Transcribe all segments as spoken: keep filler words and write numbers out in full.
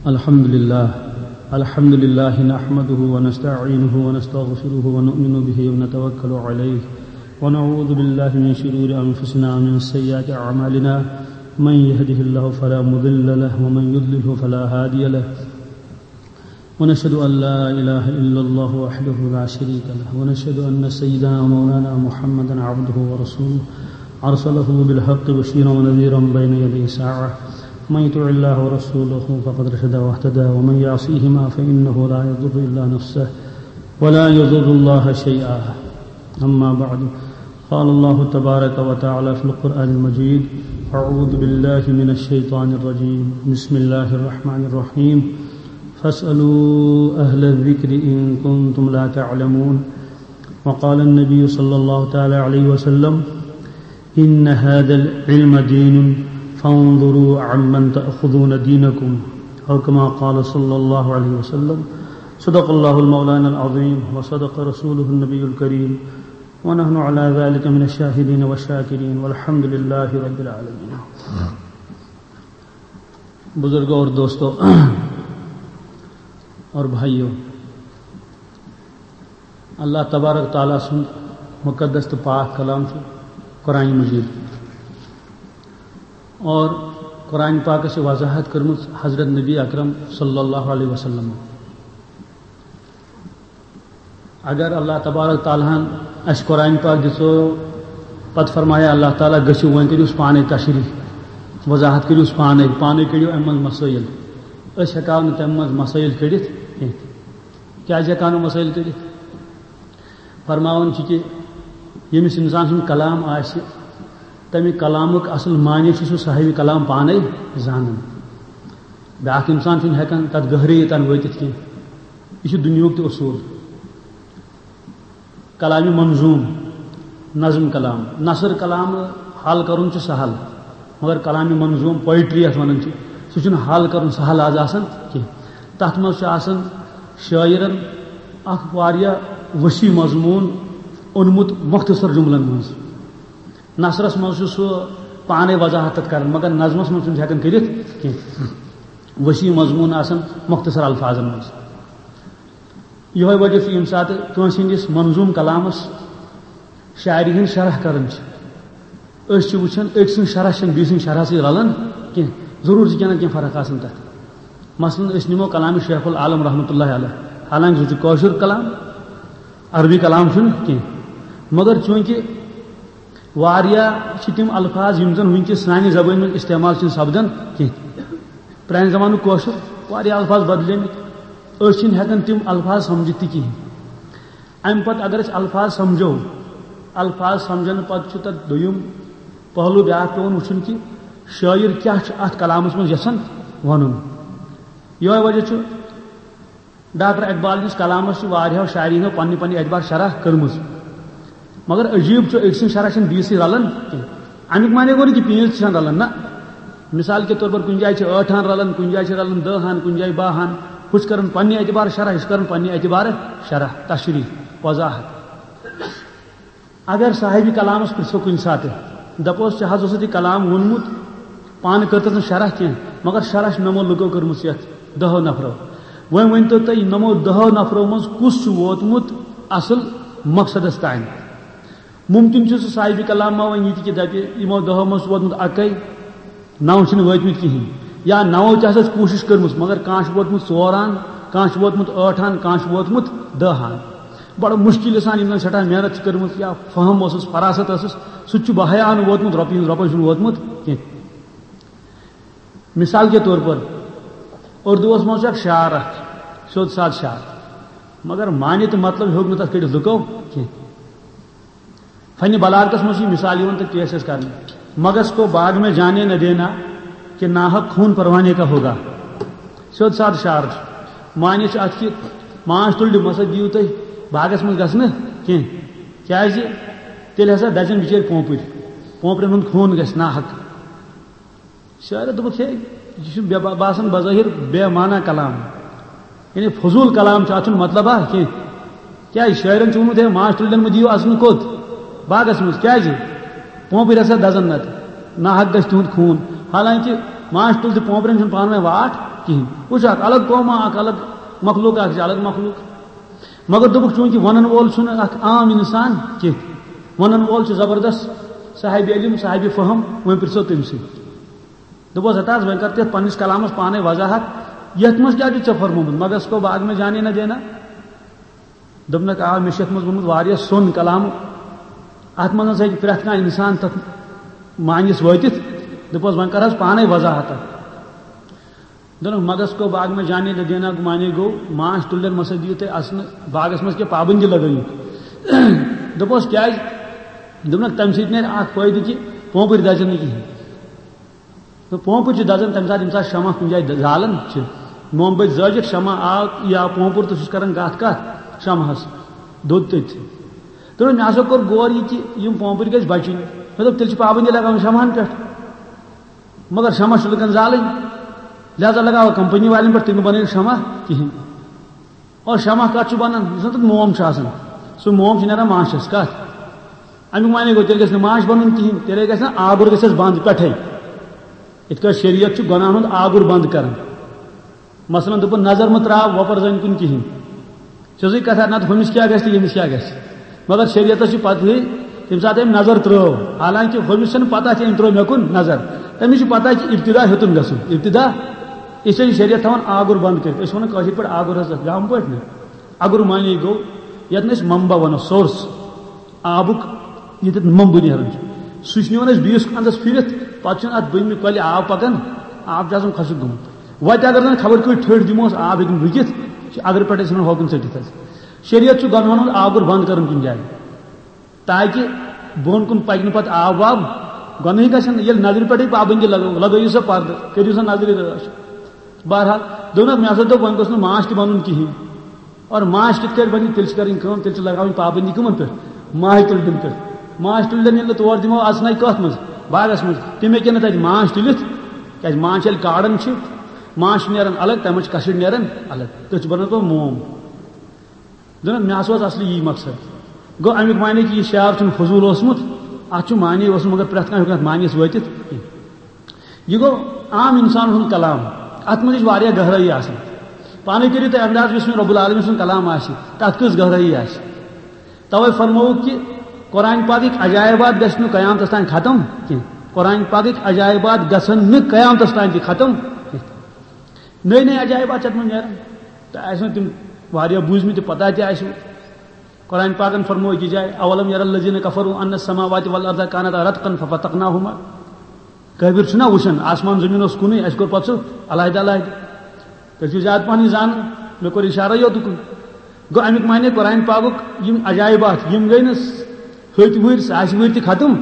الحمد لله. الحمد لله نحمده ونستعينه ونستغفره ونؤمن به ونتوكل عليه، ونعوذ بالله من شرور أنفسنا ومن سيئات أعمالنا. من يهده الله فلا مضل له، ومن يضلله فلا هادي له. ونشهد أن لا إله إلا الله وحده لا شريك له، ونشهد أن سيدنا ومولانا محمدا عبده ورسوله، أرسله بالحق بشيرا ونذيرا بين يدي الساعة. من يطع الله ورسوله فقد رشد واهتدى، ومن يعصيهما فإنه لا يضر إلا نفسه ولا يضر الله شيئا. أما بعد، قال الله تبارك وتعالى في القرآن المجيد: أعوذ بالله من الشيطان الرجيم. بسم الله الرحمن الرحيم. فاسألوا أهل الذكر إن كنتم لا تعلمون. وقال النبي صلى الله تعالى عليه وسلم: إن هذا العلم دين، فانظروا عمن تأخذون دينكم. أو كما قال صلى الله عليه وسلم. صدق الله المولانا العظيم، وصدق رسوله النبي الكريم، ونحن على ذلك من الشاهدين والشاكرين، والحمد لله رب العالمين. بزرگوں اور دوستوں اور بھائیوں، اللہ تبارک تعالیٰ سُنٛد مقدس تہٕ پاک کلام چھُ قرآن مجید۔ اور قرآن پاکس چھِ وضاحت کٔرمٕژ حضرت نبی اکرم صلی اللہ علیہ وسلم۔ اگر اللہ تبارک تعالیٰ ہن اَسہِ قرآن پاک دِژو، پتہٕ فرمایہِ اللہ تعالیٰ، "گٔژھِو وۄنۍ کٔرِو پانے تشریح، وضاحت کٔرِو پانے، پانے کٔڑِو اَمہِ منٛز مسائل۔" أسۍ ہٮ۪کو نہٕ تَمہِ منٛز مسائل کٔڑِتھ کینٛہہ۔ کیٛازِ ہٮ۪کو نہٕ مسائل کٔڑِتھ؟ فرماوان چھِ کہِ ییٚمِس اِنسان سُنٛد کلام آسہِ، تَمہِ کلامُک اَصٕل معنی چھُ سُہ صاحبِ کلام پانَے زانان۔ بیٛاکھ اِنسان چھُنہٕ ہٮ۪کان تَتھ گہرٲیی تام وٲتِتھ کینٛہہ۔ یہِ چھُ دُنیاہُک تہِ اصوٗل۔ کلامِ منظوٗم، نظم کلام، نثر کلام حل کَرُن چھُ سہل، مگر کلامِ منظوٗم، پوئٹری یَتھ وَنان چھِ، سُہ چھُنہٕ حل کَرُن سہل آز آسان کینٛہہ۔ تَتھ منٛز چھُ آسان شٲعرَن اکھ واریاہ وسیع مضموٗن اوٚنمُت مختصر جملن منٛز۔ نثرس منٛز چھُ سُہ پانے وضاحت تَتھ کران، مگر نظمس منٛز چھُنہٕ ہٮ۪کان کٔرِتھ کینٛہہ۔ وسیع مضموٗن آسان مختصر الفاظن منٛز۔ یِہوٚے وجہ چھُ، ییٚمہِ ساتہٕ کٲنٛسہِ ہٕنٛدِس منظوٗم کلامس شاعری ہٕنٛز شرح کران چھِ، أسۍ چھِ وٕچھان، أکۍ سٕنٛز شرح چھَنہٕ بیٚیہِ سٕنٛدِ شرح سۭتۍ رلان کینٛہہ، ضروٗر چھِ کینٛہہ نتہٕ کینٛہہ فرق آسان تَتھ۔ مثلاً، أسۍ نِمو کلامِ شیخ العالم رحمتہ اللہ علیہ، حالانکہ سُہ چھُ کٲشُر کلام، عربی کلام چھُنہٕ کینٛہہ، مگر چوٗنٛکہِ واریاہ چھِ تِم الفاظ یِم زَن وٕنکیٚس سانہِ زبٲنۍ منٛز استعمال چھِنہٕ سپدان کینٛہہ۔ پرٛانہِ زمانُک کٲشُر واریاہ الفاظ بدلیمٕتۍ، أسۍ چھِنہٕ ہٮ۪کان تِم الفاظ سمجھِتھ تہِ کِہیٖنۍ۔ اَمہِ پتہٕ اگر أسۍ الفاظ سمجھو، الفاظ سمجھنہٕ پتہٕ چھُ تَتھ دوٚیُم پہلو بیٛاکھ پٮ۪وان وٕچھُن کہِ شٲعر کیٛاہ چھُ اَتھ کلامَس منٛز یَژھان وَنُن۔ یِہوٚے وجہ چھُ ڈاکٹر اقبال نِس کلامس چھِ واریاہو شاعرینو پننہِ پننہِ اعتبار شرح کٔرمٕژ، مگر عجیب چھُ، أکۍ سٕنٛز شرح چھنہٕ بیٚیِس سۭتۍ رلان کینٛہہ۔ امیُک معنی گوٚو نہٕ کہِ پیٖنٛژ چھِ رلان، نہ۔ مثال کے طور پر کُنہِ جایہِ چھِ ٲٹھ ہن رلان، کُنہِ جایہِ چھِ رلان دَہ ہن، کُنہِ جایہِ باہ ہن۔ ہُہ چھُ کران پننہِ اعتبار شرح، یہِ چھُ کران پننہِ اعتبار شرح، تشریح، وضاحت۔ اگر صاحبِ کلامس پرژھو کُنہِ ساتہٕ، دپوس، "ژےٚ حظ اوسُتھ یہِ کلام ووٚنمُت، پانہٕ کٔر تَس نہٕ شرح کینٛہہ، مگر شرح چھِ نمو لُکو کٔرمٕژ یتھ دہو نفرو۔ وۄنۍ ؤنۍ تو تُہۍ، یِمو دہو نفرو منٛز کُس چھُ ووتمُت اصل مقصدس تام؟" ممکن چھُ سُہ صاحبِ کلام ما وۄنۍ یہِ تہِ کہِ دپہِ، یِمو دہو منٛز چھُ ووتمُت اکے، نو چھِنہٕ وٲتمٕتۍ کِہیٖنۍ۔ یا نوو تہِ ہسا چھِ کوٗشِش کٔرمٕژ، مگر کانٛہہ چھُ ووتمُت ژور ہن، کانٛہہ چھُ ووتمُت ٲٹھ ہن، کانٛہہ چھُ ووتمُت دَہ ہن۔ بڑٕ مُشکِل سان یِم زَن سٮ۪ٹھاہ محنت چھِ کٔرمٕژ یا فہم اوسُس، فراست ٲسٕس، سُہ تہِ چھُ بہایا نہٕ ووتمُت، رۄپیہِ ہُنٛد رۄپَے چھُنہٕ ووتمُت کینٛہہ۔ مثال کے طور پر، اردوٗوَس منٛز چھُ اکھ شعر اکھ، سیوٚد سادٕ شعر، مگر معنی تہٕ مطلب ہیوٚک نہٕ تَتھ کٔڑِتھ لُکو کینٛہہ۔ فنِ بلاغتس منٛز چھِ یہِ مثال یِوان تہٕ پیش اَسہِ کرنہٕ، "مگس کو باغ میں جانے نہ دینا کہ ناحق خون پروانے کا ہوگا۔" سیوٚد سادٕ شعر چھُ۔ معنی چھُ اَتھ کہِ ماچھ تُلرِ مہ سا دِیِو تُہۍ باغس منٛز گژھنہٕ کینٛہہ، کیٛازِ تیٚلہِ ہسا دَزن بِچٲرۍ پونٛپٕرۍ، پونٛپرٮ۪ن ہُنٛد خوٗن گژھِ ناحق۔ شاعرن دوٚپُکھ، ہے، یہِ چھُ بے-، باسان بظٲہِر بے معنی کلام، یعنی فضوٗل کلام چھُ، اَتھ چھُنہٕ مطلب اَتھ کینٛہہ۔ کیٛازِ؟ شٲعرن چھُ ووٚنمُت، ہے، ماچھ تُلرٮ۪ن مہٕ دِیِو اَژنہٕ کوٚت؟ باغس منٛز۔ کیٛازِ؟ پونٛپٕرۍ ہسا دَزن نتہٕ، ناحق گژھِ تِہُنٛد خوٗن۔ حالانکہِ ماچھ تُل تہٕ پونٛپرٮ۪ن چھُنہٕ پانہٕ ؤنۍ واٹھ کِہیٖنۍ۔ وٕچھ، اکھ الگ قوما، اکھ الگ مخلوق، اکھ چھِ الگ مخلوق۔ مگر دوٚپُکھ، چوٗنٛکہِ وَنَن وول چھُنہٕ اکھ عام اِنسان کینٛہہ، وَنَن وول چھُ زبردست صاحب علم، صاحب فہم، وۄنۍ پرٛژھو تٔمۍ سٕے۔ دوٚپُس، ہتا حظ، وۄنۍ کر تہِ یَتھ پنٛنِس کلامَس پانَے وضاحت، یَتھ منٛز کیٛاہ چھُ ژےٚ فرمومُت؟ مگس کو باغ میں جانے نہ دینا۔ دوٚپنَکھ، آ، مےٚ چھُ یَتھ منٛز ووٚنمُت واریاہ سوٚن کلام، اَتھ منٛز ہسا ہیٚکہِ پرٛٮ۪تھ کانٛہہ اِنسان تَتھ معنیَس وٲتِتھ۔ دوٚپُس، وۄنۍ کر حظ پانَے وضاحت اَتھ۔ دوٚپنَکھ، مگس کو باغ میں جانے نہ دینا کو معنی گوٚو، ماچھ تُلنَن مہ سا دِیِو تُہۍ اَژنہٕ، باغَس منٛز کینٛہہ پابندی لگٲیِو۔ دوٚپُس، کیٛازِ؟ دوٚپنَکھ، تَمہِ سۭتۍ نیرِ اَکھ فٲیدٕ کہِ پونٛپٕرۍ دَزن نہٕ کِہیٖنۍ۔ تہٕ پونٛپٕر چھِ دَزان تَمہِ ساتہٕ، ییٚمہِ ساتہٕ شمع کُنہِ جایہِ د-، زالان چھِ۔ موم بٔتۍ زٲجِتھ شمع آو یا پونٛپُر تہٕ سُہ چھُ کران کَتھ کَتھ شمعَس، دوٚد تٔتھۍ۔ تہٕ مےٚ ہسا کوٚر غور یہِ کہِ یِم پونٛپٕرۍ گٔژھۍ بَچٕنۍ۔ مےٚ دوٚپ، تیٚلہِ چھِ پابندی لگاوٕنۍ شمعَن پٮ۪ٹھ۔ مگر شمع چھُ لُکَن زالٕنۍ، لہذا لگاوو کمپنی والٮ۪ن پٮ۪ٹھ، تِم بَنٲیِو شمع کِہیٖنۍ۔ اور شمع کَتھ چھُ بَنان؟ یُس زَن تَتھ موم چھُ آسان، سُہ موم چھُ نیران ماچھَس۔ کَتھ؟ اَمیُک معنی گوٚو، تیٚلہِ گژھِ نہٕ ماچھ بَنُن کِہیٖنۍ، تیٚلے گژھِ نہ آگُر گژھٮ۪س بنٛد پٮ۪ٹھَے۔ یِتھ کٲٹھۍ شریعت چھُ گۄناہَن ہُنٛد آگُر بنٛد کران۔ مثلاً دوٚپُن، نظر مہٕ ترٛاو وۄپَر زَنہِ کُن کِہیٖنۍ۔ چھِ سُے کَتھا، نَتہٕ ہُمِس کیٛاہ گژھِ تہٕ ییٚمِس کیٛاہ گژھِ۔ مگر شریعتَس چھِ پَتہٕے، ییٚمہِ ساتہٕ أمۍ نظر ترٛٲو، حالانکہِ ہُمِس چھَنہٕ پَتہ کہِ أمۍ ترٛٲو مےٚ کُن نظر، تٔمِس چھِ پَتہ کہِ ابتدا ہیوٚتُن گژھُن، ابتدا۔ أسۍ چھِ شریعت تھاوان آگُر بنٛد کٔرِتھ، أسۍ چھِ وَنان کٲشِر پٲٹھۍ آگُر حضرت، گامہٕ پٲٹھۍ نہٕ۔ اَگُر معنی گوٚو، یَتھ نہٕ أسۍ منبع وَنو، source۔ آبُک ییٚتٮ۪تھ مۄمبہٕ نیران چھُ، سُہ چھُ نِوان أسۍ بیٚیِس اَندَس پھِرِتھ، پَتہٕ چھُنہٕ اَتھ بٔنمہِ کۄلہِ آب پَکان، آب چھُ آسان خۄشٕک گوٚمُت۔ وَتہِ اگر زَن خبر کۭتۍ ٹھٔٹھۍ دِموس، آب ہیٚکہِ نہٕ رُکِتھ، چھُ اَگرٕ پٮ۪ٹھ أسۍ وَنان ہوکُن ژٔٹِتھ حظ۔ شریعت چھُ گۄنہَن ہُنٛد آگُر بنٛد کَرُن کُنہِ جایہِ، تاکہِ بۄن کُن پَکہِ نہٕ پَتہٕ آب واب۔ گۄنہٕے گژھن، ییٚلہِ نظرِ پٮ۪ٹھٕے پابندی لگٲو، لگٲیِو سا پردٕ، کٔرِو سا نظرِ رٲچھ۔ بہرحال، دوٚپنَکھ، مےٚ ہسا دوٚپ، وۄنۍ گوٚژھ نہٕ ماچھ تہِ بَنُن کِہیٖنۍ۔ اور ماچھ کِتھ کٲٹھۍ بَنہِ؟ تیٚلہِ چھِ کَرٕنۍ کٲم، تیٚلہِ چھِ لَگاوٕنۍ پابندی کَمَن پٮ۪ٹھ؟ ماچھ تُلنٮ۪ن پٮ۪ٹھ۔ ماچھ تُلنٮ۪ن ییٚلہِ نہٕ تور دِمو، اَژنَے کَتھ منٛز؟ باغَس منٛز۔ تِم ہیٚکن نہٕ تَتہِ ماچھ تُلِتھ، کیٛازِ ماچھ ییٚلہِ کاڑان چھِ، ماچھ چھِ نیران الگ، تَمہِ منٛز چھِ کَشٕر نیران الگ، تٔتھۍ چھِ بَنان پَتہٕ موم۔ دوٚپُن، مےٚ ہسا اوس اَصلی یی مقصد۔ گوٚو، اَمیُک معنی کہِ یہِ شعر چھُنہٕ فضوٗل اوسمُت، اَتھ چھُ معنی اوسمُت، مگر پرٛٮ۪تھ کانٛہہ ہیوٚک نہٕ اَتھ معنیَس وٲتِتھ کینٛہہ۔ یہِ گوٚو عام اِنسان ہُنٛد کلام۔ اَتھ منٛز چھِ واریاہ گہرٲیی آسان۔ پانَے کٔرِو تُہۍ انداز، یُس وۄنۍ رب العالمین سُنٛد کلام آسہِ، تَتھ کٔژ گہرٲیی آسہِ۔ تَوَے فرمووُکھ کہِ قرآن پاکٕکۍ عجائبات گژھِ نہٕ قیامتَس تام ختم کینٛہہ۔ قرآن پاکٕکۍ عجائبات گژھن نہٕ قیامتَس تام تہِ ختم کینٛہہ۔ نٔے نٔے عجائبات چھِ اَتھ منٛز نیران۔ تۄہہِ آسِوٕ تِم واریاہ بوٗزمٕتۍ تہٕ پتہ تہِ آسِوٕ۔ قرآن پاکن فرموو أکِس جایہِ، "اولم یر الذین کفروا ان السماوات والارض کانتا رتقا ففتقناہما۔" کٲفِر چھُنہ وٕچھان، آسمان زٔمیٖن اوس کُنُے، اَسہِ کوٚر پتہٕ سُہ علیحدٕ علیحدٕ۔ تُہۍ چھِو زیادٕ پہنٕے زانان، مےٚ کوٚر اِشارٕ یوتُکُن۔ گوٚو، اَمیُک معنی قرآن پاکُک یِم عجائبات، یِم گٔے نہٕ ہُتۍ وٕہٕرۍ، ساسہِ وٕہٕرۍ تہِ ختم،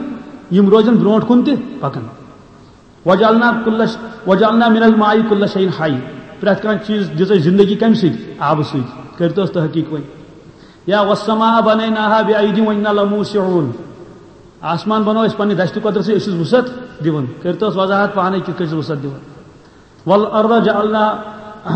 یِم روزن برونٛٹھ کُن تہِ پکان۔ وجعلنا کل ش-، وجعلنا من الماء کل شیء حی۔ پرٛٮ۪تھ کانٛہہ چیٖز دِژ اَسہِ زندگی کَمہِ سۭتۍ؟ آبہٕ سۭتۍ۔ کٔرۍتوس تحقیٖق وۄنۍ۔ یا والسماء بنیناها بأید وانا لموسعون۔ آسمان بنوو اَسہِ پننہِ دستِ قۄدرت سۭتۍ، أسۍ چھِس وُسعت دِوان۔ کٔرۍتوس وضاحت پانے کِتھ کٔنۍ چھِس وُسعت دِوان۔ والارض جعلنا،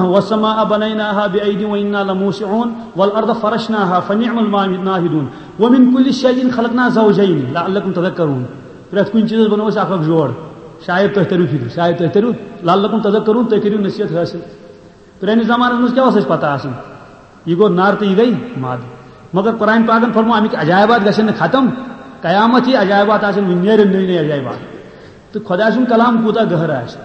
والسماء بنیناها بأید وانا لموسعون، والارض فرشناها فنعم الماهدون، ومن کل شیء خلقنا زوجین لعلکم تذکرون۔ پرٛٮ۪تھ کُنہِ چیٖزس بنوو اَسہِ اکھ اکھ جوڑ۔ شاید تُہۍ تٔرِو فِکرِ، شاید تُہۍ تٔرِو، لعلکم تذکرون، تُہۍ کٔرِو نصیحت حٲصِل۔ پرٛٲنِس زمانس منٛز کیٛاہ اوس اَسہِ پتہ آسان؟ یہِ گوٚو نر تہٕ یہِ گٔے مد۔ مگر قرآن پاکن فرموو، اَمِکۍ عجائبات گژھن نہٕ ختم، قیامت یی، عجائبات آسن وُنہِ، نیرن نٔے نٔے عجائبات۔ تہٕ خۄداے سُنٛد کلام کوٗتاہ گہرٕ آسہِ۔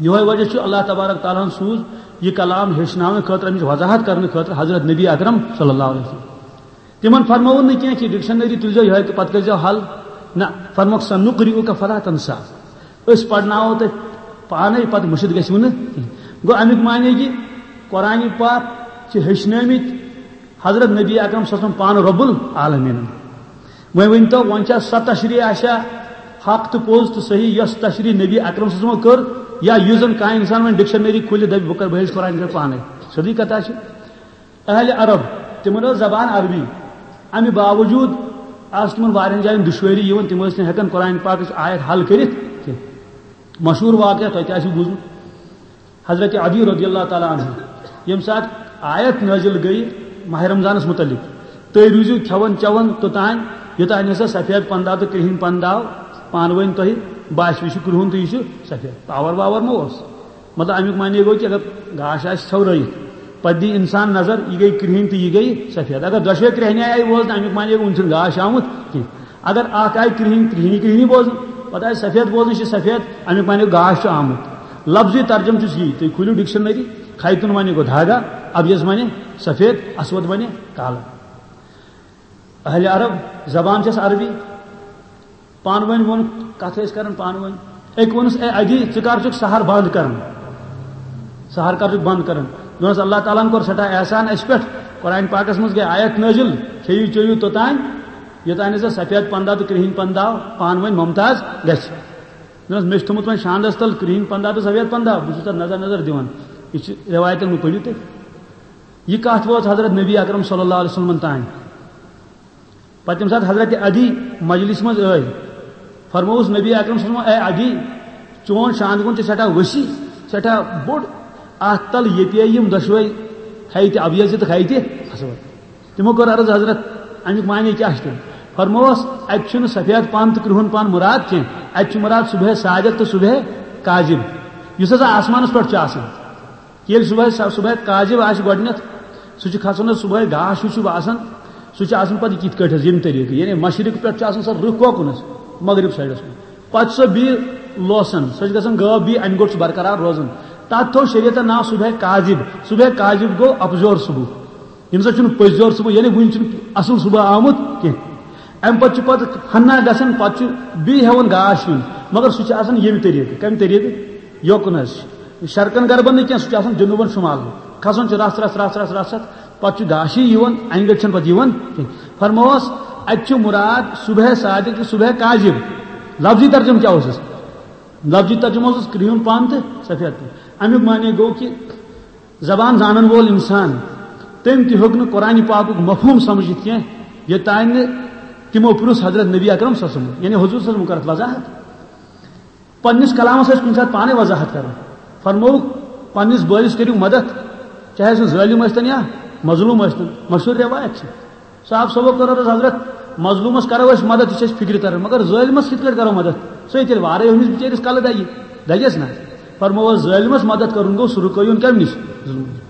یِہوٚے وجہ چھُ، اللہ تبارک تعالیٰ ہن سوٗز یہِ کلام ہیٚچھناونہٕ خٲطرٕ، اَمِچ وضاحت کرنہٕ خٲطرٕ حضرت نبی اکرم صلی اللہ علیہ وسلم۔ تِمن فرمووُن نہٕ کینٛہہ کہِ ڈکشنری تُلزیو یِہوٚے تہٕ پتہٕ کٔرزیو حل۔ نہ، فرموکھ، "سنقرئک فلا تنسیٰ"، أسۍ پرناوو تۄہہِ پانے، پتہٕ مٔشِتھ گژھِوٕ نہٕ کینٛہہ۔ گوٚو، اَمیُک معنی کہِ قرآن پاک چھِ ہیٚچھنٲومٕتۍ حضرت نبی اکرم صلی اللہ علیہ وسلم پانہٕ رب العالمینن۔ وۄنۍ ؤنۍ تو، وۄنۍ چھا سۄ تشریح آسیا حق تہٕ پوٚز تہٕ صحیح، یۄس تشریح نبی اکرم صلی اللہ علیہ وسلم کٔر، یا یُس زن کانٛہہ انسان وۄنۍ ڈکشنری کھولہِ، دپہِ، "بہٕ کرٕ، بہٕ ہیٚچھِ قرآن کرٕ پانے"؟ سیوٚدُے کتھا چھِ۔ اہل عرب، تِمن ٲس زبان عربی، امہِ باوجود آسہٕ تِمن واریاہن جاین دُشوٲری یِوان، تِم ٲسۍ نہٕ ہٮ۪کان قرآن پاکٕچ آیت حل کٔرِتھ کینٛہہ۔ مشہوٗر واقعہ تۄہہِ تہِ آسِوٕ بوٗزمُت، حضرت علی رضی اللہ تعالیٰ عنہ، ییٚمہِ ساتہٕ آیت نٲزِل گٔیہِ ماہ رمضانس متعلق، "تُہۍ روٗزِو کھٮ۪وان چٮ۪وان توٚتام، یوٚتام ہسا سفید پندہ تہٕ کرٛہِنۍ پندہ آو پانہٕ ؤنۍ تۄہہِ باسہِ، یہِ چھُ کرٛہُن تہٕ یہِ چھُ سفید"، پاور واور ما اوس؟ مطلب، اَمیُک معنی گوٚو کہِ اگر گاش آسہِ ژھٮ۪ورٲیِتھ، پتہٕ دی اِنسان نظر، یہِ گٔے کرٛہِنۍ تہٕ یہِ گٔے سفید۔ اگر دۄشوے کرٛہنہِ آیہِ ووزنہٕ، اَمیُک معنی گوٚو وُنہِ چھُنہٕ گاش آمُت کینٛہہ۔ اگر اکھ آیہِ کرٛہِنۍ، کرٛہنہِ کرٛہنہِ بوزنہٕ، پتہٕ آیہِ سفید بوزنہٕ، یہِ چھِ سفید، اَمیُک معنی گوٚو گاش چھُ آمُت۔ لفظی ترجمہٕ چھُس یی، تُہۍ کھوٗلِو ڈکشنری، خیتون معنی گوٚو دھاگا، ابیض معنی سفید، اسود معنی کالا۔ اہل عرب زبان چھس عربی، پانہٕ ؤنۍ ووٚن، کتھ ٲسۍ کران پانہٕ ؤنۍ۔ أکۍ ووٚنُس، "اے ادی، ژٕ کر چھُکھ سحر بند کران؟ سحر کر چھُکھ بند کران؟" دوٚپنس، "اللہ تعالیٰ ہن کوٚر سٮ۪ٹھاہ احسان اسہِ پٮ۪ٹھ، قرآن پاکس منٛز گٔے آیت نٲزِل، کھیٚیِو چیٚیِو توٚتام، یوٚتام نہٕ ژےٚ سفید پندہ تہٕ کرٛہِنۍ پندہ پانہٕ ؤنۍ ممتاز گژھِ۔" دوٚپنس، "مےٚ چھُ تھوٚمُت وۄنۍ شاندس تل کرٛہِنۍ پندہ تہٕ سفید پندہ، بہٕ چھُس تتھ نظر نظر دِوان۔" یہِ چھِ رٮ۪وایتن منٛز، پٔرِو تُہۍ۔ یہِ کتھ وٲژ حضرت نبی اکرم صلی اللہ علیہ وسلمن تام۔ پتہٕ ییٚمہِ ساتہٕ حضرت عدی مجلس منٛز ٲے، فرمووُس نبی اکرم صلی اللہ علیہ وسلم، "اے عدی، چون شاندٕ گُن چھُ سٮ۪ٹھاہ وسیع، سٮ۪ٹھاہ بوٚڑ، اتھ تل یہِ پیٚیہِ یِم دۄشوے، خیتہِ ابیض تہٕ خیتہِ اسود۔" تِمو کوٚر عرض، "حضرت، امیُک معنی کیٛاہ چھُ تیٚلہِ؟" فرمووس، "اتہِ چھُنہٕ سفید پن تہٕ کرٛہُن پن مراد کینٛہہ، اتہِ چھُ مراد صبح صادق تہٕ صبح کاذب، یُس ہسا آسمانس پٮ۪ٹھ چھُ آسان۔" ییٚلہِ صبحٲے، صبحٲے کاذب آسہِ گۄڈٕنٮ۪تھ، سُہ چھُ کھسان حظ صبحٲے، گاش ہیوٗ چھُ باسان، سُہ چھُ آسان پتہٕ یِتھ کٲٹھۍ حظ، ییٚمہِ طریٖقہٕ، یعنی مشرق پٮ۪ٹھ چھُ آسان سۄ رٕکھ کوکُن حظ، مغرب سایڈس کُن۔ پتہٕ چھُ سۄ بیٚیہِ لوسان، سۄ چھِ گژھان غٲب، بیٚیہِ انہِ گوٚٹ چھُ برقرار روزان۔ تتھ تھوٚو شریعتن ناو صبحٲے کاذب۔ صبحٲے کاذب گوٚو اپزور صبح۔ ییٚمہِ ساتہٕ چھُنہٕ پٔزۍ یور صبح، یعنی وُنہِ چھُنہٕ اصل صبح آمُت کینٛہہ۔ امہِ پتہٕ چھُ پتہٕ ہنا گژھان، پتہٕ چھُ بیٚیہِ ہٮ۪وان گاش یُن، مگر سُہ چھُ آسان ییٚمہِ طریٖقہٕ۔ کمہِ طریٖقہٕ؟ یوکُن حظ چھُ۔ شرقن غربن نہٕ کینٛہہ، سُہ چھُ آسان جنوٗبن شمال۔ کھسان چھُ رژھ، رژھ، رژھ، رژھ، رژھ، رژھ، پتہٕ چھُ گاشٕے یِوان، انہِ گٔٹۍ چھَنہٕ پتہٕ یِوان کینٛہہ۔ فرمووس، اتہِ چھُ مراد صبح صادق تہٕ صبح کاذب۔ لفظی ترجمہٕ کیٛاہ اوسُس؟ لفظی ترجمہٕ اوسُس کرٛہُن پن تہٕ سفید پن۔ امیُک معنی گوٚو کہِ زبان زانن وول انسان، تٔمۍ تہِ ہیوٚک نہٕ قرآن پاکُک مفہوم سمجھِتھ کینٛہہ، یوٚتام نہٕ تِمو پرُژھ حضرت نبی اکرم صلی اللہ علیہ وسلم، یعنی حضور صلی اللہ علیہ وسلم کٔر اتھ وضاحت۔ پننِس کلامس ٲسۍ کُنہِ ساتہٕ پانے وضاحت کران۔ فرمووُکھ، "پننِس بٲیِس کٔرِو مدد، چاہے سُہ ظٲلم ٲسۍتن یا مظلوم ٲسۍتن۔" مشہوٗر روایت چھِ۔ صاحب صٲبو کٔر عرض، "حضرت، مظلومس کرو أسۍ مدد، یہِ چھِ اَسہِ فِکرِ تران، مگر ظٲلمس کِتھ کٲٹھۍ کرو مدد؟ سُہ ہے تیٚلہِ وارے ہُمِس بِچٲرِس کلہٕ دگہِ، دگٮ۪س نا؟" فرمووس، "ظٲلمس مدد کرُن گوٚو سُہ رُکٲیُن کمہِ نِش؟ ظُلمہٕ نِش۔"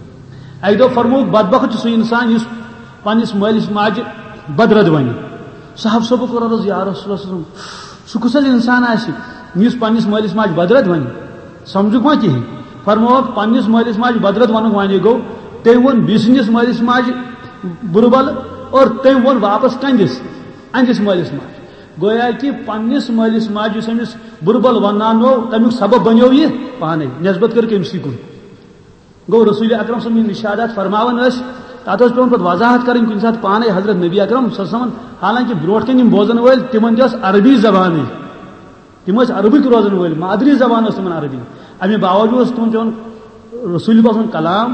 اکہِ دۄہ فرمووُکھ، "بدبخت چھُ سُہ انسان یُس پننِس مٲلِس ماجہِ بدرد ونہِ۔" صاحب صٲبو کوٚر عرض، "یا رسول اللہ صلی اللہ علیہ وسلم، سُہ کُس حظ انسان آسہِ یُس پننِس مٲلِس ماجہِ بدرد ونہِ؟ سمجھُکھ ما کِہیٖنۍ؟" فرمووُکھ، پننِس مٲلِس ماجہِ بدرد ونُک معنی گوٚو، تٔمۍ ووٚن بیٚیہِ سٕنٛدِس مٲلِس ماجہِ بُرٕ بل اور تٔمۍ ووٚن واپس کہندِس، أہندِس مٲلِس ماجہِ۔ گویا کہِ پننِس مٲلِس ماجہِ یُس أمِس بُرٕ بل ونناونو، تمیُک سبب بنیو یہِ پانے، نسبت کٔر کٔمۍ سٕے کُن۔ گوٚو رسول اکرم صٲب یِم ارشادات فرماوان ٲسۍ، تتھ ٲس پٮ۪وان پتہٕ وضاحت کرٕنۍ کُنہِ ساتہٕ پانے حضرت نبی اکرم صلی اللہ علیہ وسلمن۔ حالانکہ برونٹھ کَنہِ یِم بوزن وٲلۍ، تِمن تہِ ٲس عربی زبانٕے۔ تِم ٲسۍ عربٕکۍ روزن وٲلۍ، مادری زبان ٲس تِمن عربی۔ اَمہِ باوجوٗد اوس تِمن پٮ۪وان رسول پاک سُنٛد کلام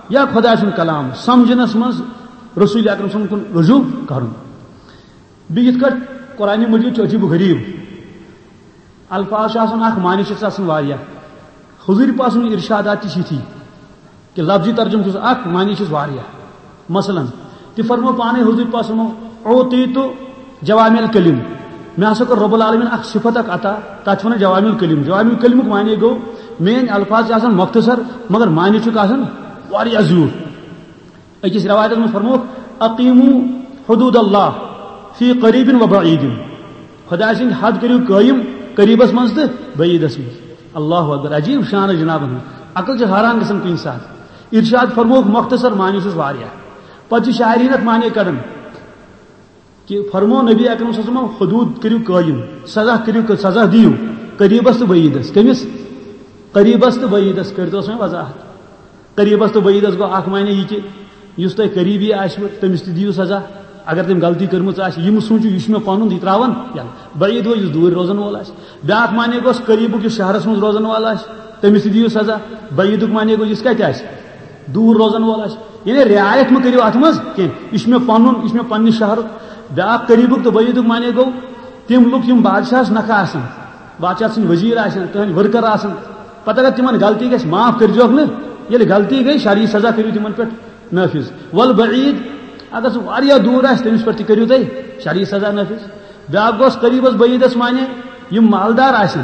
یا خۄداے سُنٛد کلام سمجھنس منٛز رسول اکرم سُنٛد کُن رجوع کرُن۔ بیٚیہِ یِتھ کٲٹھۍ قرآن مجید چھُ عجیب و غریب، الفاظ چھِ آسان اکھ، معنی چھِ آسان واریاہ۔ حضوٗر پاک سٕنٛدۍ ارشادات تہِ چھِ یِتھی۔ کہ لفظی ترجمہٕ چھُس اکھ، معنی چھُس واریاہ۔ مثلاً، تہِ فرمو پانے حضور پاک صلی اللہ علیہ وسلم، "اوتیت جوامع الکلم"، مےٚ ہسا کوٚر رب العالمین اکھ صفت اکھ عطا، تتھ چھِ ونان جوامع الکلم۔ جوامع الکلمُک معنی گوٚو، میٲنۍ الفاظ چھِ آسان مختصر، مگر معنی چھُکھ آسان واریاہ زیوٗٹھ۔ أکِس روایتس منٛز فرمووُکھ، "اقیموا حدود اللہ فی قریب و بعید"، خدایہِ سٕنٛدۍ حد کٔرِو قٲیِم قریبس منٛز تہٕ بعیدس منٛز۔ اللہ اکبر، عجیب شان جنابن ہُنٛد، عقل چھِ حیران گژھان کُنہِ ساتہٕ۔ ارشاد فرمووُکھ مختصر، معنی چھُس واریاہ۔ پتہٕ چھِ شاعرین اتھ معنی کڑان کہ فرمو نبی اکرم صلی اللہ علیہ وسلم، حدود کٔرِو قٲیِم، سزا کٔرِو، سزا دِیِو قریبس تہٕ بعیدس۔ کٔمِس؟ قریبس تہٕ بعیدس۔ کٔرۍتو سا وۄنۍ وضاحت۔ قریبس تہٕ بعیدس گوٚو اکھ معنی یہِ کہ یُس تۄہہِ قریبی آسِوٕ، تٔمِس تہِ دِیِو سزا۔ اگر تٔمۍ غلطی کٔرمٕژ آسہِ، یِم سوٗنٛچِو، یہِ چھُ مےٚ پَنُن، یہِ ترٛاوَن یَلہٕ۔ بعیٖد گوٚو یُس دوٗرِ روزَن وول آسہِ۔ بیٛاکھ معنی گوٚس قریٖبُک، یُس شہرَس منٛز روزَن وول آسہِ، تٔمِس تہِ دِیِو سزا۔ بعیٖدُک معنی گوٚو یُس کَتہِ آسہِ، دوٗر روزَن وول آسہِ۔ یعنی رعایت مہٕ کٔرِو اَتھ منٛز کینٛہہ، یہِ چھُ مےٚ پَنُن، یہِ چھُ مےٚ پنٛنہِ شہرُک۔ بیٛاکھ قریٖبُک تہٕ بعیٖدُک معنی گوٚو تِم لُکھ یِم بادشاہَس نَکھٕ آسَن، بادشاہ سٕنٛدۍ ؤزیٖر آسَن، تٕہٕنٛدۍ ؤرکَر آسَن، پَتہٕ اگر تِمَن غلطی گژھِ، معاف کٔرۍزیوکھ نہٕ، ییٚلہِ غلطی گٔے، شرعی سزا کٔرِو تِمَن پٮ۪ٹھ نافذ۔ والبعید، اگر سُہ واریاہ دوٗر آسہِ، تٔمِس پٮ۪ٹھ تہِ کٔرِو تُہۍ شرعی سزا نافذ۔ بیٛاکھ گوٚس قریٖبس بعیٖدس معنی یِم مالدار آسن،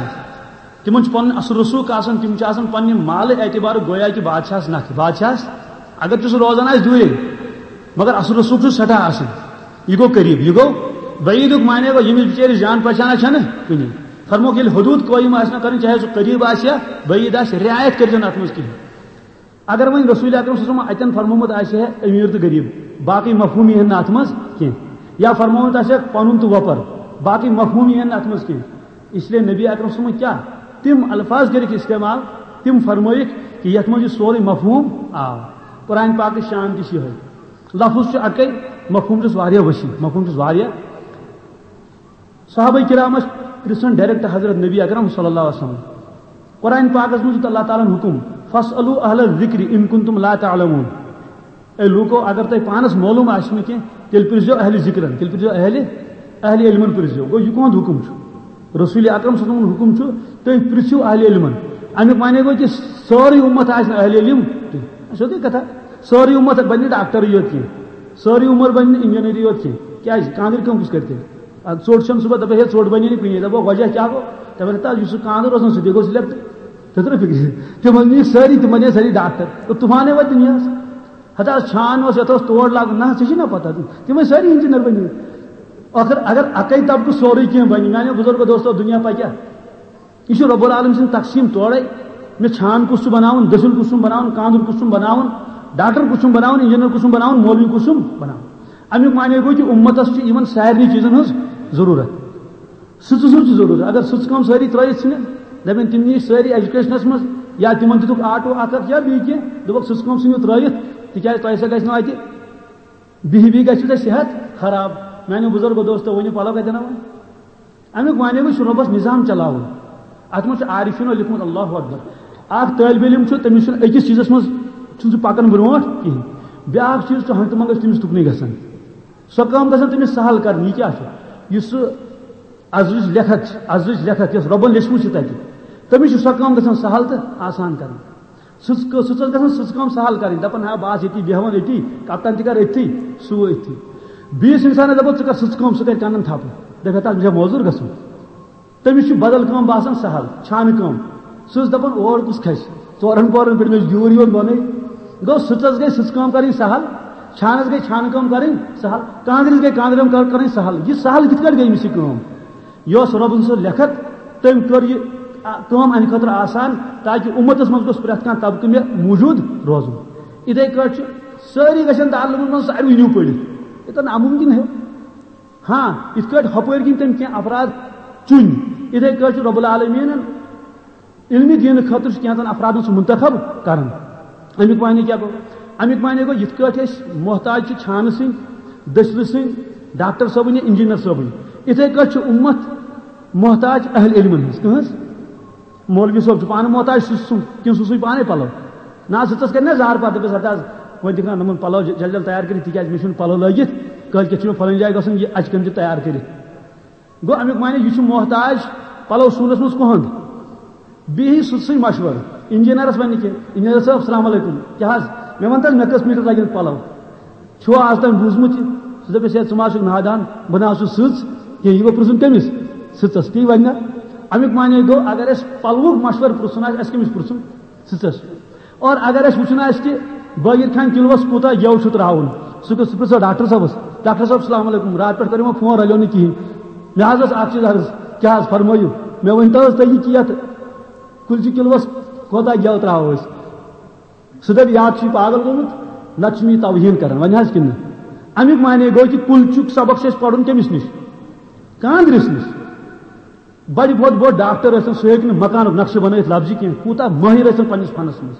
تِمن چھُ پنُن اصل رسوخ آسان، تِم چھِ آسان پننہِ مالہٕ اعتبارٕ گویا کہِ بادشاہس نکھٕ۔ بادشاہس اگر تہِ سُہ روزان آسہِ دوٗرے، مگر اصل رسوخ چھُ سٮ۪ٹھاہ آسان۔ یہِ گوٚو قریب، یہِ گوٚو بعیدُک معنی گوٚو، ییٚمِس بِچٲرِس جان پہچانا چھَنہٕ کُنہِ۔ فرمووُکھ، ییٚلہِ حدوٗد قٲیِم آسہِ نہ کرٕنۍ، چاہے سُہ قریب آسہِ یا بعید آسہِ، رعایت کٔرۍزیو نہٕ اتھ منٛز کِہیٖنۍ۔ اگر وۄنۍ رسول اکرم صلی اللہ علیہ وسلم اتٮ۪ن فرمومُت آسہِ ہے امیر تہٕ غریب، باقٕے مفہوم یِہن نہٕ اتھ منٛز کینٛہہ، یا فرمومُت آسہِ ہے پنُن تہٕ وۄپر، باقٕے مفہوم یِہن نہٕ اتھ منٛز کینٛہہ۔ اس لیے نبی اکرم صلی اللہ علیہ وسلم کیٛاہ تِم الفاظ کٔرِکھ استعمال، تِم فرمٲیِکھ کہِ یتھ منٛز یہِ سورُے مفہوم آو۔ قرآن پاکٕچ شان تہِ چھِ یِہوٚے، لفظ چھُ اکے، مفہوم چھُس واریاہ وسیع، مفہوم چھُس واریاہ۔ صحابہ کرام ٲسۍ پرژھان ڈائریکٹ حضرت نبی اکرم صلی اللہ علیہ وسلم۔ قرآن پاکس منٛز دیُت اللہ تعالیٰ ہن حکم، "فاسألوا اہل الذکر ان کنتم لا تعلمون"۔ اے لوٗکو، اگر تۄہہِ پانس معلوم آسہِ نہٕ کینٛہہ، تیٚلہِ پرژھزیو اہل ذکرن، تیٚلہِ پرژھزیو اہل، اہل علمن پرژھزیو۔ گوٚو، یہِ کُہُنٛد حکم چھُ؟ رسول اکرم صلی اللہ علیہ وسلم ہُنٛد حکم چھُ، تُہۍ پرژھِو اہل علمن۔ امیُک معنی گوٚو کہِ سٲرٕے اُمت آسہِ نہٕ اہل علم کینٛہہ۔ سیوٚدُے کتھا، سٲرٕے اُمت بنہِ نہٕ ڈاکٹرٕے یوت کینٛہہ، سٲرٕے عمر بنہِ نہٕ انجینرٕے یوت کینٛہہ۔ کیٛازِ؟ کانٛدرِ کٲم کُس کرِ تیٚلہِ؟ اَدٕ ژوٚٹ چھَنہٕ صُبحن دَپان، "ہے، ژوٚٹ بَنے نہٕ کُنی۔" دَپو، "وجہ کیٛاہ گوٚو؟" دَپان، "ہتا، یُس سُہ کانٛدر اوس نا، سُہ تہِ گوٚو سِلیکٹ۔" تیٚلہِ ترٛٲو فِکرِ۔ تِم ٲسۍ نہٕ سٲری، تِم بَنے سٲری ڈاکٹر۔ تہٕ طوفانٕے واتہِ دُنیاہَس۔ ہتا، چھان اوس، یَتھ اوس تور لاگُن۔ نہ، ژےٚ چھِ نا پَتہ۔ تِم ٲسۍ سٲری انجینئر بَنیمٕتۍ۔ ٲخٕر اگر اَکَے طبقہٕ سورُے کینٛہہ بَنہِ، میٛانیو بُزرگو دوستو، دُنیا پَکیٛاہ؟ یہِ چھُ رب العالمین سٕنٛز تقسیٖم تورے۔ مےٚ چھان کُس چھُ بناوُن، دٔسِل کُس چھُم بناوُن، کانٛدُر کُس چھُم بناوُن، ڈاکٹر کُس چھُم بناوُن، انجینئر کُس چھُم بناوُن، مولوی کُس چھُم بناوُن۔ اَمیُک معنی گوٚو کہِ اُمتس چھُ یِمن سارنٕے چیٖزن ہٕنٛز ضروٗرت۔ سٕژٕ سٕنٛز چھِ ضروٗرت۔ اگر سٕژٕ کٲم سٲری ترٲیِتھ ژھٕنہِ، دَپن تِم نِش سٲری ایجوکیشنس منٛز، یا تِمن دِتُکھ آٹو اکھ اکھ یا بیٚیہِ کینٛہہ، دوٚپُکھ، "سٕژٕ کٲم ژھٕنِو ترٲیِتھ، تِکیازِ تۄہہِ سۭتۍ گژھِ نہٕ اَتہِ بِہِی بِہِی گژھِ ژےٚ صحت خراب۔" میانیو بُزرگو دوستو، ؤنِو پَلو کَتٮ۪ن اَنو؟ اَمیُک معنی گوٚو، یہِ چھُ رۄبَس نظام چلاوُن۔ اَتھ منٛز چھُ عارفیٖنو لیوٚکھمُت، اللہ اکبر۔ اَکھ طٲلبہِ علم چھُ، تٔمِس چھُنہٕ أکِس چیٖزَس منٛز چھُنہٕ سُہ پَکان برونٛٹھ کِہیٖنۍ۔ بیٛاکھ چیٖز چھُ ہنٛگتہٕ منٛگَس تٔمِس تُکنُے گژھان۔ سۄ کٲم گژھان تٔمِس سہل کَرٕنۍ۔ یہِ کیٛاہ چھُ؟ یُس سُہ ازٕچ لیکھت چھِ، ازٕچ لیکھت یۄس رۄبَن لیچھمٕژ چھِ تَتہِ، تٔمِس چھِ سۄ کٲم گژھان سہل تہٕ آسان کَرٕنۍ۔ سٕژ کٲ-، سٕژس گژھان سٕژ کٲم سہل کَرٕنۍ، دَپان، "ہا، بہٕ آسہٕ ییٚتی، بیٚہوان أتی، کپٹن تہِ کَرٕ أتھی، سُہ أتھی۔" بیٚیِس اِنسانَس دَپو، "ژٕ کَر سٕژ کٲم، سُہ کَرِ کَنَن تھَپہٕ۔" دَپہِ، "ہتا، مےٚ چھےٚ موزوٗر گژھُن۔" تٔمِس چھُ بدل کٲم باسان سہل، چھانہٕ کٲم۔ سٕژ دَپان، "اور کُس کھسہِ؟ ژورَن پورَن پٮ۪ٹھ مےٚ چھُ گیوٗر یِوان بۄنٕے۔" گوٚو، سٕژس گٔے سٕژ کٲم کَرٕنۍ سہل، چھانَس گٔے چھانہٕ کٲم کَرٕنۍ سہل، کانٛگرِس گٔے کانٛدرِ کٲم کَر-، کَرٕنۍ سہل۔ یہِ سہل کِتھ کٲٹھۍ گٔے أمِس یہِ کٲم؟ یہِ اوس رۄبن سٕنٛز لیکھت، تٔمۍ کٔر یہِ آ-، کٲم اَمہِ خٲطرٕ آسان، تاکہِ اُمتس منٛز گوٚژھ پرٛٮ۪تھ کانٛہہ طبقہٕ مےٚ موٗجوٗد روزُن۔ یِتھَے کٲٹھۍ چھِ سٲری گژھن دارالعلومن منٛز ساروٕے نیوٗ پٔرِتھ، یہِ تہٕ نامُمکِن ہے۔ ہاں، یِتھ کٲٹھۍ ہُپٲرۍ کِنۍ تٔمۍ کینٛہہ افراد چُنۍ، یِتھَے کٲٹھۍ چھُ رۄب العالمیٖنن علمِ دیٖنہٕ خٲطرٕ چھُ کینٛژن افرادن سُہ منتخب کران۔ اَمیُک معنی کیٛاہ گوٚو؟ اَمیُک معنی گوٚو، یِتھ کٲٹھۍ أسۍ محتاج چھِ چھانہٕ سٕنٛدۍ، دٔسلہٕ سٕنٛدۍ، ڈاکٹر صٲبٕنۍ یا انجینئر صٲبٕنۍ، یِتھَے کٲٹھۍ چھُ اُمت محتاج اہل علمن ہٕنٛز۔ کٕہٕنٛز؟ مولوی صٲب چھُ پانہٕ محتاج سٕژ سُنٛد، کِنہٕ سُہ سُے پانے پلو؟ نہ، سٕژس کرِ نا زار پتہٕ، دٔپِس، "ہتہٕ حظ، وۄنۍ دِکھ نا یِمن پلو ج-، جلدی جلدی تیار کٔرِتھ، تِکیازِ مےٚ چھُنہٕ پلو لٲگِتھ، کٲلۍ کٮ۪تھ چھُ مےٚ فلٲنۍ جایہِ گژھُن، یہِ اَتہِ کٔرۍ زِ تیار کٔرِتھ۔" گوٚو، اَمیُک معنی، یہِ چھُ محتاج پلو سُونَس منٛز کُہُنٛد؟ بیٚیہِ سٕژ سٕے مشورٕ، انجینئرس وَنہِ کہِ، "انجینئر صٲب، السلام علیکم، کیٛاہ حظ، مےٚ وَن تہٕ حظ، مےٚ کٔژ میٖٹر لَگن پلو؟ چھُوا آز تام بوٗزمُت یہِ؟" سُہ دَپٮ۪س، "ہے، ژٕ ما چھُکھ نادان، بہٕ نہ حظ چھُس سٕژ کینٛہہ، یہِ گوٚو پرٛژھُن کٔمِس؟ سٕژس۔" تی وَنہِ نا۔ اَمیُک معنی گوٚو، اگر اَسہِ پلوُک مشورٕ پرٛژھُن آسہِ، اَسہِ کٔمِس پرٛژھُن؟ سٕژس۔ اور اگر اَسہِ وٕچھُن آسہِ کہِ بٲگِر خان کِلوَس کوٗتاہ گٮ۪و چھُ ترٛاوُن، سُہ گوٚو، سُہ پرٛژھو ڈاکٹر صٲبَس، "ڈاکٹر صٲب، السلام علیکم، راتہٕ پٮ۪ٹھ کَر یِمو فون، رَلیو نہٕ کِہیٖنۍ۔ مےٚ حظ ٲس اَکھ چیٖز عرض، کیٛاہ حظ فرمٲیِو؟" مےٚ ؤنۍ تو حظ تُہۍ یہِ کہِ یَتھ کُلچہِ کِلوَس کوٗتاہ گٮ۪و ترٛاوو أسۍ؟ سُہ دَپہِ، "یا چھُ یہِ پاگل گوٚمُت، نَتہٕ چھُ مےٚ یہِ توہیٖن کَران، وۄنۍ حظ کِنہٕ نہٕ؟" اَمیُک معنی گوٚو کہِ کُلچُک سبق چھُ اَسہِ پَرُن کٔمِس نِش؟ کانٛدرِس نِش۔ بڑِ بوٚڑ بوٚڑ ڈاکٹر ٲسِن، سُہ ہیٚکہِ نہٕ مکانُک نقشہٕ بنٲیِتھ لفظی کینٛہہ، کوٗتاہ مٲہِر ٲسِن پننِس فنس منٛز۔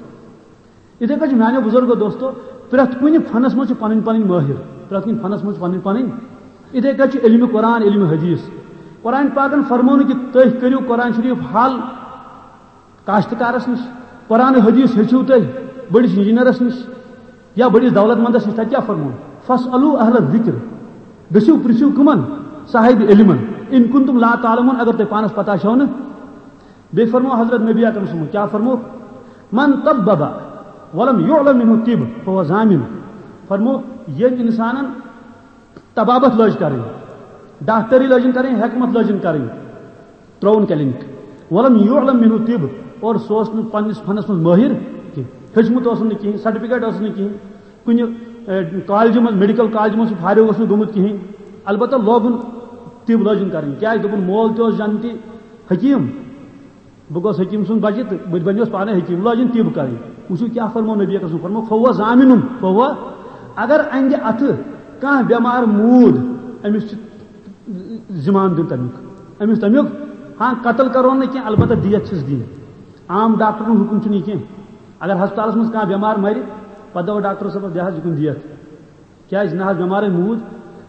یِتھے کٔنۍ چھُ میانیو بزرگو دوستو، پرٛٮ۪تھ کُنہِ فنس منٛز چھِ پنٕنۍ پنٕنۍ مٲہِر، پرٛٮ۪تھ کُنہِ فنس منٛز چھِ پنٕنۍ پنٕنۍ۔ یِتھے کٔنۍ چھُ علمِ قرآن، علمِ حدیث۔ قرآن پاکن فرموو نہٕ کہِ تُہۍ کٔرِو قرآن شریف حل کاشتکارس نِش، قرآن حدیث ہیٚچھِو تُہۍ بٔڑِس انجینئرس نِش۔ یا بٔڑِس دولت مندس نِش، تَتہِ کیٛاہ فرموو؟ "فاسألوا اہل الذکر"، گٔژھِو پرٛژھِو کٕمن؟ صاحب علمن، "ان کنتم لا تعلمون"، اگر تۄہہِ پانس پتہ چھو نہٕ۔ بیٚیہِ فرموو حضرت نبی اکرم صلی اللہ علیہ وسلم، کیٛاہ فرموو؟ "من طبب ولم یعلم منه الطب فهو زامن"، فرموو، ییٚمۍ انسانن طبابت لٲج کرٕنۍ، ڈاکٹری لٲجِن کرٕنۍ، حکمت لٲجِن کرٕنۍ، ترٛووُن کلینک۔ ولم يعلم منه طب، اور سُہ اوس نہٕ پننِس فنس منٛز مٲہِر کینٛہہ، ہیوٚچھمُت اوس نہٕ کِہیٖنۍ، سرٹیفکیٹ اوس نہٕ کِہیٖنۍ، کُنہِ، اے، کالجہِ منٛز، میڈیکل کالجہِ منٛز سُہ فارغ اوس نہٕ گوٚمُت کِہیٖنۍ۔ البتہ لوگُن طب لٲجِن کرٕنۍ، کیازِ؟ دوٚپُن، مول تہِ اوس جنتی حکیٖم، بہٕ گوس حکیٖم سُنٛد بچہِ تہٕ بہٕ تہِ بنیوس پانے حکیٖم، لٲجِن طب کرٕنۍ۔ وٕچھِو کیٛاہ فرموو نبی اکرم سُنٛد، فرموو، فہو ضامن، فہو، اگر اندِ اتھٕ کانٛہہ بٮ۪مار موٗد، أمِس چھِ ذِمہٕ دیُن تَمیُک، أمِس تَمیُک۔ ہاں، قتل کرون نہٕ کینٛہہ، البتہ دیت چھِس دِنۍ۔ عام ڈاکٹرن حُکُم چھُنہٕ یہِ کینٛہہ۔ اگر ہسپتالس منٛز کانٛہہ بٮ۪مار مرِ، پتہٕ دَپو ڈاکٹر صٲبس، دِ حظ یہِ کُن دیت۔ کیازِ؟ نہ حظ، بٮ۪مارے موٗد۔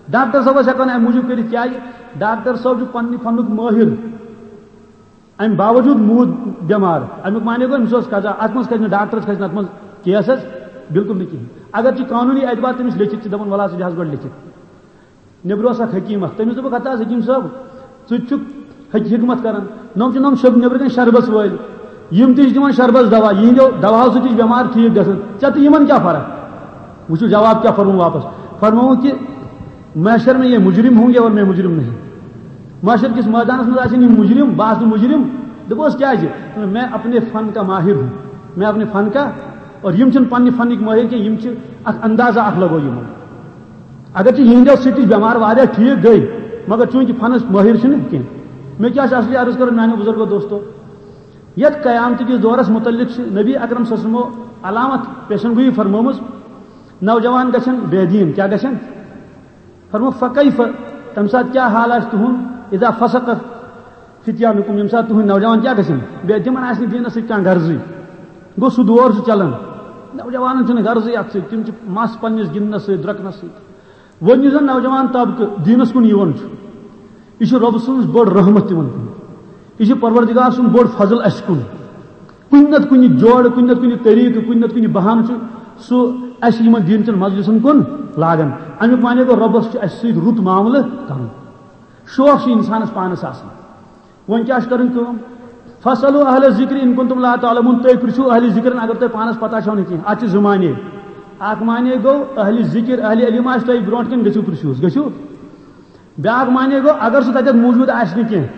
ڈاکٹر صٲبس ہٮ۪کو نہٕ امہِ موٗجوٗب کٔرِتھ، کیازِ؟ ڈاکٹر صٲب چھُ پننہِ فنُک مٲہِر۔ امہِ باوجوٗد موٗد بٮ۪مار۔ امیُک معنی گوٚو، أمِس اوس قضا۔ اتھ منٛز کھسہِ نہٕ ڈاکٹرس، کھسہِ نہٕ اتھ منٛز کیس حظ، بالکل نہٕ کِہینۍ۔ اگر چھُ قانوٗنی اعتبار تٔمِس لیٚکھِتھ، چھِ دپان، وَلہٕ حظ، ژٕ دِ حظ گۄڈٕ لیٚکھِتھ۔ نیٚبرٕ اوس اکھ حکیٖم اکھ، تٔمِس دوٚپُکھ، ہتا حظ حکیٖم صٲب، ژٕ تہِ چھُکھ حک-، حکمت کران، نۄم چھِ نۄم شب-، نیٚبرٕ کَنۍ شربس وٲلۍ، یِم تہِ چھِ دِوان شربس دوا، یِہنٛدیو دواہو سۭتۍ تہِ چھِ بٮ۪مار ٹھیٖک گژھان، ژےٚ تہٕ یِمن کیٛاہ فرق؟ وٕچھِو جواب کیٛاہ فرموو واپس، فرمووُکھ کہِ محشر میں یہ مجرم ہوں گے اور میں مجرم نہیں۔ محشر کِس مٲدانس منٛز آسن یِم مجرم، بہٕ آسہٕ نہٕ مجرم۔ دوٚپُس، کیٛازِ؟ دوٚپُن، میں اپنے فن کا ماہر ہوں، میں اپنے فن کا، اور یِم چھِنہٕ پننہِ فنٕکۍ مٲہِر کینٛہہ، یِم چھِ اکھ اندازہ اکھ لگوو یِمن۔ اگر چھِ یِہنٛدیو سۭتۍ تہِ بٮ۪مار واریاہ ٹھیٖک گٔے، مگر چوٗنٛکہِ فنس مٲہِر چھِنہٕ کینٛہہ۔ مےٚ کیٛاہ چھِ اصلی عرض کرُن میانیو بزرگو دوستو، یتھ قیامتہٕ کِس دورس متعلق چھِ نبی اکرم صلی اللہ علیہ وسلمو علامت پیشن گویی فرمٲومٕژ، نوجوان گژھن بے دین، کیٛاہ گژھن؟ فرموو، فکیف، تمہِ ساتہٕ کیٛاہ حال آسہِ تُہُنٛد؟ اذا فسق فتیانکم، ییٚمہِ ساتہٕ تُہٕنٛدۍ نوجوان کیٛاہ گژھن؟ بے، تِمن آسہِ نہٕ دینس سۭتۍ کانٛہہ غرضٕے۔ گوٚو سُہ دور چھُ چلان، نوجوانن چھُنہٕ غرضٕے اتھ سۭتۍ، تِم چھِ مس پننِس گِنٛدنس سۭتۍ، درۄکنس سۭتۍ۔ وۄنۍ یُس زن نوجوان طبقہٕ دیٖنس کُن یِوان چھُ، یہِ چھُ رۄب سٕنٛز بٔڑ رحمت تِمن کُن، یہِ چھُ پروردگار سُنٛد بوٚڑ فضل اسہِ کُن۔ کُنہِ نتہٕ کُنہِ جوڑٕ، کُنہِ نتہٕ کُنہِ طریٖقہٕ، کُنہِ نتہٕ کُنہِ بہانہٕ چھُ سُہ اسہِ یِمن دیٖن چٮ۪ن مجلسن کُن لاگان۔ امیُک معنی گوٚو، رۄبس چھُ اسہِ سۭتۍ رُت معاملہٕ کرُن۔ شوق چھُ انسانس پانس آسان۔ وۄنۍ کیٛاہ چھُ کرٕنۍ کٲم؟ فاسألوا اہل الذکر ان کنتم لا تعلمون، تُہۍ پرژھِو اہل ذکرن اگر تۄہہِ پانس پتہ چھو نہٕ کینٛہہ۔ اتھ چھِ زٕ معنی۔ اکھ معنی گوٚو، اہل ذکر، اہل علم آسہِ تۄہہِ برونٛٹھ کَنہِ، گٔژھِو پرژھِوس، گٔژھِو۔ بیٛاکھ معنی گوٚو، اگر سُہ تَتٮ۪تھ موٗجوٗد آسہِ نہٕ کینٛہہ،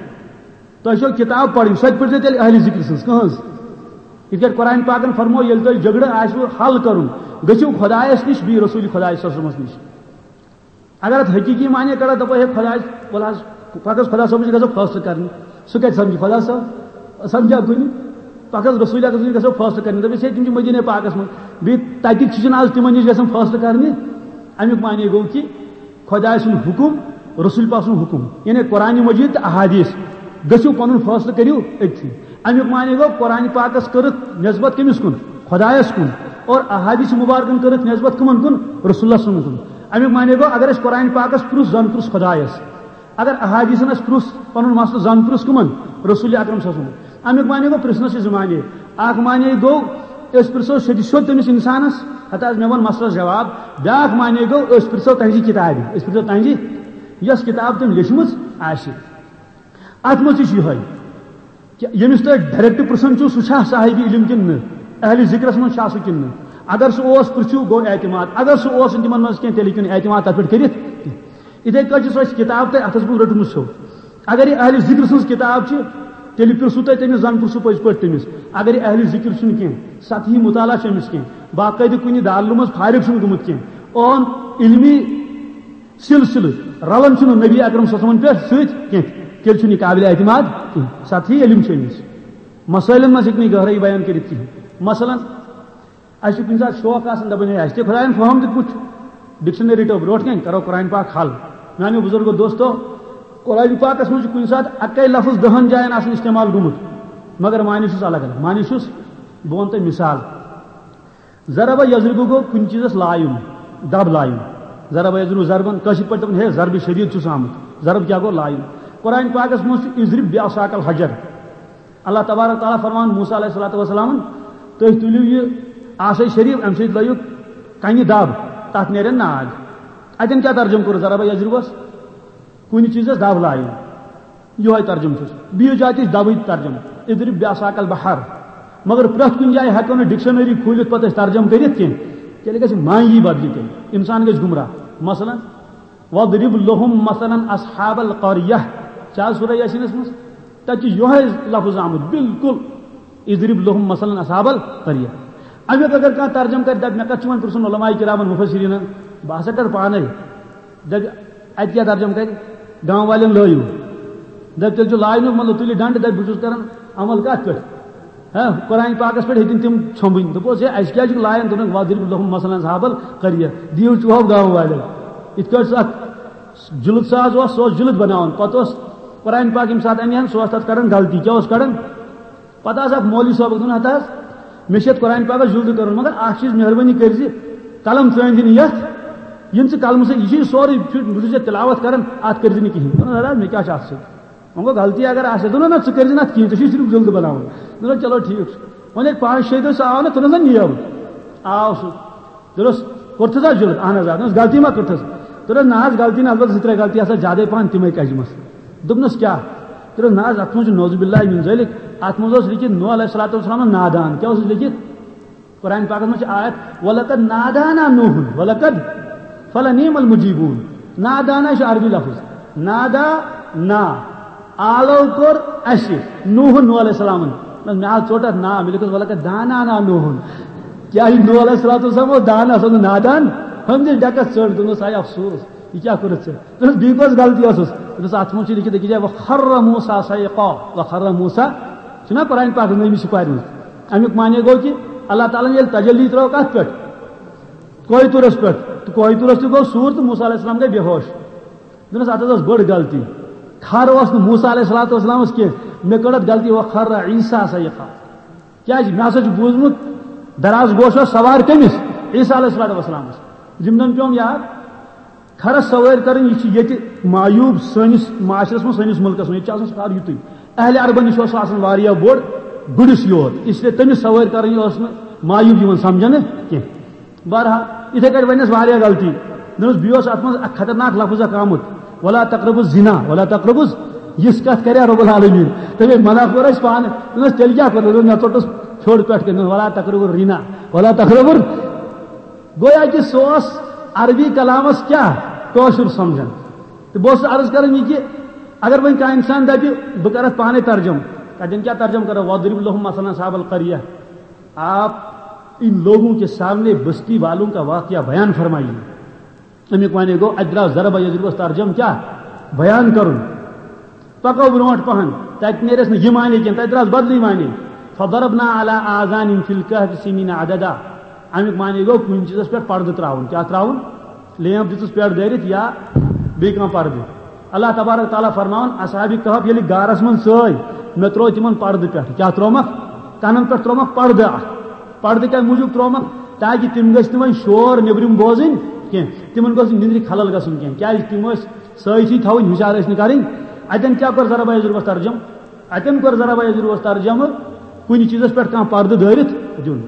تۄہہِ چھو کِتاب پَرٕنۍ، سۄ تہِ پٔرۍزیو تیٚلہِ اہلِ ذِکرِ سٕنٛز۔ کٕہٕنٛز؟ یِتھ کٲٹھۍ قرآن پاکَن فرموو، ییٚلہِ تۄہہِ جھگڑٕ آسِوٕ حل کَرُن، گٔژھِو خۄدایَس نِش، بیٚیہِ رسوٗلِ خۄدایَس صلی اللہ علیہ وسلمَس نِش۔ اگر اَتھ حقیٖقی معنی کَڑو، دَپو، ہے خۄدایَس، وَلہٕ حظ، پَکھ حظ خۄدا صٲبَس نِش، گژھو فٲصلہٕ کَرنہِ۔ سُہ کَتہِ سَمجہِ خۄدا صٲب؟ سَمجھا کُنہِ؟ پَکھ حظ رسوٗلِ اکرم سٕنٛدِ، گژھو فٲصلہٕ کَرنہِ۔ دَپٮ۪س، ہے، تِم چھِ مدیٖنہ پاکَس منٛز، بیٚیہِ تَتِکۍ چھِ چھِنہٕ آز تِمَن نِش گژھان فٲصلہٕ کَرنہِ۔ اَمیُک معنی گوٚو کہِ خۄداے سُنٛد حُکُم، رسول پاک سُنٛد حُکُم، یعنی قرآن مجید تہٕ احادیث۔ گٔژھِو پنُن فٲصلہٕ کٔرِو أتھی۔ اَمیُک معنی گوٚو قرآن پاکس کٔرٕکھ نسبت کٔمِس کُن؟ خۄدایس کُن۔ اور احادیث مبارکن کٔرٕکھ نسبت کٕمن کُن؟ رسول اللہ صلی اللہ علیہ وسلم کُن۔ اَمیُک معنی گوٚو اگر أسۍ قرآن پاکس پرُژھ، زن پرُژھ خۄدایس۔ اگر احادیثن اَسہِ پرُژھ پنُن مسلہٕ، زن پرُژھ کٕمن؟ رسول اکرم صلی اللہ علیہ وسلم۔ اَمیُک معنی گوٚو پرژھنس چھِ زٕ معنی۔ اکھ معنی گوٚو أسۍ پرژھو سیٚدِ سیوٚد تٔمِس انسانس، ہتا حظ مےٚ ووٚن مسلس جواب۔ بیٛاکھ معنی گوٚو أسۍ پرژھو تہنٛزِ کِتابہِ، أسۍ پرژھو تہنٛزِ، یۄس کِتاب تٔمۍ لیچھمٕژ آسہِ۔ اتھ منٛز تہِ چھُ یِہوٚے کہِ ییٚمِس تُہۍ ڈایریکٹ پرژھان چھِو، سُہ چھا صاحبِ علم کِنہٕ نہٕ؟ اہلِ ذِکرس منٛز چھا سُہ کِنہٕ نہٕ؟ اگر سُہ اوس، پرژھِو، گوٚو اعتماد۔ اگر سُہ اوس نہٕ تِمن منٛز کینٛہہ، تیٚلہِ ہیٚکِو نہٕ اعتماد تتھ پٮ۪ٹھ کٔرِتھ کینٛہہ۔ یِتھے کٲٹھۍ چھِ سۄ اَسہِ کِتاب تۄہہِ اتھس منٛز رٔٹمٕژ چھو۔ اگر یہِ اہلِ ذِکر سٕنٛز کِتاب چھِ، تیٚلہِ پرژھِو تُہۍ تٔمِس، زن پرژھِو پٔزۍ پٲٹھۍ تٔمِس۔ اگر یہِ اہلِ ذِکر چھُنہٕ کینٛہہ، سطحی مطالعہ چھُ أمِس کینٛہہ، باقٲعدٕ کُنہِ دارالعلوم منٛز فارغ چھُنہٕ گوٚمُت کینٛہہ، اون علمی سلسلہٕ رلان چھُنہٕ نبی اکرم صلی اللہ علیہ وسلمن پٮ۪ٹھ سۭتۍ کینٛہہ، تیٚلہِ چھُنہٕ یہِ قابلِ اعتماد کینٛہہ۔ سطحی علم چھُ أمِس۔ مسٲیلن منٛز ہیٚکہِ نہٕ یہِ گہرٲیی بیان کٔرِتھ کِہینۍ۔ مثلاً، اَسہِ چھُ کُنہِ ساتہٕ شوق آسان، دَپان، ہے، اَسہِ تہِ خۄدایَن فہم دیُتمُت، ڈکشنری رٔٹو برونٛٹھ کَنہِ، کَرو قرآن پاک حل۔ میٛانیو بُزرگو دوستو، قرآن پاکَس منٛز چھُ کُنہِ ساتہٕ اَکَے لفظ دَہَن جایَن آسان استعمال گوٚمُت، مگر معنی چھُس الگ الگ۔ معنی چھُس، بہٕ وَنہٕ تۄہہِ مثال، ضرب یضرب گوٚو کُنہِ چیٖزَس لایُن، دَب لایُن۔ ضرب یضرب ضربن، کٲشِر پٲٹھۍ دَپان، ہے، ضرب شدیٖد چھُس آمُت۔ ضرب کیٛاہ گوٚو؟ لایُن۔ قرآن پاکَس منٛز چھُ اضرب بعصاک الحجر۔ اللہ تبارک تعالیٰ فرمان موسیٰ علیہ الصلوۃ والسلام، تُہۍ تُلِو یہِ عصا شریف، اَمہِ سۭتۍ لٲیِو کَنہِ دَب، تَتھ نیرن ناگ۔ اَتٮ۪ن کیٛاہ ترجمہٕ کوٚر ضرب یضربس؟ کُنہِ چیٖزَس دَب لایُن۔ یِہوٚے ترجمہٕ چھُس۔ بیٚیِس جایہِ تہِ چھُ دَبٕے ترجمہٕ، اضرب بعصاک البحر۔ مگر پرٛٮ۪تھ کُنہِ جایہِ ہٮ۪کو نہٕ ڈکشنری کھوٗلِتھ پَتہٕ أسۍ ترجمہٕ کٔرِتھ کینٛہہ۔ تیٚلہِ گژھِ معنی بدلہِ تیٚلہِ۔ اِنسان گژھِ گمراہ۔ مثلاً، واضرب لهم مثلاً اصحاب القریہ۔ چھا سورہ یاسینس منٛز؟ تَتہِ چھُ یِہوٚے لفظ آمُت، بالکل، اضرب لهم مثلا اصحاب القریہ۔ اَمیُک اگر کانٛہہ ترجمہٕ کرِ، دَپہِ، مےٚ کَتھ چھُ وۄنۍ پرٛژھُن علماء کرامن مفسرینن، بہٕ ہسا کرٕ پانے۔ دَپہِ، اَتہِ کیٛاہ ترجمہٕ کرِ؟ گام والٮ۪ن لٲیِو۔ دَپہِ، تیٚلہِ چھُ لاینُک مطلب، تُلہِ ڈنڈٕ، دَپہِ، بہٕ چھُس کران عمل کَتھ پٮ۪ٹھ؟ ہاں، قرآن پاکس پٮ۪ٹھ ہیٚتِن تِم ژھۄمبٕنۍ۔ دوٚپُس، ہے، اَسہِ کیٛازِ چھُکھ لایان؟ دوٚپُن، واضرب لهم مثلا اصحاب القریہ، دِیِو چوب گام والٮ۪ن۔ یِتھ کٲٹھۍ سُہ اکھ جُلد ساز اوس، سُہ اوس جُلد بناوان۔ پتہٕ اوس قرآن پاک ییٚمہِ ساتہٕ اَنہِ ہن، سُہ اوس تَتھ کَڑان غلطی۔ کیٛاہ اوس کَڑان؟ پتہٕ آسہٕ اکھ مولوی صٲبَس دَپان، ہتہٕ حظ، مےٚ چھِ یَتھ قرآن پاکَس جُلدٕ کَرُن، مگر اکھ چیٖز، مہربٲنی کٔرۍ زِ قلم ژٲنۍ زِ نہٕ یَتھ، یِم ژٕ قلمہٕ سۭتۍ، یہِ چھُے سورُے، بہٕ چھُس ژےٚ تِلاوت کَران، اَتھ کٔرۍ زِ نہٕ کِہیٖنۍ۔ دوٚپُن، ہتہٕ حظ، مےٚ کیٛاہ چھُ اَتھ سۭتۍ؟ وۄنۍ گوٚو غلطی اگر آسہِ، دوٚپُن، نہ، ژٕ کٔرۍ زِ نہٕ اَتھ کِہیٖنۍ، ژےٚ چھُے صرف جُلدٕ بناوُن۔ دوٚپُن، چلو ٹھیٖک چھُ۔ وۄنۍ ییٚلہِ پانٛژھ شیٚیہِ دۄہہِ سُہ آو نہٕ، تُلُن سا نِیَو۔ آو سُہ۔ دوٚپنَس، کوٚرتھٕ سا جُلد؟ اہن حظ، آ۔ دوٚپنَس، غلطی ما کٔرتھَس؟ دوٚپنَس، نہ حظ، غلطی نہ، البتہ زٕ ترٛےٚ غلطی آسہٕ زیادَے پَہَن، تِمَے کَجمَس۔ دوٚپنَس، کیٛاہ؟ دوٚپنَس، نہ حظ، اَتھ منٛز چھُ نعوذ باللہ من ذلک، اَتھ منٛز اوس لیٚکھِتھ نوح علیہ الصلوۃ والسلام نادان۔ کیٛاہ اوسُس لیٚکھِتھ؟ قرآن پاکَس منٛز چھِ آیت، "ولقد نادانا نوح"، ولقد، فلنعم المجیبون۔ نادانا چھُ عربی لفظ۔ نادا، نا۔ آلو کوٚر اَسہِ، نوح، نوح علیہ السلامن۔ نہ، مےٚ آو ژوٚٹ اَتھ نا، مےٚ لیوٚکھُس، "ولقد دانانا نوح"۔ کیٛاہ یہِ نوح علیہ الصلوۃ والسلام اوس دانا، سُہ اوس نہٕ نادان؟ ہُمۍ دِژ ڈٮ۪کَس ژٔٹ، دوٚپنَس، "آے افسوس، یہِ کیٛاہ کوٚرُتھ ژےٚ؟" دوٚپنَس، "بیٚیہِ کۄس غلطی ٲسٕس؟" دوٚپنَس، "اَتھ منٛز چھُ لیٚکھِتھ أکِس جایہِ، وَخَرَّ مُوسیٰ صَعِقًا"، وَخَرَّ مُوسیٰ، چھُنہ قرآن پاکَس منٛز أمِس چھِ پَرمٕژ۔ اَمیُک معنی گوٚو کہِ اللہ تعالیٰ ہَن ییٚلہِ تجلی ترٲو کَتھ پٮ۪ٹھ؟ کوہ طورس پٮ۪ٹھ۔ تہٕ کوہ طورس تہِ گوٚو سوٗر تہٕ موسیٰ علیہ السلام گٔے بے ہوش۔ دوٚپنَس، "اَتھ حظ ٲس بٔڑ غلطی۔ کھر اوس نہٕ موسیٰ علیہ الصلوۃ والسلامَس کینٛہہ۔ مےٚ کٔڑ اَتھ غلطی، وَخَرَّ عیسیٰ صَعِقًا۔" کیٛازِ؟ مےٚ ہسا چھُ بوٗزمُت، دراز گوش اوس سوار کٔمِس؟ عیسیٰ علیہ الصلوۃ والسلامَس۔ یِم زَن پیوٚم یاد۔ کھرس سوٲرۍ کرٕنۍ، یہِ چھِ ییٚتہِ معیوب سٲنِس معاشرس منٛز، سٲنِس مُلکس منٛز۔ ییٚتہِ چھِ آسان سُہ کھر یُتُے۔ اہلِ عربن نِش اوس سُہ آسان واریاہ بوٚڑ، گُرِس یوت۔ اس لیے تٔمِس سوٲرۍ کرٕنۍ ٲس نہٕ معیوب یِوان سمجھنہٕ کینٛہہ۔ بہرحال، یِتھے کٲٹھۍ وَنٮ۪س واریاہ غلطی۔ دوٚپنَس، بیٚیہِ اوس اَتھ منٛز اکھ خطرناک لفظ اکھ آمُت، "ولا تقربوا الزنا، ولا تقربوا الز-"، یِژھ کتھ کریا رب العالمین؟ تٔمۍ منع کوٚر اَسہِ پانہٕ۔ دوٚپنَس، تیٚلہِ کیٛاہ کوٚر؟ دوٚپنَس، مےٚ ژوٚٹُس پھیوٚر پٮ۪ٹھ کٔنۍ، "ولا تقربوا الرنا، ولا تقربوا الر-"۔ گویا کہِ سُہ اوس عربی کلامس کیٛاہ کٲشُر سمجھان۔ تہٕ بہٕ اوسُس عرض کران یہِ کہِ اگر وۄنۍ کانٛہہ انسان دپہِ، بہٕ کرٕ اتھ پانے ترجمہٕ، کتٮ۪ن کیٛاہ ترجمہٕ کرو؟ "وَاضْرِبْ لَهُمْ مَثَلًا أَصْحَابَ الْقَرْيَةِ"، آپ ان لوگوں کے سامنے بستی والوں کا واقعہ بیان فرمائیے۔ امیُک معنی گوٚو، اتہِ درٛاو ضربہ یضربس ترجمہٕ کیٛاہ؟ بیان کرُن۔ پکو برونٛٹھ پہن، تتہِ نیرٮ۪س نہٕ یہِ معنی کینٛہہ، تتہِ درٛاس بدلٕے معنی۔ "فَضَرَبْنَا عَلَىٰ آذَانِهِمْ فِي الْكَهْفِ سِنِينَ عَدَدًا"۔ امیُک معنی گوٚو کُنہِ چیٖزس پٮ۪ٹھ پردٕ ترٛاوُن۔ کیٛاہ ترٛاوُن؟ لیمپ دِژٕس پٮ۪ٹھ دٲرِتھ یا بیٚیہِ کانٛہہ پردٕ۔ اللہ تبارک تعالیٰ فرماوان، اصحاب کہف ییٚلہِ غارس منٛز ژٲے، مےٚ ترٛوو تِمن پردٕ پٮ۪ٹھ۔ کیٛاہ ترٛوومکھ؟ کنن پٮ۪ٹھ ترٛوومکھ پردٕ اکھ۔ پردٕ کمہِ موٗجوٗب ترٛوومکھ؟ تاکہِ تِم گٔژھۍ نہٕ وۄنۍ شور نیٚبرِم بوزٕنۍ کینٛہہ، تِمن گوٚژھ نہٕ نِندرِ خلل گژھُن کینٛہہ، کیٛازِ تِم ٲسۍ سٲتھی تھاوٕنۍ، ہُشار ٲسۍ نہٕ کرٕنۍ۔ اتٮ۪ن کیٛاہ کوٚر ضربہ یضربس ترجمہٕ؟ اتٮ۪ن کوٚر ضربہ یضربس ترجمہٕ، کُنہِ چیٖزس پٮ۪ٹھ کانٛہہ پردٕ دٲرِتھ دیُن۔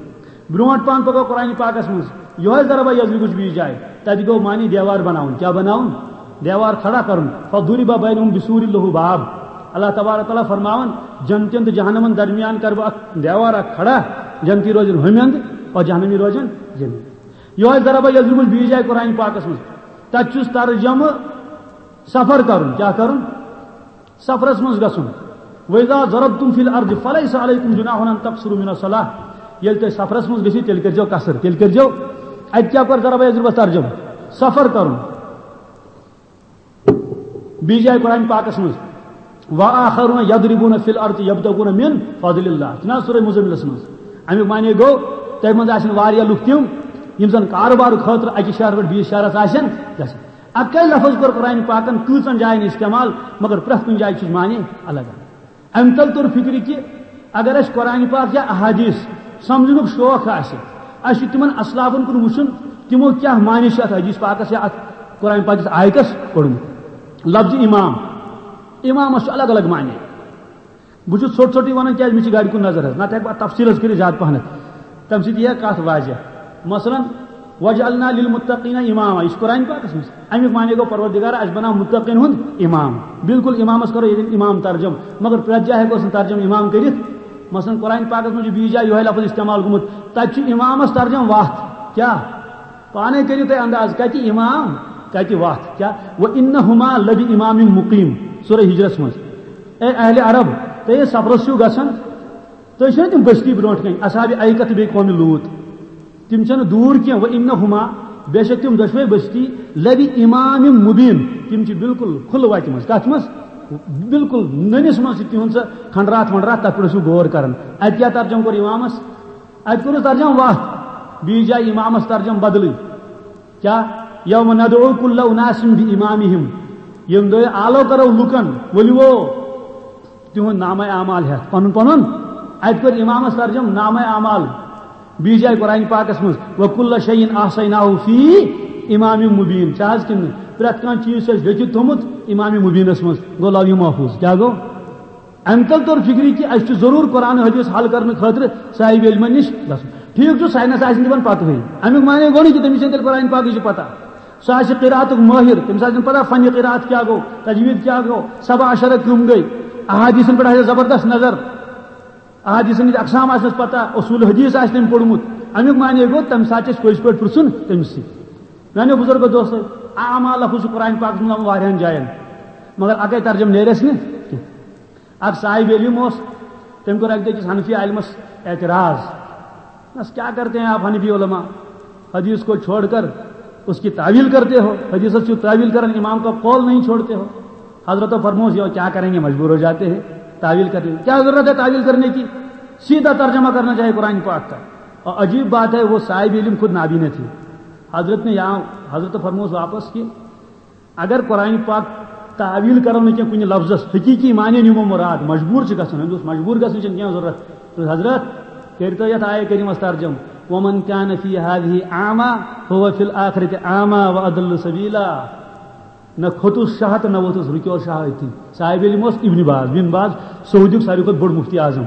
برونٛٹھ پہن پکو قرآن پاکس منٛز، یِہوٚے ضربہ یضربٕچ بیٚیِس جایہِ۔ تتہِ گوٚو معنی دیوار بناوُن۔ کیٛاہ بناوُن؟ دیوار کھڑا کرُن۔ "فَضُرِبَ بَيْنَهُمْ بِسُورٍ لَهُ بَابٌ"۔ اللہ تبارک تعالیٰ فرماوان، "جنتین تہٕ جہنمن درمیان کرٕ بہٕ اکھ دیوار اکھ کھڑا، جنتی روزن ہُمہِ اندٕ اور جہنمی روزن ییٚمہِ اندٕ۔" یِہوٚے ضربہ یضربٕچ بیٚیِس جایہِ قرآن پاکس منٛز۔ تتہِ چھُس ترجمہٕ سفر کرُن۔ کیٛاہ کرُن؟ سفرس منٛز گژھُن۔ "وَإِذَا ضَرَبْتُمْ فِي الْأَرْضِ فَلَيْسَ عَلَيْكُمْ جُنَاحٌ أَن تَقْصُرُوا مِنَ الصَّلَاةِ"۔ ییٚلہِ تُہۍ سفرس منٛز گٔژھِو، تیٚلہِ کٔرۍزیو قصر، تیٚلہِ کٔرۍزیو۔ اتہِ کیٛاہ کوٚر ضربہ یضربس ترجمہٕ؟ سفر کرُن۔ بیٚیہِ جایہِ قرآن پاکس منٛز، "وَآخَرُونَ يَضْرِبُونَ فِي الْأَرْضِ يَبْتَغُونَ مِن فَضْلِ اللَّهِ"۔ چھُنہ حظ سورہ مزملس منٛز؟ امیُک معنی گوٚو، تۄہہِ منٛز آسن واریاہ لُکھ تِم، یِم زن کارٕبارٕ خٲطرٕ اکہِ شہرٕ پٮ۪ٹھ بیٚیِس شہرس آسن گژھان۔ اکے لفظ کوٚر قرآن پاکن کۭژن جاین استعمال، مگر پرٛٮ۪تھ کُنہِ جایہِ چھُس معنی الگ۔ امہِ تل توٚر فکرِ کہِ اگر اسہِ قرآن پاک یا احادیث سمجھنُک شوق آسہِ، اسہِ چھُ تِمن اسلافن کُن وٕچھُن، تِمو کیٛاہ معنی چھُ اتھ حدیث پاکس یا اتھ قرآن پاکس آیتس کوٚڑمُت۔ لفظ امام، امامس چھُ الگ الگ معنی۔ بہٕ چھُس ژھوٚٹ ژھوٚٹٕے وَنان، کیٛازِ مےٚ چھِ گاڑِ کُن نظر حظ، نتہٕ ہٮ۪کہٕ بہٕ اَتھ تفصیٖل حظ کٔرِتھ زیادٕ پَہنَتھ۔ تَمہِ سۭتۍ یِیہِ ہا کَتھ واضح۔ مثلاً، "وَجْعَلْنَا لِلْمُتَّقِينَ إِمَامًا"، یہِ چھُ قرآن پاکَس منٛز۔ اَمیُک معنی گوٚو، پروردگار، اَسہِ بَناو مُتَّقیٖن ہُنٛد اِمام۔ بالکل اِمامَس کَرو ییٚتٮ۪ن اِمام ترجم، مگر پرٛٮ۪تھ جایہِ ہٮ۪کوس نہٕ ترجم اِمام کٔرِتھ۔ مثلاً، قرآن پاکَس منٛز چھُ بیٚیِس جایہِ یِہوٚے لفظ استعمال گوٚمُت، تَتہِ چھُ اِمامَس ترجم وَتھ۔ کیٛاہ؟ پانے کٔرِو تُہۍ انداز، کتہِ امام، کتہِ وتھ؟ کیٛاہ؟ "وَإِنَّهُمَا لَبِإِمَامٍ مُّقِيمٍ"، سورہ ہجرس منٛز۔ اے اہل عرب، تُہۍ ییٚلہِ سفرس چھِو گژھان، تُہۍ چھِو تِم بستی برونٛٹھ کنہِ، اصحاب ایکہ تہٕ بیٚیہِ قومِ لوط۔ تِم چھِنہٕ دوٗر کینٛہہ، وَإِنَّهُمَا، بے شک تِم دۄشوے بستی، لَبِإِمَامٍ مُبیٖن، تِم چھِ بالکل کھُلہٕ وَتہِ منٛز۔ کتھ منٛز؟ بالکل نٔنِس منٛز چھِ تِہُنٛد سُہ کھنڈرات ونڈرات، تتھ پٮ۪ٹھ ٲسِو غور کران۔ اتہِ کیٛاہ ترجمہٕ کوٚر امامس؟ اتہِ کوٚرُس ترجمہٕ وتھ، بیٚیِس جایہِ امامس ترجمہٕ بدلٕے۔ کیٛاہ؟ یوم ندعو کل اناس بامامہم۔ ییٚمہِ دۄہ آلو کرو لُکن، ؤلِو تِہُنٛد نامہ اعمال ہٮ۪تھ، پنُن پنُن۔ اتہِ کوٚر امامس ترجمہٕ نامہ اعمال۔ بیٚیہِ جایہِ قرآن پاکس منٛز، وکل شیء احصیناہ فی امام مبین۔ چھا حظ کِنہٕ نہٕ؟ پرٛٮ۪تھ کانٛہہ چیٖز چھُ اَسہِ لیٚکھِتھ تھوٚمُت امام مبینس منٛز۔ گوٚو لوح محفوظ۔ کیٛاہ گوٚو؟ امہِ تل توٚر فکرِ کہِ اَسہِ چھُ ضروٗر قرآن حدیث حل کرنہٕ خٲطرٕ صاحب علمن نِش گژھُن۔ ٹھیٖک چھُ، ساینس آسہِ نہٕ تِمن پتہٕے۔ امیُک معنی گوٚو نہٕ کہِ تٔمِس چھَنہٕ تیٚلہِ قرآن پاکٕچ پتہ۔ سُہ آسہِ قراتُک مٲہِر، تٔمِس آسہِ نہٕ پتہ فنِ قرات کیٛاہ گوٚو، تجوید کیٛاہ گوٚو، سبع عشرہ کٕم گٔے، احادیثن پٮ۪ٹھ آسہِ زبردست نظر، احادیثن ہٕنٛدۍ اقسام آسنس پتہ، اصول حدیث آسہِ تٔمۍ پوٚرمُت۔ امیُک معنی گوٚو، تمہِ ساتہٕ چھِ أسۍ پٔزۍ پٲٹھۍ پرژھُن تٔمِس سۭتۍ۔ میانیو بزرگو دوستو، اعما لفظ چھُ قرآن پاکس منٛز آمُت واریاہن جاین، مگر اکے ترجمہٕ نیرِ اَسہِ نہٕ کینٛہہ۔ اکھ صاحب علم اوس، تٔمۍ کوٚر اکہِ دۄہ أکِس حنفی عالمس اعتراض۔ بس کیا کرتے ہیں آپ حنفی علماء، حدیث کو چھوڑ کر اس کی تعویل کرتے ہو، حدیثس چھو تعویل کرن، امام کا قول نہیں چھوڑتے ہو۔ حضرت فرموس، یہ کیا کریں گے، مجبور ہو جاتے ہیں، تعویل کرتے ہیں۔ کیا ضرورت ہے تعویل کرنے کی؟ سیدھا ترجمہ کرنا چاہیے قرآن پاک کا۔ اور عجیب بات ہے، وہ صاحب علم خود نابینا تھی۔ حضرت نے یہاں، حضرت فرموس واپس کہ اگر قرآن پاک تعویل کرو نہٕ کینٛہہ کُنہِ لفظس، حقیقی معنی نِمو مراد، مجبور چھِ گژھان، أمِس اوس مجبور گژھنٕچ چھَنہٕ کینٛہہ ضروٗرت۔ دوٚپُس، حضرت، کٔرۍتو یَتھ آیہِ کریٖمس ترجمہٕ، ومن کان فی ہذہ اعمی فہو فی الآخرۃ اعمی واضل سبیلا۔ نہ کھوٚتُس شاہ تہٕ نہ ووٚتھُس، رُکیو شاہ أتھی۔ صاحب علم اوس ابن باز، بن باز سعودیُک ساروی کھۄتہٕ بوٚڑ مفتی اعظم۔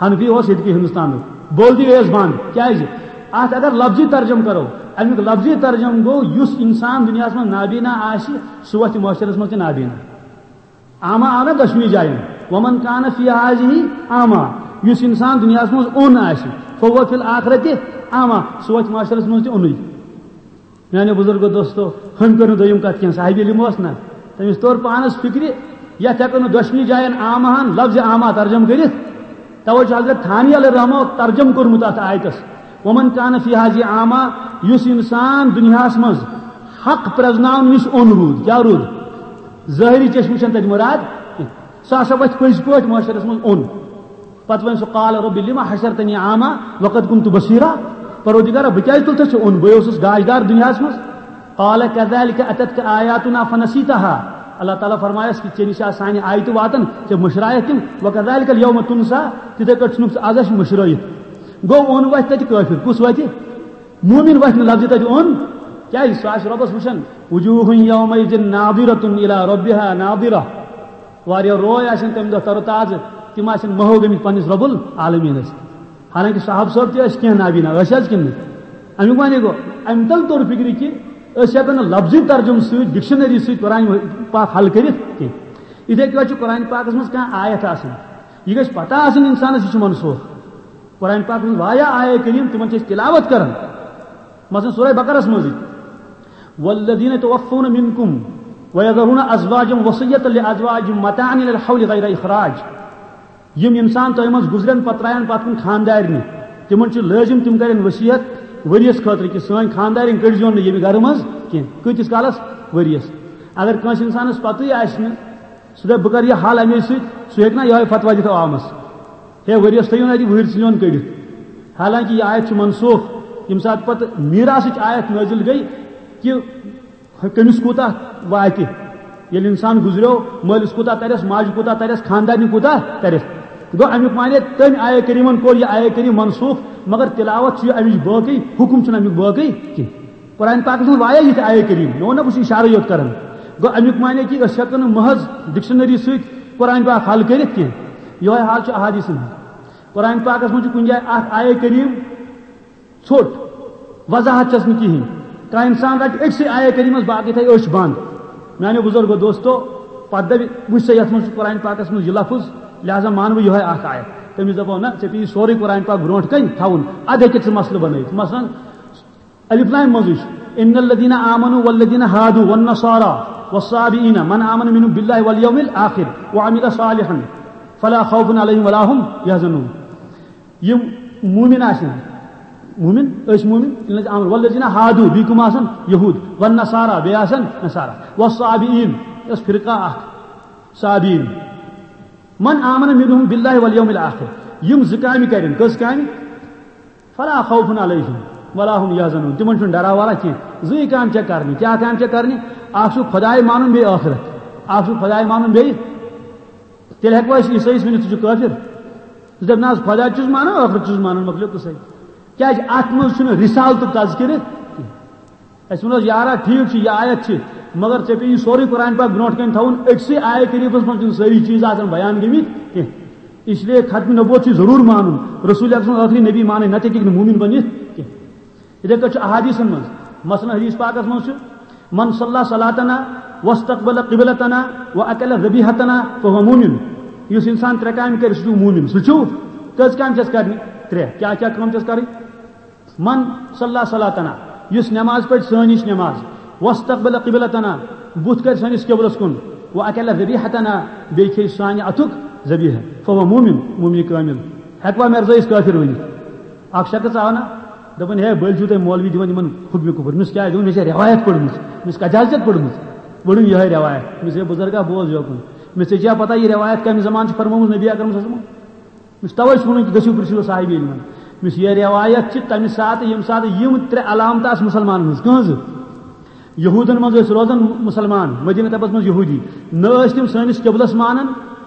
حنفی اوس ییٚتہِ کہِ ہندوستانُک۔ بولتی گٔیَس بنٛد۔ کیٛازِ؟ اَتھ اگر لفظی ترجمہٕ کرو، اَمیُک لفظی ترجمہٕ گوٚو، یُس انسان دُنیاہَس منٛز نابینا آسہِ، سُہ وۄتھِ معاشرس منٛز تہِ نابینا۔ اعمی آو نہ دۄشوٕنی جاین۔ ومن کان فی ہذہ اعمی، یُس انسان دُنیاہَس منٛز اوٚن آسہِ، فہو فی الآخرۃ اعمی، سُہ وۄتھِ معاشرس منٛز تہِ اوٚنُے۔ میانیو بزرگو دوستو، ہُمۍ کٔر نہٕ دوٚیِم کتھ کینٛہہ، صاحب علم اوس نہ، تٔمِس توٚر پانس فکرِ، یتھ ہٮ۪کو نہٕ دۄشوٕنی جاین اعماہن لفظ اعمی ترجمہٕ کٔرِتھ۔ توے چھُ حضرت تھانی علیہ رحمہ ترجمہٕ کوٚرمُت اتھ آیتس، ومن کان فی ہذہ اعمی، یُس انسان دُنیاہس منٛز حق پرزناونہٕ نِش اوٚن روٗد، کیٛاہ روٗد؟ ظٲہری چشمہٕ چھنہٕ تتہِ مراد کینٛہہ۔ سُہ ہسا وۄتھِ پٔزۍ پٲٹھۍ معاشرس منٛز اوٚن۔ پتہٕ وۄنۍ سُہ، قال رب لم حشرتنی اعمی وقد کنت بصیرا، پروردگارا، بہٕ کیٛازِ تُلتھس ژےٚ اوٚن؟ بہٕ اوسُس گاشدار دُنیاہس منٛز۔ قال کذالک اتتک آیاتنا فنسیتہا، اللہ تعالیٰ فرمایس کہِ ژےٚ نِش آسہٕ سانہِ آیتہٕ واتان، ژےٚ مٔشرایَکھ تِم، وکذالک الیوم تنسی، تِتھے کٲٹھۍ ژھُنُکھ ژٕ از اَسہِ مٔشرٲیِتھ۔ گوٚو اوٚن وۄتھِ تتہِ کٲفر، کُس وۄتھِ؟ مومن وۄتھِ نہٕ لفظِ تتہِ اوٚن، کیٛازِ؟ سُہ آسہِ رۄبس وٕچھان، وجوہ یومئذ ناظرۃ الی ربہا ناظرہ۔ واریاہ روے آسن تمہِ دۄہ تر و تازٕ، تِم آسن محو گٔمٕتۍ پننِس رب العالمینس۔ حالانکہ صحابہ صٲب تہِ ٲسۍ کینٛہہ نابینا، ٲسۍ حظ کِنہٕ نہٕ؟ امیُک معنی گوٚو، امہِ تل توٚر فکرِ کہِ أسۍ ہٮ۪کو نہٕ لفظی ترجمہٕ سۭتۍ، ڈکشنری سۭتۍ قرآن پاک حل کٔرِتھ کینٛہہ۔ یِتھے کٲٹھۍ چھُ قرآن پاکس منٛز کانٛہہ آیت آسان، یہِ گژھِ پتہ آسٕنۍ انسانس، یہِ چھُ منسوخ۔ قرآن پاکس منٛز واریاہ آیے کریم، تِمن چھِ أسۍ تلاوت کران۔ مثلاً سورہ بقرس منٛزٕے، والذین توفون منکم ویذرون ازواجا وصیۃ لازواجہم متاعا الی الحول غیر اخراج۔ یِم انسان تۄہہِ منٛز گُزرن، پتہٕ ترٛایَن پتہٕ کُن خاندارنہِ، تِمن چھُ لٲزم تِم کرن وصیت ؤریَس خٲطرٕ کہِ سٲنۍ خاندارِنۍ کٔڑزیون نہٕ ییٚمہِ گرٕ منٛز کینٛہہ۔ کۭتِس کالس؟ ؤریَس۔ اگر کٲنٛسہِ انسانس پتہٕے آسہِ نہٕ، سُہ دپہِ، بہٕ کرٕ یہِ حل اَمے سۭتۍ، سُہ ہیٚکہِ نا یِہوٚے فتوا دِتھ عوامس، ہے، ؤریَس تھٲیِو نہٕ اَتہِ وٕہٕرۍ سِلیون کٔڑِتھ۔ حالانکہ یہِ آیت چھِ منسوخ، ییٚمہِ ساتہٕ پتہٕ میراثٕچ آیت نٲزِل گٔے کہِ کٔمِس کوٗتاہ واتہِ، ییٚلہِ انسان گُزریو، مٲلِس کوٗتاہ ترٮ۪س، ماجہِ کوٗتاہ ترٮ۪س، خاندارنہِ کوٗتاہ ترٮ۪س۔ گوٚو، امیُک معنی، تٔمۍ آیہِ کریٖمن کوٚر یہِ آیہِ کریٖم منسوخ، مگر تلاوت چھُ یہِ امِچ باقٕے، حکم چھُنہٕ امیُک باقٕے کینٛہہ۔ قرآن پاکس منٛز واریاہ یِتھۍ آیہِ کریٖم، مےٚ ووٚن نہ، بہٕ چھُس اشارے یوت کران۔ گوٚو، امیُک معنی کہِ أسۍ ہٮ۪کو نہٕ محض ڈکشنری سۭتۍ قرآن پاک حل کٔرِتھ کینٛہہ۔ یِہوٚے حال چھُ احادیثن ہُنٛد۔ قرآن پاکس منٛز چھُ کُنہِ جایہِ اکھ آیہِ کریٖم، ژھوٚٹ، وضاحت چھس نہٕ کِہیٖنۍ۔ کانٛہہ انسان رٹہِ أکسٕے آیے کریٖمس، باقٕے تھایہِ أچھ بنٛد۔ میانیو بزرگو دوستو، پتہٕ دپہِ، وٕچھ سا، یتھ منٛز چھُ قرآن پاکس منٛز یہِ لفظ، لہذا مانہٕ بہٕ یِہوٚے اکھ آیت۔ تٔمِس دپو، نہ، ژےٚ پیٚیہِ سورُے قرآن پاک برونٛٹھ کنہِ تھاوُن، ادٕ ہیٚککھ ژٕ مسلہٕ بنٲیِتھ۔ مثلاً، الف لام منٛزٕے چھُ، إن الذين آمنوا والذين هادوا والنصارى والصابئين من آمن منهم بالله واليوم الآخر وعمل صالحا فلا خوف عليهم ولا هم يحزنون. یِم مومن آسن، مومن، أسۍ مومن، یِم ٲسۍ آمن، والذین ہادو، بیٚیہِ کٕم آسن؟ یہود، والنصارا، بیٚیہِ آسن نصارا، والصابئین، یۄس فرقہ اکھ، صابئین، من آمن منہم باللہ والیوم الآخر، یِم زٕ کامہِ کرن، کٔژ کامہِ؟ فلا خوف علیہم ولا هم یحزنون، تِمن چھُنہٕ ڈرا وَرا کینٛہہ۔ زٕے کامہِ چھےٚ کرنہِ۔ کیٛاہ کامہِ چھےٚ کرنہِ؟ اکھ چھُ خداے مانُن، بیٚیہِ ٲخرت۔ اکھ چھُ خداے مانُن، بیٚیہِ، تیٚلہِ ہٮ۪کوا أسۍ عیسٲیِس ؤنِتھ، ژٕ چھُکھ کٲفِر؟ ژٕ دَپ، نہ حظ، خدا چھُس مانان، ٲخرت چھُس مانان، مۄکلیو قٕصَے۔ کیٛازِ؟ اَتھ منٛز چھُنہٕ رِسالتُک تذکرٕ کینٛہہ۔ اَسہِ ووٚن حظ، یارا، ٹھیٖک چھُ، یہِ آیت چھِ، مگر ژےٚ پیٚیہِ یہِ سورُے قرآن پاک برونٛٹھ کَنہِ تھاوُن، أکسٕے آیہِ کریٖمَس منٛز چھِنہٕ سٲری چیٖز آسان بیان گٔمٕتۍ کینٛہہ۔ اس لیے ختم نبوت چھُ ضروٗر مانُن، رسول اکرم سُنٛد ٲخری نبی مانٕنۍ، نَتہٕ ہیٚکہِ نہٕ مومن بٔنِتھ کینٛہہ۔ یِتھے کٲٹھۍ چھُ احادیثن منٛز، مثلاً حدیث پاکس منٛز چھُ، من صلی صلاتنا واستقبل قبلتنا واکل ذبیحتنا فهو مؤمن۔ یُس انسان ترٛےٚ کامہِ کرِ، سُہ چھُ مومن۔ سُہ چھُ، کٔژ کامہِ چھَس کرنہِ؟ ترٛےٚ۔ کیٛاہ کیٛاہ کٲم چھَس کرٕنۍ؟ من صلی صلاتنا، یُس نماز پرِ، سٲنۍ ہِش نماز، واستقبل قبلتنا، بُتھ کرِ سٲنِس قبلس کُن، واکل ذبیحتنا، بیٚیہِ کھیٚیہِ سانہِ اتھُک ذبیحہ، فهو مؤمن، مومنہِ کامل۔ ہیٚکوا مرزٲیِس کٲفِر ؤنِتھ؟ اکھ شخص آو نا، دوٚپُن، ہے، بٔلۍ چھِو تُہۍ مولوی دِوان یِمن خطبہِ کُپُر؟ أمِس کیٛازِ؟ دوٚپُن، مےٚ چھےٚ رٮ۪وایت پٔرمٕژ۔ أمِس کتہِ حظ چھَتھ پٔرمٕژ؟ پٔرٕن یِہے رٮ۪وایت۔ أمِس، ہے بُزرگا، بوز یوکُن۔ أمِس، ژےٚ چھےٚ پتہ یہِ رٮ۪وایت کمہِ زمانہٕ چھِ فرمٲومٕژ نبی اکرم صلی اللہ علیہ وسلم؟ أمِس توے چھُ وَنُن کہِ گٔژھِو پرٛژھِو صاحبِ علمن۔ أمِس یہِ رٮ۪وایت چھِ تمہِ ساتہٕ، ییٚمہِ ساتہٕ یِم ترٛےٚ علامتہٕ آسہٕ مُسلمانن ہٕنٛز۔ کٕہٕنٛزٕ؟ یہودن منٛز ٲسۍ روزان مُسلمان، مدینہ طبس منٛز یہودی۔ نہ ٲسۍ تِم سٲنِس قبلس مانان،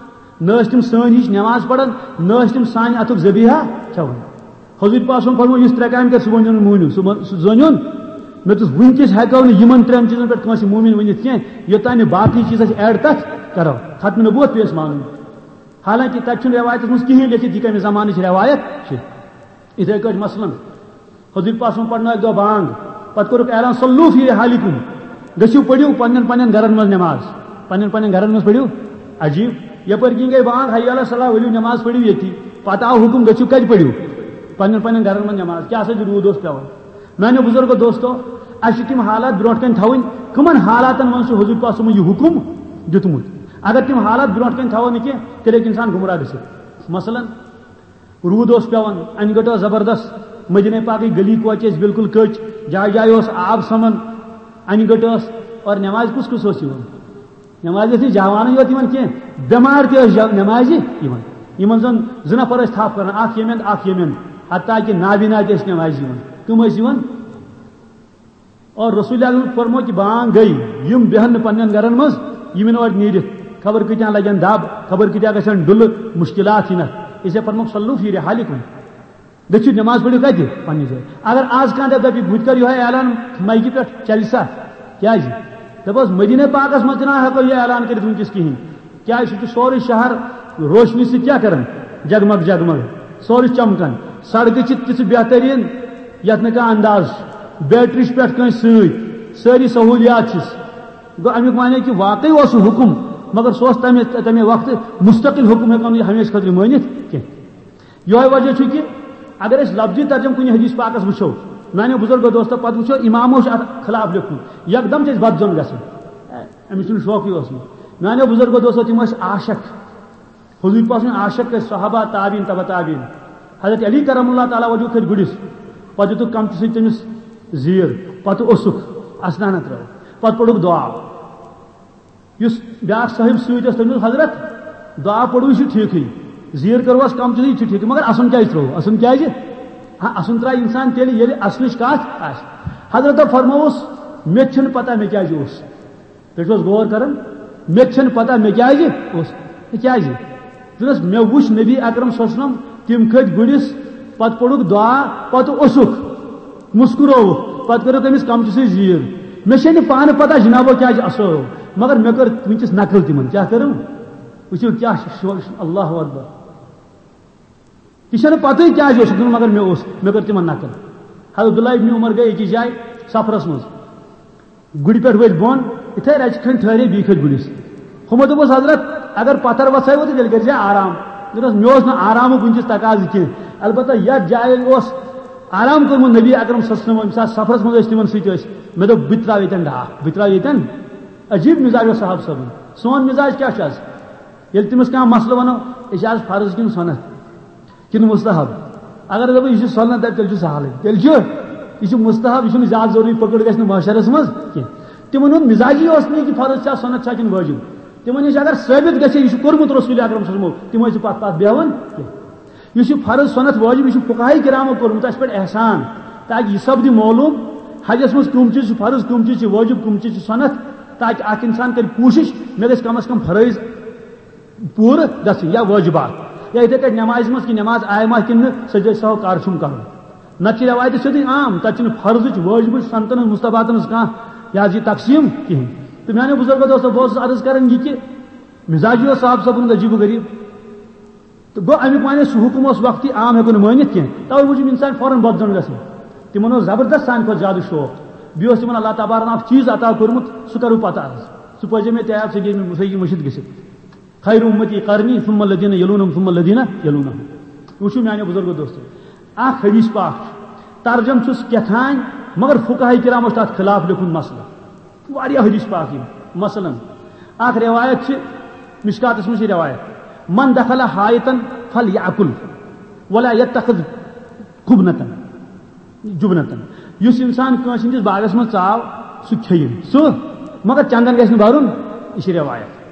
نہ ٲسۍ تِم سٲنۍ ہِش نماز پران، نہ ٲسۍ تِم سانہِ اتھُک ذبیحہ کھٮ۪وان۔ حضور پاک صٲبن فرموو، یُس ترٛےٚ کامہِ کرِ، سُہ بٔنِو نہٕ مومن، سُہ بن-، سُہ زٲنِوُن۔ مےٚ دوٚپُس، وٕنکیٚس ہٮ۪کو نہٕ یِمن ترٛٮ۪ن چیٖزن پٮ۪ٹھ کٲنٛسہِ مومن ؤنِتھ کینٛہہ، یوٚتام نہٕ باقٕے چیٖز أسۍ add تتھ کرو۔ ختم نبوت پیٚیہِ اَسہِ مانُن۔ حالانکہ تتہِ چھُنہٕ رٮ۪وایتس منٛز کِہیٖنۍ لیٚکھِتھ، یہِ کمہِ زمانٕچ رٮ۪وایت چھِ۔ یِتھے کٲٹھۍ مثلاً، حضور پاک صٲبن پرنٲو اکہِ دۄہ بانگ، پتہٕ کوٚرُکھ اعلان، صلوا فی رحالکم، گٔژھِو پٔرِو پننٮ۪ن پننٮ۪ن گرن منٛز نماز، پننٮ۪ن پننٮ۪ن گرن منٛز پٔرِو۔ عجیب، یپٲرۍ کِنۍ گٔے بانگ، حی علی الصلاۃ، ؤلِو نماز پٔرِو ییٚتی۔ پتہٕ آو حکم، گٔژھِو کتہِ پٔرِو؟ پننٮ۪ن پننٮ۪ن گرن منٛز نماز۔ کیٛاہ سا چھُ روٗد اوس پٮ۪وان؟ میانیو بزرگو دوستو، اسہِ چھِ تِم حالات برونٛٹھ کنہِ تھاوٕنۍ، کٕمن حالاتن منٛز چھُ حضور پاک صٲبن یہِ حکم دیُتمُت۔ اگر تِم حالات برونٛٹھ کنہِ تھاوو نہٕ کینٛہہ، تیٚلہِ ہیٚکہِ انسان گمراہ گٔژھِتھ۔ مثلاً، روٗد اوس پٮ۪وان، انہِ گٔٹ ٲس زبردست، مدینے پاکٕکۍ گلی کوچہِ ٲسۍ بالکل کٔچ، جایہِ جایہِ اوس آب سمان، انہِ گٔٹ ٲس، اور نمازِ کُس کُس اوس یِوان؟ نمازِ ٲسۍ نہٕ جوانٕے یوت یِوان کینٛہہ، بٮ۪مار تہِ ٲسۍ جا-، نمازِ یِوان۔ یِمن زن زٕ نفر ٲسۍ تھپھ کران، اکھ ییٚمہِ اندٕ، اکھ ییٚمہِ اندٕ، حتیٰ کہِ نابینا تہِ ٲسۍ نمازِ یِوان۔ کٕم ٲسۍ یِوان؟ اور رسول اکرم فرمو کہ بانگ گئی، یِم بیہن نہٕ پننٮ۪ن گرن منٛز، یِم یِن اورٕ نیٖرِتھ، خبر کۭتیاہ لگن دب، خبر کۭتیاہ گژھن ڈُلہٕ، مشکلات یِن اتھ۔ اسے فرمو، صلوا فی رحالکم، گٔژھِو نماز پٔرِو کتہِ؟ پننہِ جایہِ۔ اگر آز کانٛہہ دپہِ، دپہِ، بہٕ تہِ کرٕ یِہوے اعلان مایکہِ پٮ۪ٹھ، چلہِ سا؟ کیازِ؟ دپوس، مدینہ پاکس منٛز تہِ نہ ہٮ۪کو یہِ اعلان کٔرِتھ وٕنکیٚس کِہیٖنۍ۔ کیازِ؟ سُہ چھُ سورُے شہر روشنی سۭتۍ کیٛاہ کران؟ جگمگ جگمگ، سورُے چمکان۔ سڑکہٕ چھِ تِژھٕ بہتریٖن، یتھ نہٕ کانٛہہ انداز چھُ۔ بیٹری چھِ پٮ۪ٹھ کٲنٛسہِ سۭتۍ، سٲری سہوٗلیات چھِس۔ گوٚو، امیُک معنی کہِ واقعی اوس سُہ حُکُم، مگر سُہ اوس تمہِ، تمہِ وقتہٕ مستقل حُکُم، ہٮ۪کو نہٕ یہِ ہمیشہٕ خٲطرٕ مٲنِتھ کینٛہہ۔ یِہوٚے وجہ چھُ کہِ اگر أسۍ لفظی ترجمہٕ کُنہِ حدیث پاکس وٕچھو، میانیو بُزرگو دوستو، پتہٕ وٕچھو، امامو چھُ اتھ خلاف لیوٚکھمُت، یکدم چھِ أسۍ بدظن گژھان۔ أمِس چھُنہٕ شوقٕے اوسمُت۔ میانیو بُزرگو دوستو، تِم ٲسۍ عاشق، حضور پاک سٕنٛدۍ عاشق ٲسۍ، صحابہ، تابعین، تبع تابعین۔ حضرت علی کرم اللہ تعالیٰ وجہہ کھٔتۍ گُرِس، پتہٕ دِتُکھ کمچہٕ سۭتۍ تٔمِس زیٖر، پتہٕ اوسُکھ، اسنانہ ترٲو، پتہٕ پوٚرُکھ دعا۔ یُس بیٛاکھ صٲحِب سۭتۍ اوس، تٔمۍ دوٚپ، "حضرت، دعا پوٚرُے چھُ ٹھیٖکھٕے، زیٖر کٔروَس کم، تہِ چھُ ٹھیٖکھٕے، مگر اَسُن کیٛازِ ترٛوو؟ اَسُن کیٛازِ؟ ہاں، اَسُن ترٛایہِ اِنسان تیٚلہِ، ییٚلہِ اَسنٕچ کَتھ آسہِ۔" حضرتَن فرمووُس، "مےٚ تہِ چھُنہٕ پَتہ مےٚ کیٛازِ اوس۔" تُہۍ چھِو حظ غور کران؟ مےٚ تہِ چھَنہٕ پَتہ مےٚ کیٛازِ اوس۔ کیٛازِ؟ دوٚپنَس، مےٚ وُچھ نبی اکرم صلی اللہ علیہ وسلم، تِم کھٔتۍ گُرِس، پتہٕ پوٚرُکھ دعا، پتہٕ اوسُکھ، مسکرووُکھ، پتہٕ کٔرٕکھ أمِس کمچہٕ سۭتۍ زیٖر۔ مےٚ چھےٚ نہٕ پانہٕ پتہ جنابو کیٛازِ اَسٲو، مگر مےٚ کٔر وٕنکیٚس نقل تِمن۔ کیٛاہ کٔرٕم؟ وٕچھِو کیٛاہ چھِ شو-، اللہ اکبر۔ یہِ چھَنہٕ پتہٕے کیٛازِ اوسُکھ، مگر مےٚ اوس، مےٚ کٔر تِمن نقل۔ حضرت عبداللہ ابن عمر گٔے أکِس جایہِ سفرس منٛز۔ گُرِ پٮ۪ٹھ ؤتھۍ بۄن، یِتھے رَژِ کھنٛڈ ٹھہرے، بیٚیہِ کھٔتۍ گُرِس۔ ہُمو دوٚپُس، "حضرت، اگر پتھر وژھٲیوٕ تہٕ تیٚلہِ کٔرۍ زِ آرام۔" دوٚپنَس، "مےٚ اوس نہٕ آرامُک وٕنکیٚس تقاضہٕ کینٛہہ، البتہ یَتھ جایہِ اوس آرام کوٚرمُت نبی اکرم صلی اللہ علیہ وسلم، ییٚمہِ ساتہٕ سفرس منٛز ٲسۍ تِمن سۭتۍ ٲسۍ، مےٚ دوٚپ، "بہٕ تہِ ترٛاوٕ ییٚتٮ۪ن ڈاکھ، بہٕ تہِ ترٛاوٕ ییٚتٮ۪ن۔" عجیٖب مِزاج اوس صحابہٕ صٲبُن۔ سون مِزاج کیٛاہ چھُ آز؟ ییٚلہِ تٔمِس کانٛہہ مسلہٕ وَنو، "یہِ چھِ آز فرض کِنہٕ سُنت کِنہٕ مُستحب؟" اگر دَپو، "یہِ چھُ سُنت"، دَپہِ، "تیٚلہِ چھُ سہلٕے، تیٚلہِ چھُ، یہِ چھُ مُستحب، یہِ چھُنہٕ زیادٕ ضروٗری، پٔکٕڑ گژھِ نہٕ محشرس منٛز کینٛہہ۔" تِمن ہُنٛد مِزاجی اوس نہٕ یہِ کہِ فرض چھا، سُنت چھا کِنہٕ وٲجِب۔ تِمن نِش اگر ثٲبت گژھِ، یہِ چھُ کوٚرمُت رسول اکرم صلی اللہ علیہ وسلم، تِم ٲسۍ پتھ پتھ بیہوان کینٛہہ۔ یُس یہِ فرض سُنت وٲجِب، یہِ چھُ فقہاء کرامو کوٚرمُت اَسہِ پٮ۪ٹھ احسان، تاکہِ یہِ سپدِ معلوم، حجس منٛز کٕم چیٖز چھِ فرض، کٕم چیٖز چھِ وٲجِب، کٕم چیٖز چھِ سُنت، تاکہِ اکھ انسان کرِ کوٗشش، مےٚ گژھِ کم از کم فرٲیض پوٗرٕ گژھٕنۍ یا وٲجِبات۔ یا یِتھے کٲٹھۍ نٮ۪مازِ منٛز کہِ نٮ۪ماز آیہِ ما کِنہٕ نہٕ، سُہ چھُ أسۍ تھاوو کر چھُم کرُن۔ نتہٕ چھِ رٮ۪وایتہِ سیوٚدُے عام، تَتہِ چھُنہٕ فرضٕچ، وٲجِبٕچ، سُنتن ہٕنٛز، مُستحباتن ہٕنٛز کانٛہہ، یہِ حظ یہِ تقسیٖم کِہیٖنۍ۔ تہٕ میانیو بُزرگو دوستو، بہٕ اوسُس عرض کران یہِ کہِ مِزاجی اوس صاحب صٲبُن عجیٖب و غریٖب۔ تہٕ گوٚو، اَمیُک معنی سُہ حُکُم اوس وقتی عام، ہٮ۪کو نہٕ مٲنِتھ کینٛہہ۔ تَوَے موٗجوٗب اِنسان فوراً بدظن گژھان۔ تِمن اوس زبردست سانہِ کھۄتہٕ زیادٕ شوق۔ بیٚیہِ اوس تِمن اللہ تبارک تعالیٰ ہن اکھ چیٖز عطا کوٚرمُت، سُہ کرو پتہٕ عرض۔ سُہ پٲیزِ مےٚ تہِ عیب، سُہ گٔیہِ مےٚ، سُہ ہیٚکہِ مٔشِتھ گٔژھِتھ۔ خیر امتی قرنی ثم الذین یلونہم ثم الذین یلونہم۔ وٕچھِو میانیو بُزرگو دوستو، اکھ حدیث پاک چھُ، ترجم چھُس کیٛاہ تام، مگر فقہاء کرامو چھُ تتھ خلاف لیوٚکھمُت مسلہٕ۔ واریاہ حدیث پاک یِم۔ مثلاً، اکھ روایت چھِ، مشکاتس منٛز چھِ روایت، "من دخل حائطا فلیأکل ولا یتخذ قبنتن، جبنتن"۔ یُس انسان کٲنٛسہِ ہٕنٛدِس باغس منٛز ژاو، سُہ کھیٚیِن سُہ، مگر چندن گژھِ نہٕ برُن۔ یہِ چھِ روایت۔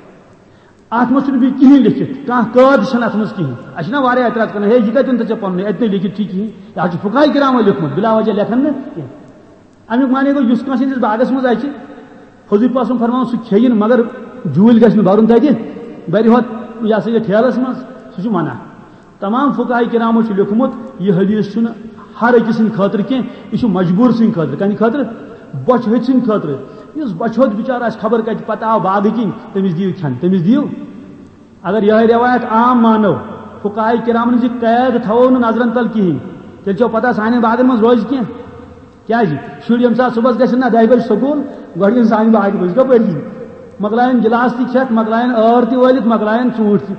اتھ منٛز چھُنہٕ بیٚیہِ کِہیٖنۍ لیٚکھِتھ، کانٛہہ قٲد چھَنہٕ اتھ منٛز کِہیٖنۍ۔ اَسہِ چھِنہ واریاہ اعتراض کران، "ہے، یہِ کتٮ۪ن تہٕ ژےٚ پننُے، اَتہِ نَے لیٚکھِتھ چھُے کِہیٖنۍ، یہِ حظ چھُ فقہاء کرامو لیوٚکھمُت، بلا وجہ لیکھن نہٕ کینٛہہ۔" اَمیُک معنی گوٚو، یُس کٲنٛسہِ ہٕنٛدِس باغس منٛز اَژِ، حضوٗر پاک سُنٛد فرمان، سُہ کھیٚیِن، مگر جوٗلۍ گژھِ نہٕ بَرُن تَتہِ، بَرِ ہوت، یہِ ہسا یہِ ٹھیلَس منٛز، سُہ چھُ منع۔ تمام فقہاء کرامو چھُ لیوٚکھمُت، یہِ حدیث چھُنہٕ ہر أکِس سٕنٛدِ خٲطرٕ کینٛہہ، یہِ چھُ مجبوٗر سٕنٛدِ خٲطرٕ۔ کَمہِ خٲطرٕ؟ بۄچھِ ۂژ سٕنٛدِ خٲطرٕ۔ یُس بۄچھِ ہوٚت بِچارٕ آسہِ، خبر کَتہِ پَتہٕ آو باغہٕ کِنۍ، تٔمِس دِیِو کھٮ۪ن، تٔمِس دِیِو۔ اگر یِہے رٮ۪وایت عام مانو، فقہاء کرامن ہٕنٛز یہِ قید تھاوو نہٕ نظرن تل کِہیٖنۍ، تیٚلہِ چھو پتہ سانٮ۪ن باغن منٛز روزِ کینٛہہ۔ کیٛازِ؟ شُرۍ ییٚمہِ ساتہٕ صُبحس گژھن نہ دَہہِ بجہِ سکوٗل، گۄڈٕ یِن سانہِ باغہِ منٛز، کپٲرۍ یِن؟ مۄکلاین گِلاس تہِ کھٮ۪تھ، مۄکلاین ٲر تہِ وٲلِتھ، مۄکلاین ژوٗنٛٹھۍ تہِ۔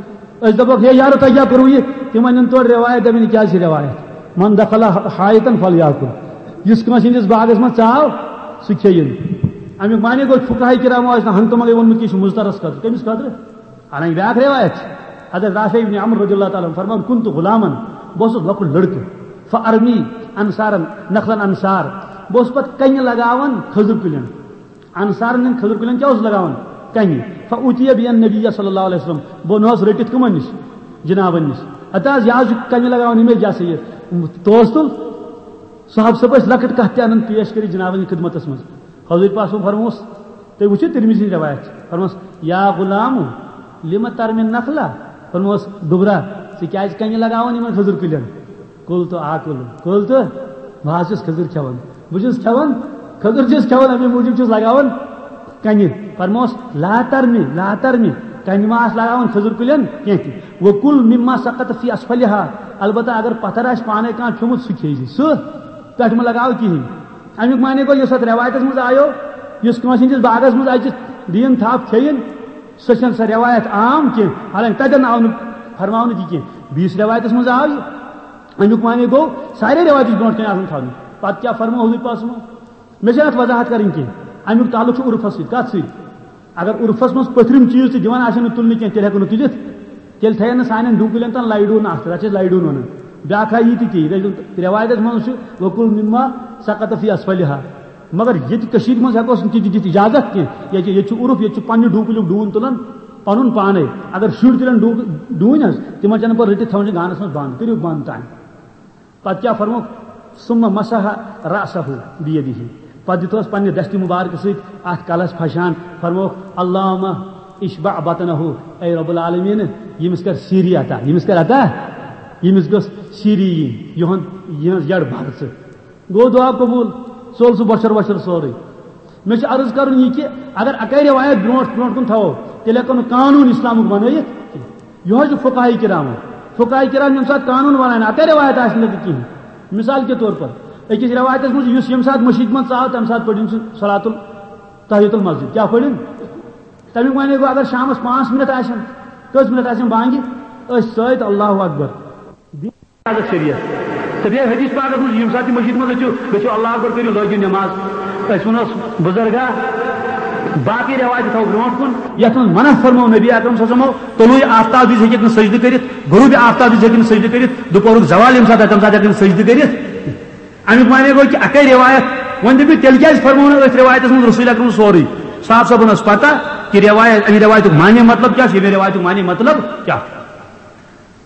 أسۍ دَپوکھ، "ہے یارو، تۄہہِ کیٛاہ کوٚروٕ یہِ؟" تِمن یِن تورٕ رٮ۪وایت، دَپن، "یہِ کیٛاہ چھِ رٮ۪وایت؟ من دخل حائطا فلیأکل"۔ یُس کٲنٛسہِ ہٕنٛدِس باغس منٛز ژاو، سُہ کھیٚیِن۔ اَمیُک معنی گوٚو، فقہاء کرامو آسہِ نہٕ ہنٛگتہٕ منٛگے ووٚنمُت کہِ یہِ چھُ مُضطرس خٲطرٕ۔ کٔمِس خٲطرٕ؟ حالانکہ بیٛاکھ رٮ۪وایت چھِ، حضرت رافع ابن عمرو رضی اللہ تعالیٰ عنہ فرمان، "كنت غلاما"، بہٕ اوسُس لۄکُٹ لڑکہٕ، "فأرمي أنصارا نخلا أنصار"، بہٕ اوسُس پتہٕ کنہِ لگاوان کھٔزٕر کُلٮ۪ن، انصارن ہٕنٛدٮ۪ن کھٔزٕر کُلٮ۪ن کیٛاہ اوسُس لگاوان؟ کنہِ۔ فأتي بها النبي صلی اللہ علیہ وسلم، بہٕ نوس رٔٹِتھ کٕمن نِش؟ جنابن نِش۔ ہتا حظ، یہِ حظ چھُ کنہِ لگاوان، یِم ہے جیسے یہِ توس تُل، صحابہٕ صٲب ٲسۍ لۄکٕٹ کتھ تہِ انان پیش کٔرِتھ جنابن ہٕنٛدِ خدمتس منٛز۔ حضور پاک صٲبن فرموس، تُہۍ وٕچھِو ترمذی ہٕنٛز رِوایت چھِ۔ فرموس، "یا غلام، لم ترمی النخلہ؟" فرموس، "دُبرا، ژٕ کیٛازِ کنہِ لگاوان یِمن کھٔزٕر کُلٮ۪ن؟" "قلت آکل"، قلت، بہٕ حظ چھُس کھٔزٕر کھٮ۪وان۔ بہٕ چھُس کھٮ۪وان، کھٔزٕر چھُس کھٮ۪وان، اَمے موٗجوٗب چھُس لگاوان کنہِ۔ فرموس، "لا ترمی، لا ترمی"، کنہِ ما آسہٕ لگاوان کھٔزٕر کُلٮ۪ن کینٛہہ تہِ۔ "وکل مما سقط فی اسفلها"، البتہ اگر پتھر آسہِ پانے کانٛہہ کھیوٚمُت، سُہ کھیٚیہِ زِ۔ سُہ پٮ۪ٹھ مہٕ لگاو کِہیٖنۍ۔ اَمیُک معنی گوٚو، یُس اَتھ رٮ۪وایتَس منٛز آیو، یُس کٲنٛسہِ ہٕنٛدِس باغَس منٛز اَژِ دیٖن تھپھ کھیٚیِن، سۄ چھَنہٕ سۄ رٮ۪وایت عام کینٛہہ۔ حالانکہ تَتٮ۪ن آو نہٕ فرماونہٕ تہِ کینٛہہ۔ بیٚیِس رٮ۪وایتَس منٛز آو یہِ۔ اَمیُک معنی گوٚو، سارے رٮ۪وایتہِ چھِ برونٛٹھ کَنہِ آسان تھاونہِ۔ پَتہٕ کیٛاہ فرموو حضوٗر پاک صٲبَن؟ مےٚ چھَنہٕ اَتھ وضاحت کَرٕنۍ کینٛہہ۔ اَمیُک تعلق چھُ عُرفَس سۭتۍ۔ کَتھ سۭتۍ؟ اگر عُرفَس منٛز پٔتھرِم چیٖز تہِ دِوان آسن نہٕ تُلنہٕ کینٛہہ، تیٚلہِ ہٮ۪کو نہٕ تُلِتھ۔ تیٚلہِ تھاوَن نہٕ سانٮ۪ن ڈوٗنۍ کُلٮ۪ن تام لایڈوٗن اَکھ، تَتھ چھِ أسۍ لایڈوٗن وَنان۔ بیٛاکھ آیہِ یہِ تہِ تی، یہِ گژھِ رٮ۪وایتَس منٛز چھُ، "وکل مما سقط فی اسفلها"۔ مگر ییٚتہِ کٔشیٖرِ منٛز ہٮ۪کوس نہٕ تہِ دِتھ اِجازت کینٛہہ۔ ییٚتہِ، ییٚتہِ چھُ عُرُف، ییٚتہِ چھُ پنٛنہِ ڈوٗنۍ کُلیُک ڈوٗن تُلان پَنُن پانَے۔ اگر شُرۍ تُلن ڈوٗ-، ڈوٗنۍ حظ، تِمَن چھَنہٕ پَتہٕ رٔٹِتھ تھاوان چھِ گانَس منٛز بنٛد، کٔرِو بنٛد تام۔ پتہٕ کیٛاہ فرمووُکھ؟ "ثم مسح رأسه بيده"۔ پتہٕ دیُت پتہٕ پننہِ دستہِ مبارکہٕ سۭتۍ اتھ کلس پھشان، فرمووُکھ، "اللهم اشبع بطنه"، اے رب العالمین، ییٚمِس کر سیٖری عطا، ییٚمِس کر عطا، ییٚمِس گٔژھ سیٖری یِنۍ، یِہُنٛد، یِہٕنٛز یٔڈ بھر ژٕ۔ گوٚو دعا قبول، ژوٚل سُہ بۄچھر وۄچھر سورُے۔ مےٚ چھُ عرض کرُن یہِ کہِ اگر اکٲے رٮ۪وایت برونٛٹھ برونٛٹھ کُن تھاوو، تیٚلہِ ہٮ۪کو نہٕ قانوٗن اسلامُک بنٲیِتھ کینٛہہ۔ یِہوٚے چھُ فقہاء کرامو۔ فقہاء کرام ییٚمہِ ساتہٕ قانوٗن بناون، اکٲے رٮ۪وایت آسہِ نہٕ تہِ کِہیٖنۍ۔ مثال کے طور پر، أکِس رٮ۪وایتَس منٛز یُس ییٚمہِ ساتہٕ مٔشیٖد منٛز ژاو، تَمہِ ساتہٕ پٔرِن سُہ صلاتُل تحیت المسجد۔ کیٛاہ پٔرِن؟ تَمیُک معنی گوٚو، اگر شامَس پانٛژھ مِنٹ آسن، کٔژ مِنٹ آسن بانگہِ، أسۍ سۭتۍ، اللہ اکبر۔ اجازت شریعت۔ تہٕ بیٚیہِ حدیث پاکس منٛز، ییٚمہِ ساتہٕ تہِ مسجد منٛز أژِو، گٔژھِو اللہ اکبر، کٔرِو، لٲگِو نماز۔ أسۍ وَنو بُزرگا، باقٕے رٮ۪وایتہِ تھاوو برونٛٹھ کُن، یَتھ منٛز منع فرموو نبی اکرم صلی اللہ علیہ وسلم، طلوع آفتاب وِزِ ہیٚکہِ نہٕ سجدٕ کٔرِتھ، غروب آفتاب وِزِ ہیٚکہِ نہٕ سجدٕ کٔرِتھ، دُپہرُک زوال ییٚمہِ ساتہٕ آسہِ، تَمہِ ساتہٕ ہیٚکہِ نہٕ سجدٕ کٔرِتھ۔ اَمیُک معنی گوٚو کہِ اَکٕے رٮ۪وایت۔ وۄنۍ دٔپِو، تیٚلہِ کیٛازِ فرموو نہٕ أتھۍ رٮ۪وایتَس منٛز رسول اکرم سورُے؟ صاحب صٲبَن ٲس پَتہ کہِ رٮ۪وایت، اَمہِ رٮ۪وایتُک معنی مطلب کیٛاہ چھُ، ییٚمہِ رٮ۪وایتُک معنی مطلب کیٛاہ چھُ۔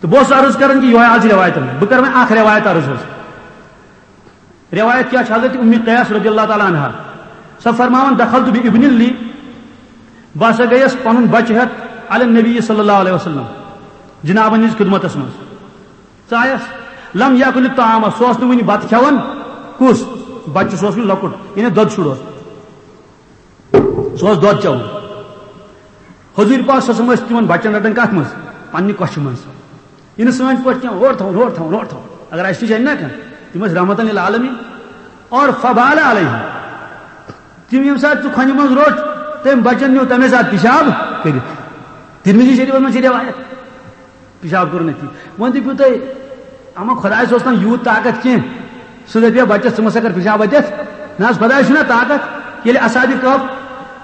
تہٕ بہٕ اوسُس عرض کران کہِ یِہوٚے حال چھِ رٮ۪وایتَن۔ بہٕ کَرٕ وۄنۍ اَکھ رٮ۪وایت عرض حظ۔ رٮ۪وایت کیٛاہ چھِ؟ حضرت اُمِ قیس رضی اللہ تعالیٰ عنہا، سۄ فرماوان، "دخلت بابن لی"، بہٕ ہسا گٔیَس پَنُن بَچہٕ ہٮ۪تھ، "علی النبی صلی اللہ علیہ وسلم"، جنابَن ہِنٛز خدمتَس منٛز۔ ژٕ آیَس؟ "لم یاکل الطعام"، سُہ اوس نہٕ وُنہِ بَتہٕ کھٮ۪وان۔ کُس بَچہٕ؟ سُہ اوس وُنہِ لۄکُٹ، یعنی دۄدٕ شُر اوس۔ سُہ اوس دۄد چٮ۪وان۔ حضوٗر پاک صلی اللہ علیہ وسلم ٲسۍ تِمن بچن رٹان کتھ منٛز؟ پننہِ کۄچھِ منٛز۔ یہِ نہٕ سٲنۍ پٲٹھۍ کینٛہہ، ہورٕ تھاوُن، ہورٕ تھاوُن، ہورٕ تھاوُن۔ اگر اسہِ نِش انہِ نا کانٛہہ، تِم ٲسۍ رحمتن للعالمین۔ اور فبال علیہ، تِم ییٚمہِ ساتہٕ ژٕ کھۄنہِ منٛز روٚٹ، تٔمۍ بچن نیوٗ تمے ساتہٕ پِشاب کٔرِتھ۔ ترمذی شریفس منٛز چھِ رِوایت۔ پِشاب کوٚرُن أتی۔ وۄنۍ دٔپِو تُہۍ، اما خۄدایَس اوس نہٕ یوٗت طاقت کینٛہہ، سُہ دَپہِ ہا بَچَس، "ژٕ مہ سا کر پِشاب اَتٮ۪تھ۔" نہ حظ، خۄدایَس چھُنہ طاقت۔ ییٚلہِ اصحابِ کہف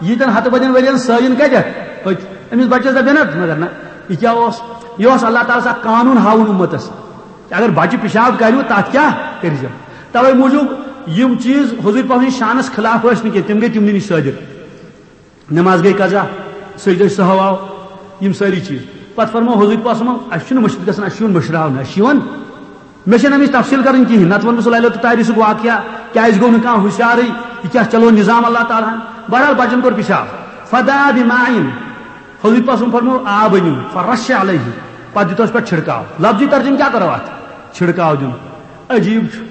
ییٖتٮ۪ن ہَتہٕ بَدٮ۪ن ؤرِیَن سٲیِن کَتٮ۪تھ أتھۍ، أمِس بَچَس دَپہِ ہا نہ، مگر نہ، یہِ کیٛاہ اوس؟ یہِ اوس اللہ تعالیٰ ہَس اکھ قانوٗن ہاوُن اُمَتَس۔ اگر بَچہِ پِشاب کَرِ، تَتھ کیٛاہ کٔرۍزیو؟ تَوَے موٗجوٗب یِم چیٖز حضوٗر پاک سٕنٛدِس شانَس خلاف ٲسۍ نہٕ کینٛہہ، تِم گٔے تِمنٕے نِش صٲدِر۔ نماز گٔے قضا، سجدٕ سہو آو، یِم سٲری چیٖز۔ پتہٕ فرموو حضوٗر پاک صلی اللہ علیہ وسلم، "اَسہِ چھُنہٕ مٔشِد گژھان، اَسہِ چھُ یُن مٔشراونہٕ، اَسہِ چھُ یِوان۔" مےٚ چھَنہٕ اَمِچ تفصیٖل کَرٕنۍ کِہیٖنۍ، نَتہٕ وَنہٕ بہٕ سُہ لیلۃ الطاہری سُک واقعہ، کیٛازِ گوٚو نہٕ کانٛہہ ہُشارٕے، یہِ کیٛاہ چلو نظام اللہ تعالیٰ ہَن۔ بہرحال بَچَن کوٚر پِشاب۔ فدعا بماء، حضوٗر پاک صلی اللہ علیہ وسلم فرموو، "آب أنِو، فرش علیہ"، پتہٕ دیُت اَسہِ پٮ۪ٹھ چھِڑکاو۔ لفظی ترجمہٕ کیٛاہ کَرو اَتھ؟ چھِڑکاو دیُن۔ عجیٖب چھُ۔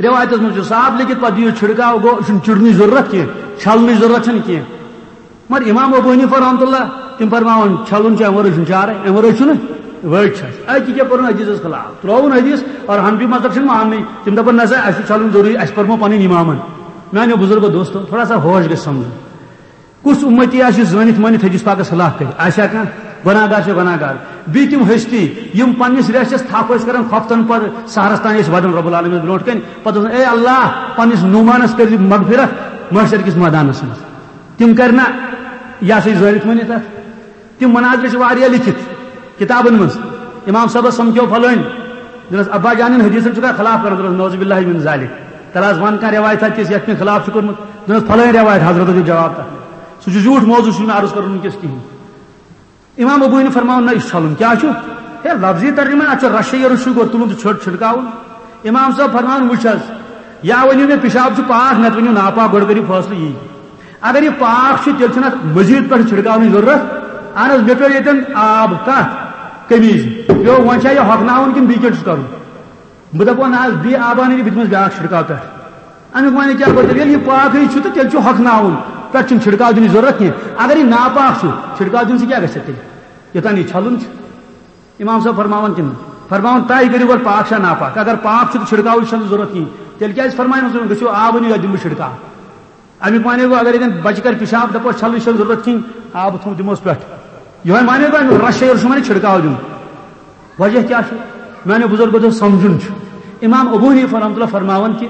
رِوایتَس منٛز چھُ صاف لیکھِتھ، پتہٕ دِیِو چھِڑکاو، گوٚو، یہِ چھُنہٕ چِڑنٕچ ضروٗرت کینٛہہ، چھَلنٕچ ضروٗرت چھَنہٕ کینٛہہ۔ مگر امام ابو حنیفہ رحمتہ اللہ، تِم فرماوان، چھلُن چھُ، امہِ ورٲے چھُنہٕ چارے، امہِ ورٲے چھُنہٕ وٲج چھس۔ اَتہِ کیٛاہ پوٚرُن حدیثس خلاف؟ ترٛووُن حدیث، اور حنفی مذہب چھُنہٕ ماننٕے۔ تِم دپان، نہ سا، اَسہِ چھُ چھلُن ضروٗری، اَسہِ پرمو پنٕنۍ امامن۔ میانیو بزرگو دوستو، تھوڑا سا ہوش گژھِ سمجھُن۔ کُس اُمتی آسہِ یُس زٲنِتھ مٲنِتھ حدیث پاکس خلاف کرِ؟ آسیا کانٛہہ؟ گۄناہگار چھِ گۄناہگار۔ بیٚیہِ تِم ہستی، یِم پننِس ریشس تھپھ ٲسۍ کران، خۄفتن پر سحرس تام ٲسۍ ودان رب العالمین برونٛٹھ کنہِ۔ پتہٕ اوس، اے اللہ، پننِس نعمانس کٔرۍ زِ مغفرت محشر کِس مٲدانس منٛز۔ تِم کرِ نہ، یہِ ہسا یہِ زٲنِتھ مٲنِتھ اتھ۔ تِم مناظر چھِ واریاہ لیکھِتھ کتابن منٛز۔ امام صٲبس سمکھیو فلٲنۍ، دوٚپنس، ابا جانن حدیثن چھُکھا خلاف کران؟ دوٚپنس، نعوذ باللہ من ذالک۔ تیٚلہِ حظ ون کانٛہہ رِوایت، تہِ یتھ مےٚ خلاف چھُ کوٚرمُت۔ دوٚپنس، فلٲنۍ رِوایت، حضرت دیُت جواب تتھ۔ سُہ چھُ زیوٗٹھ موضوع، سُہ چھُنہٕ عرض کرُن وٕنکیٚس کِہینۍ۔ امام ابو حنیفہ فرماوان، نہ، یہِ چھُ چھلُن۔ کیٛاہ چھُ؟ ہے، لفظی ترجمہ، اتھ چھُ رشے یورٕ چھُ گۄڈٕ تُلُن تہٕ چھٔڑ چھِڑکاوُن۔ امام صٲب فرماوان، وٕچھ حظ، یا ؤنِو مےٚ پِشاب چھُ پاک، نتہٕ ؤنِو ناپاک، گۄڈٕ کٔرِو فٲصلہٕ یی۔ اگر یہِ پاک چھُ، تیٚلہِ چھُنہٕ اتھ مزید پٮ۪ٹھ چھِڑکاونٕچ ضروٗرت۔ اہن حظ، مےٚ پیوٚو ییٚتٮ۪ن آب کتھ قمیٖضہِ۔ پیوٚو، وۄنۍ چھا یہِ ہۄکھناوُن کِنہٕ بیٚیہِ کینٛہہ چھُس کرُن؟ بہٕ دَپہٕ، نہ حظ، بیٚیہِ آبان یہِ بہٕ دِمَس بیٛاکھ چھِڑکاو پٮ۪ٹھ۔ اَمیُک معنی کیٛاہ گوٚو تیٚلہِ؟ ییٚلہِ یہِ پاکٕے چھُ تہٕ تیٚلہِ چھُ ہۄکھناوُن، پٮ۪ٹھ چھُنہٕ چھِڑکاو دِنٕچ ضروٗرت کینٛہہ۔ اگر یہِ ناپاک چھُ، چھِڑکاو دیُن سۭتۍ کیٛاہ گژھِ تیٚلہِ؟ یوٚتام یہِ چھَلُن چھُ۔ اِمام صٲب فرماوان کِنہٕ؟ فرماوان، طے کٔرِو گۄڈٕ پاک چھا ناپاک۔ اگر پاک چھُ تہٕ چھِڑکاوٕچ چھَنہٕ ضروٗرت کِہیٖنۍ، تیٚلہِ کیٛازِ فرمایہِ نہٕ، گٔژھِو آب أنِو، یَتھ دِمہٕ بہٕ چھِڑکاو؟ اَمیُک معنی گوٚو، اگر ییٚتٮ۪ن بَچہِ کَرِ پِشاب، دَپوس، چھَلنٕچ چھَنہٕ ضروٗرت کِہیٖنۍ، آب تھوٚو دِموس پٮ۪ٹھ۔ یِہوٚے معنی گوٚو، اَمیُک رَش چھُ معنی چھِڑکاو دیُن۔ وجہ کیٛاہ چھُ؟ میٛانیو بُزرگو دوٚپ، سَمجھُن چھُ۔ اِمام ابو حنیفہ رحمتہ اللہ فرماوان کہِ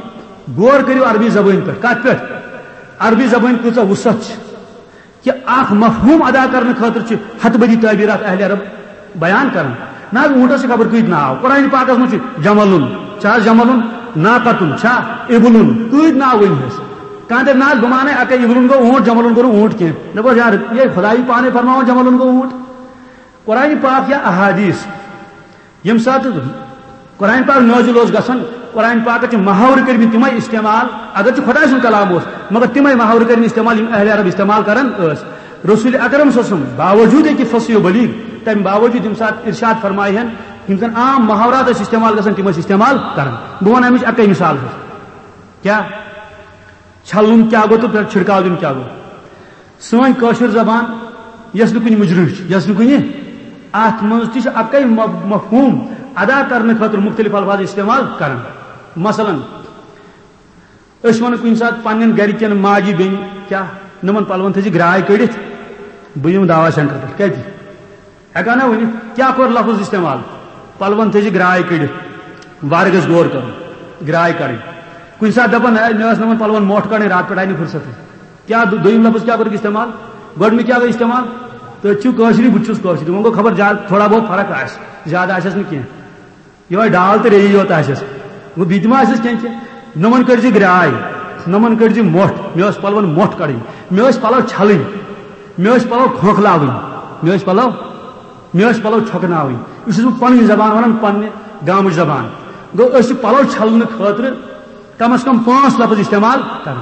غور کٔرِو عربی زبٲنۍ پٮ۪ٹھ۔ کَتھ پٮ۪ٹھ؟ عربی زبٲنۍ کۭژاہ وُسعت چھِ کہِ اَکھ مفہوٗم ادا کرنہٕ خٲطرٕ چھِ ہَتہٕ بٔدی تعبیٖرات اہلِ عرب بیان کران۔ نہ حظ، اوٗنٹس چھِ خبر کۭتۍ ناو۔ قرآن پاکس منٛز چھِ جملُن، چھا حظ جملُن، ناقتُن، چھا اِبلُن، کۭتۍ ناو ؤنۍ حظ؟ کانٛہہ دَپہِ، نہ حظ، بہٕ مانَے اَکے، اِبلُن گوٚو اوٗنٹ، جملُن گوٚو نہٕ اوٗنٹ کینٛہہ۔ دَپوس، یارٕ، یے خۄدایی پانے فرماوان جملُن گوٚو اوٗنٹ۔ قرآن پاک یا احادیث، ییٚمہِ ساتہٕ قرآن پاک نٲزِل اوس گژھان، قرآن پاکس چھِ محاورٕ کٔرمٕتۍ تِمے استعمال، اگر چھُ خۄداے سُنٛد کلام اوس، مگر تِمے محاورٕ کٔرمٕتۍ استعمال، یِم اہل عرب استعمال کران ٲسۍ۔ رسول اکرم صلی اللہ علیہ وسلم باوجود کہِ فصیح و بلیغ، تمہِ باوجود ییٚمہِ ساتہٕ ارشاد فرمایہِ ہن، یِم زن عام محاورات ٲسۍ استعمال گژھان، تِم ٲسۍ استعمال کران۔ بہٕ ونہٕ امِچ اکٕے مثال حظ۔ کیٛاہ؟ چھلُن کیٛاہ گوٚو تہٕ پٮ۪ٹھ چھِڑکاو دیُن کیٛاہ گوٚو؟ سٲنۍ کٲشِر زبان، یۄس نہٕ کُنہِ مُجرٕج چھِ، یۄس نہٕ کُنہِ، اَتھ منٛز تہِ چھُ اَکٕے مف-، مفہوٗم ادا کرنہٕ خٲطرٕ مُختٔلِف الفاظ استعمال کران۔ مثلاً، أسۍ وَنو کُنہِ ساتہٕ پننٮ۪ن گرِکٮ۪ن ماجہِ بیٚنہِ، کیٛاہ، نِمن پلون تھٲیزِ گراے کٔڑِتھ، بہٕ یِمہٕ دعوا سینٹر پٮ۪ٹھ۔ کَتہِ؟ ہٮ۪کان نا ؤنِتھ؟ کیٛاہ کوٚر لفظ استعمال؟ پلون تھٲیزِ گراے کٔڑِتھ، وارٕ گژھِ غور کرُن۔ گراے کڑٕنۍ۔ کُنہِ ساتہٕ دپان، "ہے، مےٚ ٲس نہٕ یِمن پلون مۄٹھ کڑٕنۍ، راتہٕ پٮ۪ٹھ آیہِ نہٕ فرصتٕے۔" کیٛاہ دو-، دوٚیِم لفظ کیٛاہ کوٚرُکھ استعمال؟ گۄڈٕنیُک کیٛاہ گوٚو استعمال؟ تہٕ چھُ کٲشرُے، بہٕ تہِ چھُس کٲشرُے۔ وۄنۍ گوٚو خبر زیادٕ تھوڑا بہت فرق آسہِ، زیادٕ آسٮ۪س نہٕ کینٛہہ۔ یِہوٚے ڈال تہٕ ریٚیی یوت آسٮ۪س۔ گوٚو بیٚیہِ تہِ ما آسٮ۪س کینٛہہ کینٛہہ؟ نۄمن کٔڑۍ زِ گراے، نۄمن کٔڑۍ زِ مۄٹھ، مےٚ ٲس پلون مۄٹھ کڑٕنۍ، مےٚ ٲسۍ پلو چھلٕنۍ، مےٚ ٲسۍ پلو کھۄکھلاوٕنۍ، مےٚ ٲسۍ پلو، مےٚ ٲسۍ پلو چھۄکناوٕنۍ۔ یہِ چھُس بہٕ پنٕنۍ زبان ونان، پننہِ گامٕچ زبان۔ گوٚو أسۍ چھِ پلو چھلنہٕ خٲطرٕ کم از کم پانٛژھ لفظ استعمال کران۔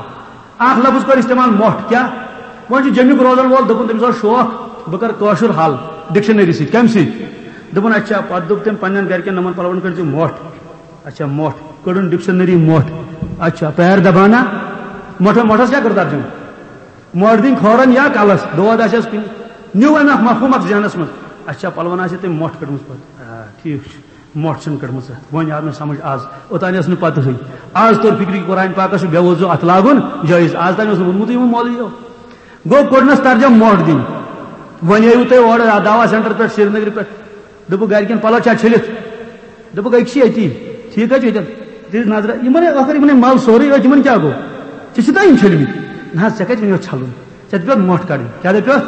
اکھ لفظ کوٚر استعمال مۄٹھ، کیٛاہ؟ وۄنۍ چھُ جیٚمیُک روزن وول، دوٚپُن تٔمِس اوس شوق، بہٕ کرٕ کٲشُر حل ڈکشنری سۭتۍ۔ کمہِ سۭتۍ؟ دوٚپُن اچھا، پتہٕ دوٚپ تٔمۍ پننٮ۪ن گرِکٮ۪ن، نۄمن پلون کٔرۍ زِ مۄٹھ۔ اچھا، مۄٹھ، کٔڑٕن ڈکشنری مۄٹھ۔ اچھا، پیر دبانا، مۄٹھ، مۄٹھس کیٛاہ کوٚر ترجمہٕ؟ مۄٹھ دِنۍ کھورن یا کلس، دود آسٮ۪س کُنہِ۔ نیوٗ أمۍ اکھ مفہوٗم اکھ ذہنس منٛز، اچھا، پلون آسہِ تٔمۍ مۄٹھ کٔڑمٕژ پتہٕ۔ آ، ٹھیٖک چھُ۔ مۄٹھ چھَنہٕ کٔڑمٕژ۔ وۄنۍ آو مےٚ سمجھ آز، اوٚتانۍ ٲس نہٕ پتہٕے۔ آز توٚر فکرِ کہِ قرآن پاکس چھُ بے وضوٗ اتھٕ لاگُن جٲیز۔ آز تام اوس نہٕ ووٚنمُتٕے یِمو مولویو۔ گوٚو کوٚڑنس ترجمہ مۄٹھ دِنۍ۔ وۄنۍ آیِو تُہۍ اورٕ دعوا سینٹر پٮ۪ٹھ سرینگرٕ پٮ۪ٹھ۔ دوٚپُکھ گرِکٮ۪ن پلو چھا چھٔلِتھ؟ دوٚپُکھ أکۍ چھِ ییٚتی۔ ٹھیٖک حظ چھُ ییٚتٮ۪ن۔ دِژ نظرہ، یِمن ہے ٲخٕر یِمن ہے مل سورُے أتھۍ، یِمن کیٛاہ گوٚو؟ ژےٚ چھِ تۄہہِ یِم چھٔلمٕتۍ؟ نہ حظ، ژےٚ کتہِ ووٚنُتھ چھلُن؟ ژےٚ دَپیوتھ مۄٹھ کڑٕنۍ۔ کیٛاہ دَپیوتھ؟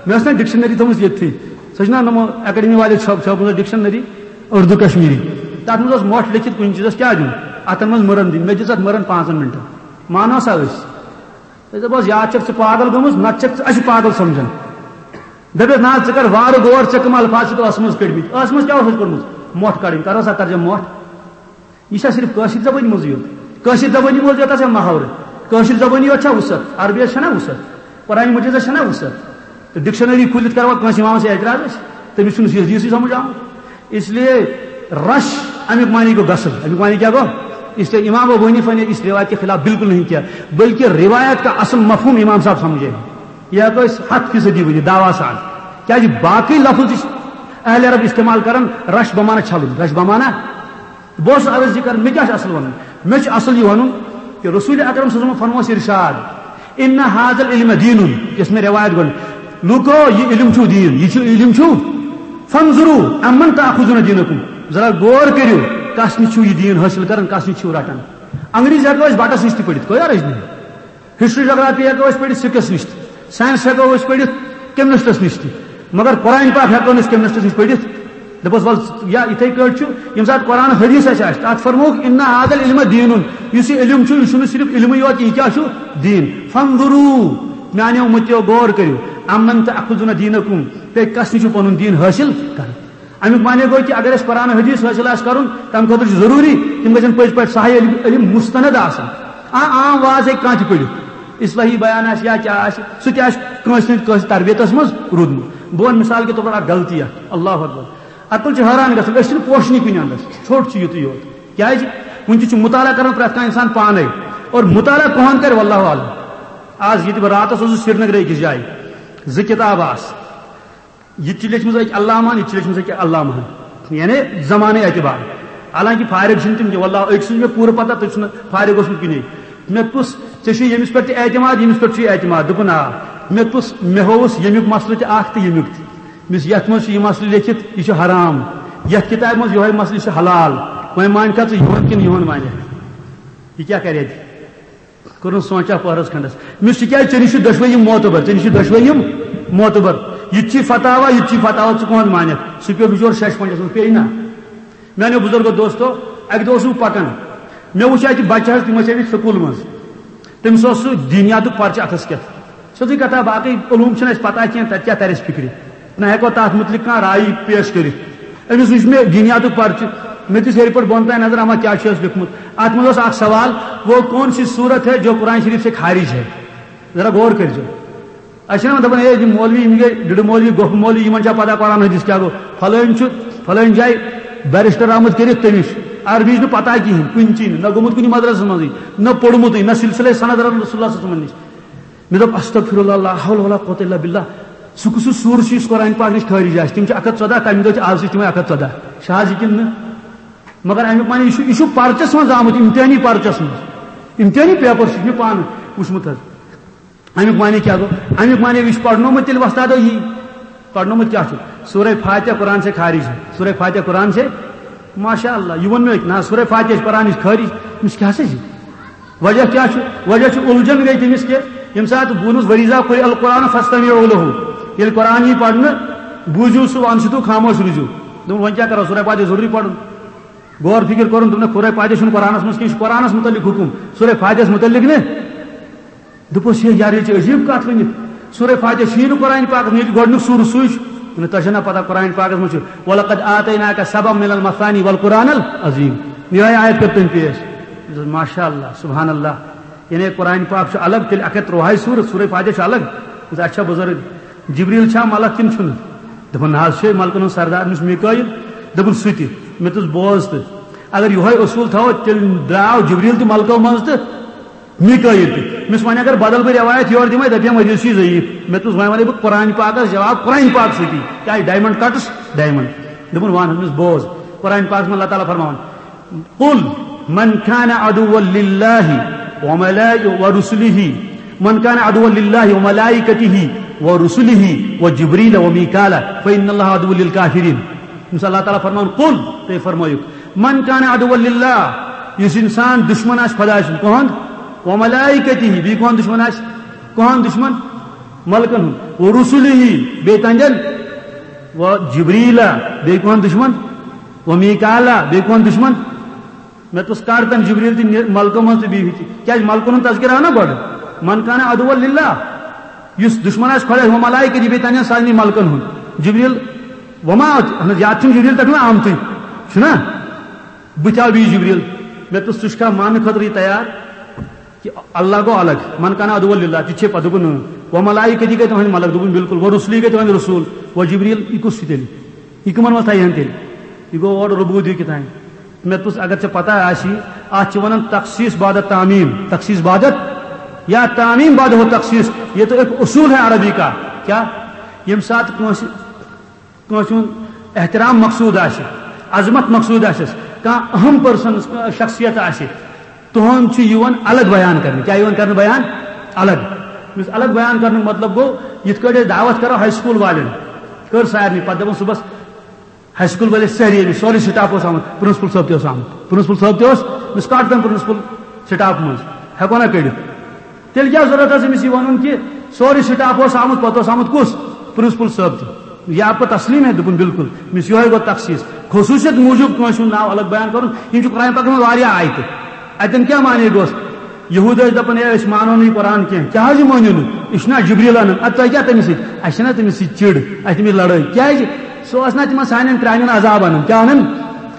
مےٚ ٲس نہ ڈکشنری تھٲومٕژ ییٚتھی۔ سۄ چھِ نہ نمو اکیڈمی والے چھاپ-، چھاپمٕژ ڈکشنری اردو کشمیری۔ تَتھ منٛز اوس مۄٹھ لیکھِتھ کُنہِ چیٖزَس کیٛاہ دیُن؟ اَتھن منٛز مٕرَن دِنۍ۔ مےٚ دِژ اَتھ مٕرَن پانٛژَن مِنٹَن۔ مانو سا أسۍ۔ أسۍ دَپوس، یا چھَکھ ژٕ پاگل گٔمٕژ، نَتہٕ چھَکھ ژٕ اَسہِ پاگل سَمجھان۔ دَپٮ۪س، نہ حظ، ژٕ کر وارٕ غور، ژےٚ کٕم الفاظ چھِتھ ٲسہٕ منٛز کٔڑمٕتۍ؟ ٲسہٕ منٛز کیٛاہ اوسُس کوٚڑمُت؟ مۄٹھ کڑٕنۍ۔ کرو سا ترجمہ مۄٹھ۔ یہِ چھا صرف کٲشِر زبٲنی منٛزٕے یوت؟ کٲشِر زبٲنی منٛز یوت چھا محاورٕ؟ کٲشِر زبٲنی یوت چھا وُسعت؟ عربیَس چھَنا وُسعت؟ قرآن مجیدَس چھَنا وُسعت؟ تہٕ ڈکشنری کھوٗلِتھ کروا کٲنٛسہِ اِمامَس اعتراض أسۍ؟ تٔمِس چھُنہٕ یہِ حدیثٕے سمجھ آمُت۔ اس لیے رش اَمیُک معنی گوٚو غسل۔ اَمیُک معنی کیٛاہ گوٚو؟ اس لیے امام ابو حنیفہ نے اس روایت کے خلاف بالکل نہیں کیا، بلکہ روایت کا اصل مفہوم امام صاحب سمجھے۔ یہ ہٮ۪کو أسۍ ہَتھ فیٖصدی ؤنِتھ دعویٰ سان۔ کیٛازِ باقٕے لفظ تہِ چھِ اہل عرب استعمال کران، رش بمعنی چھلُن، رش بمعنی۔ بہٕ اوسُس عرض یہِ کران، مےٚ کیٛاہ چھُ اصل ونُن؟ مےٚ چھُ اصل یہِ ونُن کہِ رسول اکرم صلی اللہ علیہ وسلم فرموو اَسہِ ارشاد، "ان هذا العلم دین"، یۄس مےٚ روایت گۄڈٕ، لوٗکو، یہِ علم چھُو دین، یہِ چھُ علم چھُو، "فانظروا عمن تأخذون دینکم"، ذرا غور کٔرِو، کس نِش چھُو یہِ دین حٲصِل کران، کس نِش چھِو رٹان۔ انگریزی ہٮ۪کو أسۍ بٹس نِش تہِ پٔرِتھ، کوئی عرض نہیں۔ ہسٹری جغرافی ہٮ۪کو أسۍ پٔرِتھ سِکس نِش تہِ، ساینس ہٮ۪کو أسۍ پٔرِتھ کمیونسٹس نِش تہِ، مگر قرآن پاک ہٮ۪کو نہٕ أسۍ کمیونسٹس نِش پٔرِتھ۔ دَپوس، وَل، یا یِتھَے کٲٹھۍ چھُ، ییٚمہِ ساتہٕ قرآن حدیث اَسہِ آسہِ، تَتھ فرمووُکھ، "ان هذا العلم دین"، یُس یہِ علم چھُ، یہِ چھُنہٕ صرف علمٕے یوت، یہِ کیٛاہ چھُ؟ دین۔ فانظروا، میٛانیو مُتیو غور کٔرِو، عمن تأخذون دینکم، تُہۍ کَس نِش چھُو پَنُن دین حٲصِل کران؟ اَمیُک معنی گوٚو کہِ اگر اَسہِ قرآن حدیث حٲصِل آسہِ کَرُن، تَمہِ خٲطرٕ چھُ ضروٗری تِم گژھن پٔزۍ پٲٹھۍ صحیح علم، علم مستند آسٕنۍ۔ آ، عام واز ہیٚکہِ کانٛہہ تہِ پٔرِتھ، اصلاحی بیان آسہِ یا کیٛاہ آسہِ، سُہ تہِ آسہِ کٲنٛسہِ نَتہٕ کٲنٛسہِ تربیتَس منٛز روٗدمُت۔ بہٕ وَنہٕ مثال کے طور پر اَکھ غلطی اَکھ، اللہ اکبر۔ عقل چھِ حٲران گژھان، أسۍ چھِنہٕ پوشنٕے کُنہِ اَندَس، ژھوٚٹ چھُ یُتُے یوت۔ کیٛازِ؟ وٕنہِ تہِ چھُ مطالعہ کران پرٛٮ۪تھ کانٛہہ اِنسان پانَے، اور مطالعہ کۄہَن کَرِ، واللہ عالم۔ آز ییٚتہِ بہٕ راتَس اوسُس سرینگرٕ أکِس جایہِ، زٕ کِتابہٕ آسہٕ۔ یہِ تہِ چھِ لیٚچھمٕژ أکۍ علامہن، یہِ تہِ چھِ لیٚچھمٕژ أکۍ علامہن، یعنی زمانہٕ اعتبار۔ حالانکہِ فارغ چھِنہٕ تِم کینٛہہ، واللہ أکۍ سٕنٛز مےٚ پوٗرٕ پتہ، تُہۍ چھِو نہٕ فارغ اوسمُت کُنے۔ مےٚ پرُژھ، "ژےٚ چھُے ییٚمِس پٮ۪ٹھ تہِ اعتماد، ییٚمِس پٮ۪ٹھ چھُے اعتماد؟" دوٚپُن، "آ۔" مےٚ پرُژھ، مےٚ ہووُس ییٚمیُک مسلہٕ تہِ اکھ تہٕ ییٚمیُک تہِ۔ مےٚ ووٚنُس، "یتھ منٛز چھُ یہِ مسلہٕ لیٚکھِتھ، یہِ چھُ حرام۔ یتھ کتابہِ منٛز یِہوٚے مسلہٕ، یہِ چھُ حلال۔ وۄنۍ مانکھا ژٕ یِہُنٛد کِنہٕ یِہُنٛد مانکھ؟" یہِ کیٛاہ کرِ اَتہِ؟ کوٚرُن سونچا پہرس کھنڈس۔ مےٚ ووٚنُس، "ژٕ کیٛازِ، ژےٚ نِش چھِ دۄشوے یِم معتبر، ژےٚ نِش چھِ دۄشوے یِم معتبر۔ یہِ تہِ چھِ فتاوا، یہِ تہِ چھِ فتاوا، ژٕ کٕہُنٛد مانکھ؟" سُہ پیوٚو بِچور شش پنجس منٛز، پیٚیہِ نا۔ میانیو بُزرگو دوستو، اکہِ دۄہ اوسُس بہٕ پکان، مےٚ وُچھ اتہِ بچہٕ حظ، تِم ٲسۍ ٲمٕتۍ سکوٗل منٛز۔ تٔمِس اوس سُہ دینیاتُک پرچہٕ اتھس کٮ۪تھ۔ سیوٚدُے کتھا، باقٕے علوم چھِنہٕ اَسہِ پتہ کینٛہہ، تتہِ کیٛاہ ترِ اَسہِ فِکرِ۔ نہ ہٮ۪کو تتھ مُتعلق کانٛہہ رایہِ پیش کٔرِتھ۔ أمِس وُچھ مےٚ دینیاتُک پرچہٕ، مےٚ دِژ ہیٚرِ پٮ۪ٹھ بۄن تام نظر، اما کیٛاہ چھُ اَسہِ لیوٚکھمُت۔ اتھ منٛز اوس اکھ سوال، "وہ کون سی سورت ہے جو قرآن شریف سے خارج ہے؟" ذرا غور کٔرۍزیو۔ أسۍ چھِنہ وۄنۍ دَپان، "ہے، یِم مولوی، یِم گٔے ڈٕڈٕ مولوی، گۄپھٕ مولوی، یِمن چھا پتہ قرآن حدیث کیٛاہ گوٚو؟ فلٲنۍ چھُ، فلٲنۍ جایہِ بیرسٹر آمُت کٔرِتھ، تٔمِس چھُ عربی چھُنہٕ پتہ کِہیٖنۍ، کُنہِ چی نہٕ، نہ گوٚمُت کُنہِ مدرسس منٛزٕے، نہ پوٚرمُتٕے، نہ سلسلے سند رسول اللہ صلی اللہ علیہ وسلم نِش۔" مےٚ دوٚپ، "استغفر اللہ، لا حول ولا قوة الا باللہ، سُہ کُس سُہ سوٗر چھُ یُس قرآن پاک نِش خٲرج آسہِ؟" تِم چھِ اَکھ ہَتھ ژۄداہ، تَمہِ دۄہ چھِ، آز چھِ تِمَے اَکھ ہَتھ ژۄداہ۔ چھِ آز یہِ کِنہٕ نہٕ؟ مگر اَمیُک معنی، یہِ چھُ، یہِ چھُ پرچَس منٛز آمُت، اِمتحٲنی پرچَس منٛز۔ اِمتحٲنی پیپر چھُ، یہِ چھُ مےٚ پانہٕ وٕچھمُت حظ۔ اَمیُک معنی کیٛاہ گوٚو؟ اَمیُک معنی، یہِ چھُ پرنومُت تیٚلہِ وۄستادو یی۔ پرنومُت کیٛاہ چھُ؟ سورہ فاتحہ قرآن سے خارج ہے۔ سورہ فاتحہ قرآن سے، ماشاء اللہ، یہِ ووٚن مےٚ أکۍ، نہ، سورہ فاتحہ چھِ قرآن نِش خٲرج۔ أمِس کیٛاہ سا چھِ؟ وجہ کیٛاہ چھُ؟ وجہ چھُ الجھن گٔے تٔمِس کہِ ییٚمہِ ساتہٕ ووٚنُس، "وَإِذَا قُرِئَ الْقُرْآنُ فَاسْتَمِعُوا لَهُ"، ییٚلہِ قرآن یی پرنہٕ، بوٗزِو سُہ، وَأَنصِتُوا، خاموش روٗزِو۔ دوٚپُن، "وۄنۍ کیٛاہ کرو؟ سورہ فاتحہ ضروٗری پرُن۔" غور فکر کوٚرُن، دوٚپُن، "نہ، سورہ فاتحہ چھُنہٕ قرآنَس منٛز کینٛہہ، یہِ چھُ قرآنَس متعلق حُکُم، سورہ فاتحَس متعلق نہٕ۔" دوٚپُس، "ہے یار، یہِ چھِ عجیٖب کَتھ ؤنِتھ۔ سورہ فاتحہ چھُیی نہٕ قرآن پاکَس منٛز، یہِ چھُ گۄڈٕنیُک سوٗرٕ سُے چھُ۔ نہ، تۄہہِ چھَو نہ پَتہ، قرآن پاکَس منٛز چھُ، 'وَلَقَدْ آتَيْنَاكَ سَبْعًا مِنَ الْمَثَانِي وَالْقُرْآنَ الْعَظِيمَ'۔" یِہوٚے آیت کٔر تٔمۍ پیش۔ ماشاء اللہ، سبحان اللہ۔ یعنی قرآن پاک چھُ الگ، تیٚلہِ اَکھ ہَتھ تُرٛوہَے سوٗرٕ، سورہ فاتحہ چھُ الگ۔ دوٚپُس، "اچھا بُزرگ، جبریل چھا ملک کِنہٕ چھُنہٕ؟" دوٚپُن، "نہ حظ، چھُے ملکَن ہُنٛد سردار، أمِس میٖکٲیِل۔" دوٚپُن، "سُہ تہِ۔" مےٚ دوٚپُس، "بوز تہٕ، اگر یِہوٚے اصوٗل تھاوو، تیٚلہِ درٛاو جبریل تہِ ملکو منٛز تہٕ میٖکٲیِل تہِ۔" مےٚ وَنہِ اگر بدل بہٕ رٮ۪وایت یورٕ دِمَے، دَپہِ ہا، "مٔدیٖر چھُے ضعیٖف۔" مےٚ دوٚپُس، "وۄنۍ وَنَے بہٕ قرآن پاکَس جواب قرآن پاک سۭتی، کیٛازِ diamond cuts diamond۔" دوٚپُن، "وَن حظ أمِس، بوز، قرآن پاکَس منٛز اللہ تعالیٰ فرماوان، 'قُلْ مَنْ كَانَ عَدُوًّا لِلَّهِ وَمَلَائِكَتِهِ، مَنْ كَانَ عَدُوًّا لِلَّهِ وَمَلَائِكَتِهِ وَرُسُلِهِ وَجِبْرِيلَ وَمِيكَالَ فَإِنَّ اللَّهَ عَدُوٌّ لِلْكَافِرِينَ۔'" ییٚمِس اللہ تعالیٰ فرماوان، "قُلْ"، تُہۍ فرمٲیِو، "مَنْ كَانَ عَدُوًّا لِلَّهِ"، یُس اِنسان دُشمن آسہِ خۄداے سُنٛد، کُہُنٛد؟ "وَمَلَائِكَتِهِ"، بیٚیہِ کُہُنٛد دُشمن آسہِ؟ کُہُنٛد دُشمن؟ ملکن ہُنٛد۔ "وَرُسُلِهِ"، بیٚیہِ تَنجن؟ "وَجِبْرِيلَ"، بیٚیہِ کُہُنٛد دُشمن؟ "وَمِيكَالَ"، بیٚیہِ کُہُنٛد دُشمن؟ مےٚ دوٚپُس، "کڑ تَن جبریل تہِ نِ-، ملکو منٛز تہٕ بیٚیہِ تہِ۔" کیٛازِ ملکن ہُنٛد تذکرٕ آو نا گۄڈٕ؟ "مَنْ كَانَ عَدُوًّا لِلَّهِ"، یُس دُشمن آسہِ خۄدایَس، "وَمَلَائِكَتِهِ"، بیٚیہِ تَنجن سارنٕے ملکن ہُنٛد۔ جبریل، وما، اہن حظ، یاد چھُنہٕ جبریل تَتھ منٛز آمتُے، چھُنا؟ بہٕ تہِ آو بیٚیہِ جبریل۔ مےٚ دوٚپُس، "ژٕ چھُکھا ماننہٕ خٲطرٕ یہِ تیار؟" کہِ اللہ گوٚو الگ، "من کان عدو للہ"، تہِ چھے پتہٕ دوٚپُن، "اۭں۔" "و ملائکتی گٔے تُہنٛدۍ ملک"، دوٚپُن، "بالکل۔" "و رسولی گٔے تُہنٛدۍ رسول۔" "و جبریل"، یہِ کُس چھُ تیٚلہِ؟ یہِ کٕمن منٛز تھایہِ ہن تیٚلہِ؟ یہِ گوٚو اورٕ ربوبیت کہِ تام۔ مےٚ دوٚپُس، اگر ژےٚ پتہ آسی، اتھ چھِ ونان تخصیص بعد تعمیم، تخصیص بعد یا تعمیم بعد ہو تخصیص، یہ تو ایک اصول ہے عربی کا۔ کیا؟ ییٚمہِ ساتہٕ کٲنٛسہِ کٲنٛسہِ ہُنٛد احترام مقصوٗد آسہِ، عظمت مقصوٗد آسٮ۪س، کانٛہہ اہم پٔرسن، شخصیت آسہِ، تُہُنٛد چھُ یِوان الگ بیان کرنہٕ۔ کیٛاہ یِوان کرنہٕ بیان؟ الگ۔ یُس الگ بیان کرنُک مطلب گوٚو، یِتھ کٲٹھۍ أسۍ دعوت کرو ہاے سکوٗل والٮ۪ن، کٔر سارنٕے، پتہٕ دپان صُبحس ہاے سکوٗل وٲلۍ ٲسۍ سٲری أمِس، سورُے سٹاف اوس آمُت، پرنسپل صٲب تہِ اوس آمُت، پرنسپل صٲب تہِ اوس، أمِس کڑ تَمہِ پرنسپل سٹاف منٛز، ہٮ۪کو نا کٔڑِتھ؟ تیٚلہِ کیٛاہ ضروٗرت ٲس أمِس یہِ وَنُن کہِ سورُے سٹاف اوس آمُت، پتہٕ اوس آمُت کُس؟ پرنسپل صٲب تہِ۔ یا پتہٕ تسلیٖم ہے، دوٚپُن، "بالکل۔" أمِس یِہوٚے گوٚو تخصیٖص۔ خصوٗصیت موٗجوٗب کٲنٛسہِ ہُنٛد ناو الگ بیان کَرُن، یِم چھِ قرآن پاکَس منٛز واریاہ آیتہٕ۔ اَتٮ۪ن کیٛاہ معنی گوٚس؟ یہوٗد ٲسۍ دَپان، "ہے، أسۍ مانو نہٕ یہِ قرآن کینٛہہ۔" کیٛاہ حظ یہِ مٲنِو نہٕ؟ أسۍ چھِنہ جبریٖل اَنان۔ اَدٕ تۄہہِ کیٛاہ تٔمِس سۭتۍ؟ اَسہِ چھِنہ تٔمِس سۭتۍ چِڑ، اَسہِ چھِ تٔمِس لڑٲے۔ کیٛازِ؟ سُہ اوس نہ تِمن سانٮ۪ن پرٛانٮ۪ن عذاب اَنان۔ کیٛاہ اَنان؟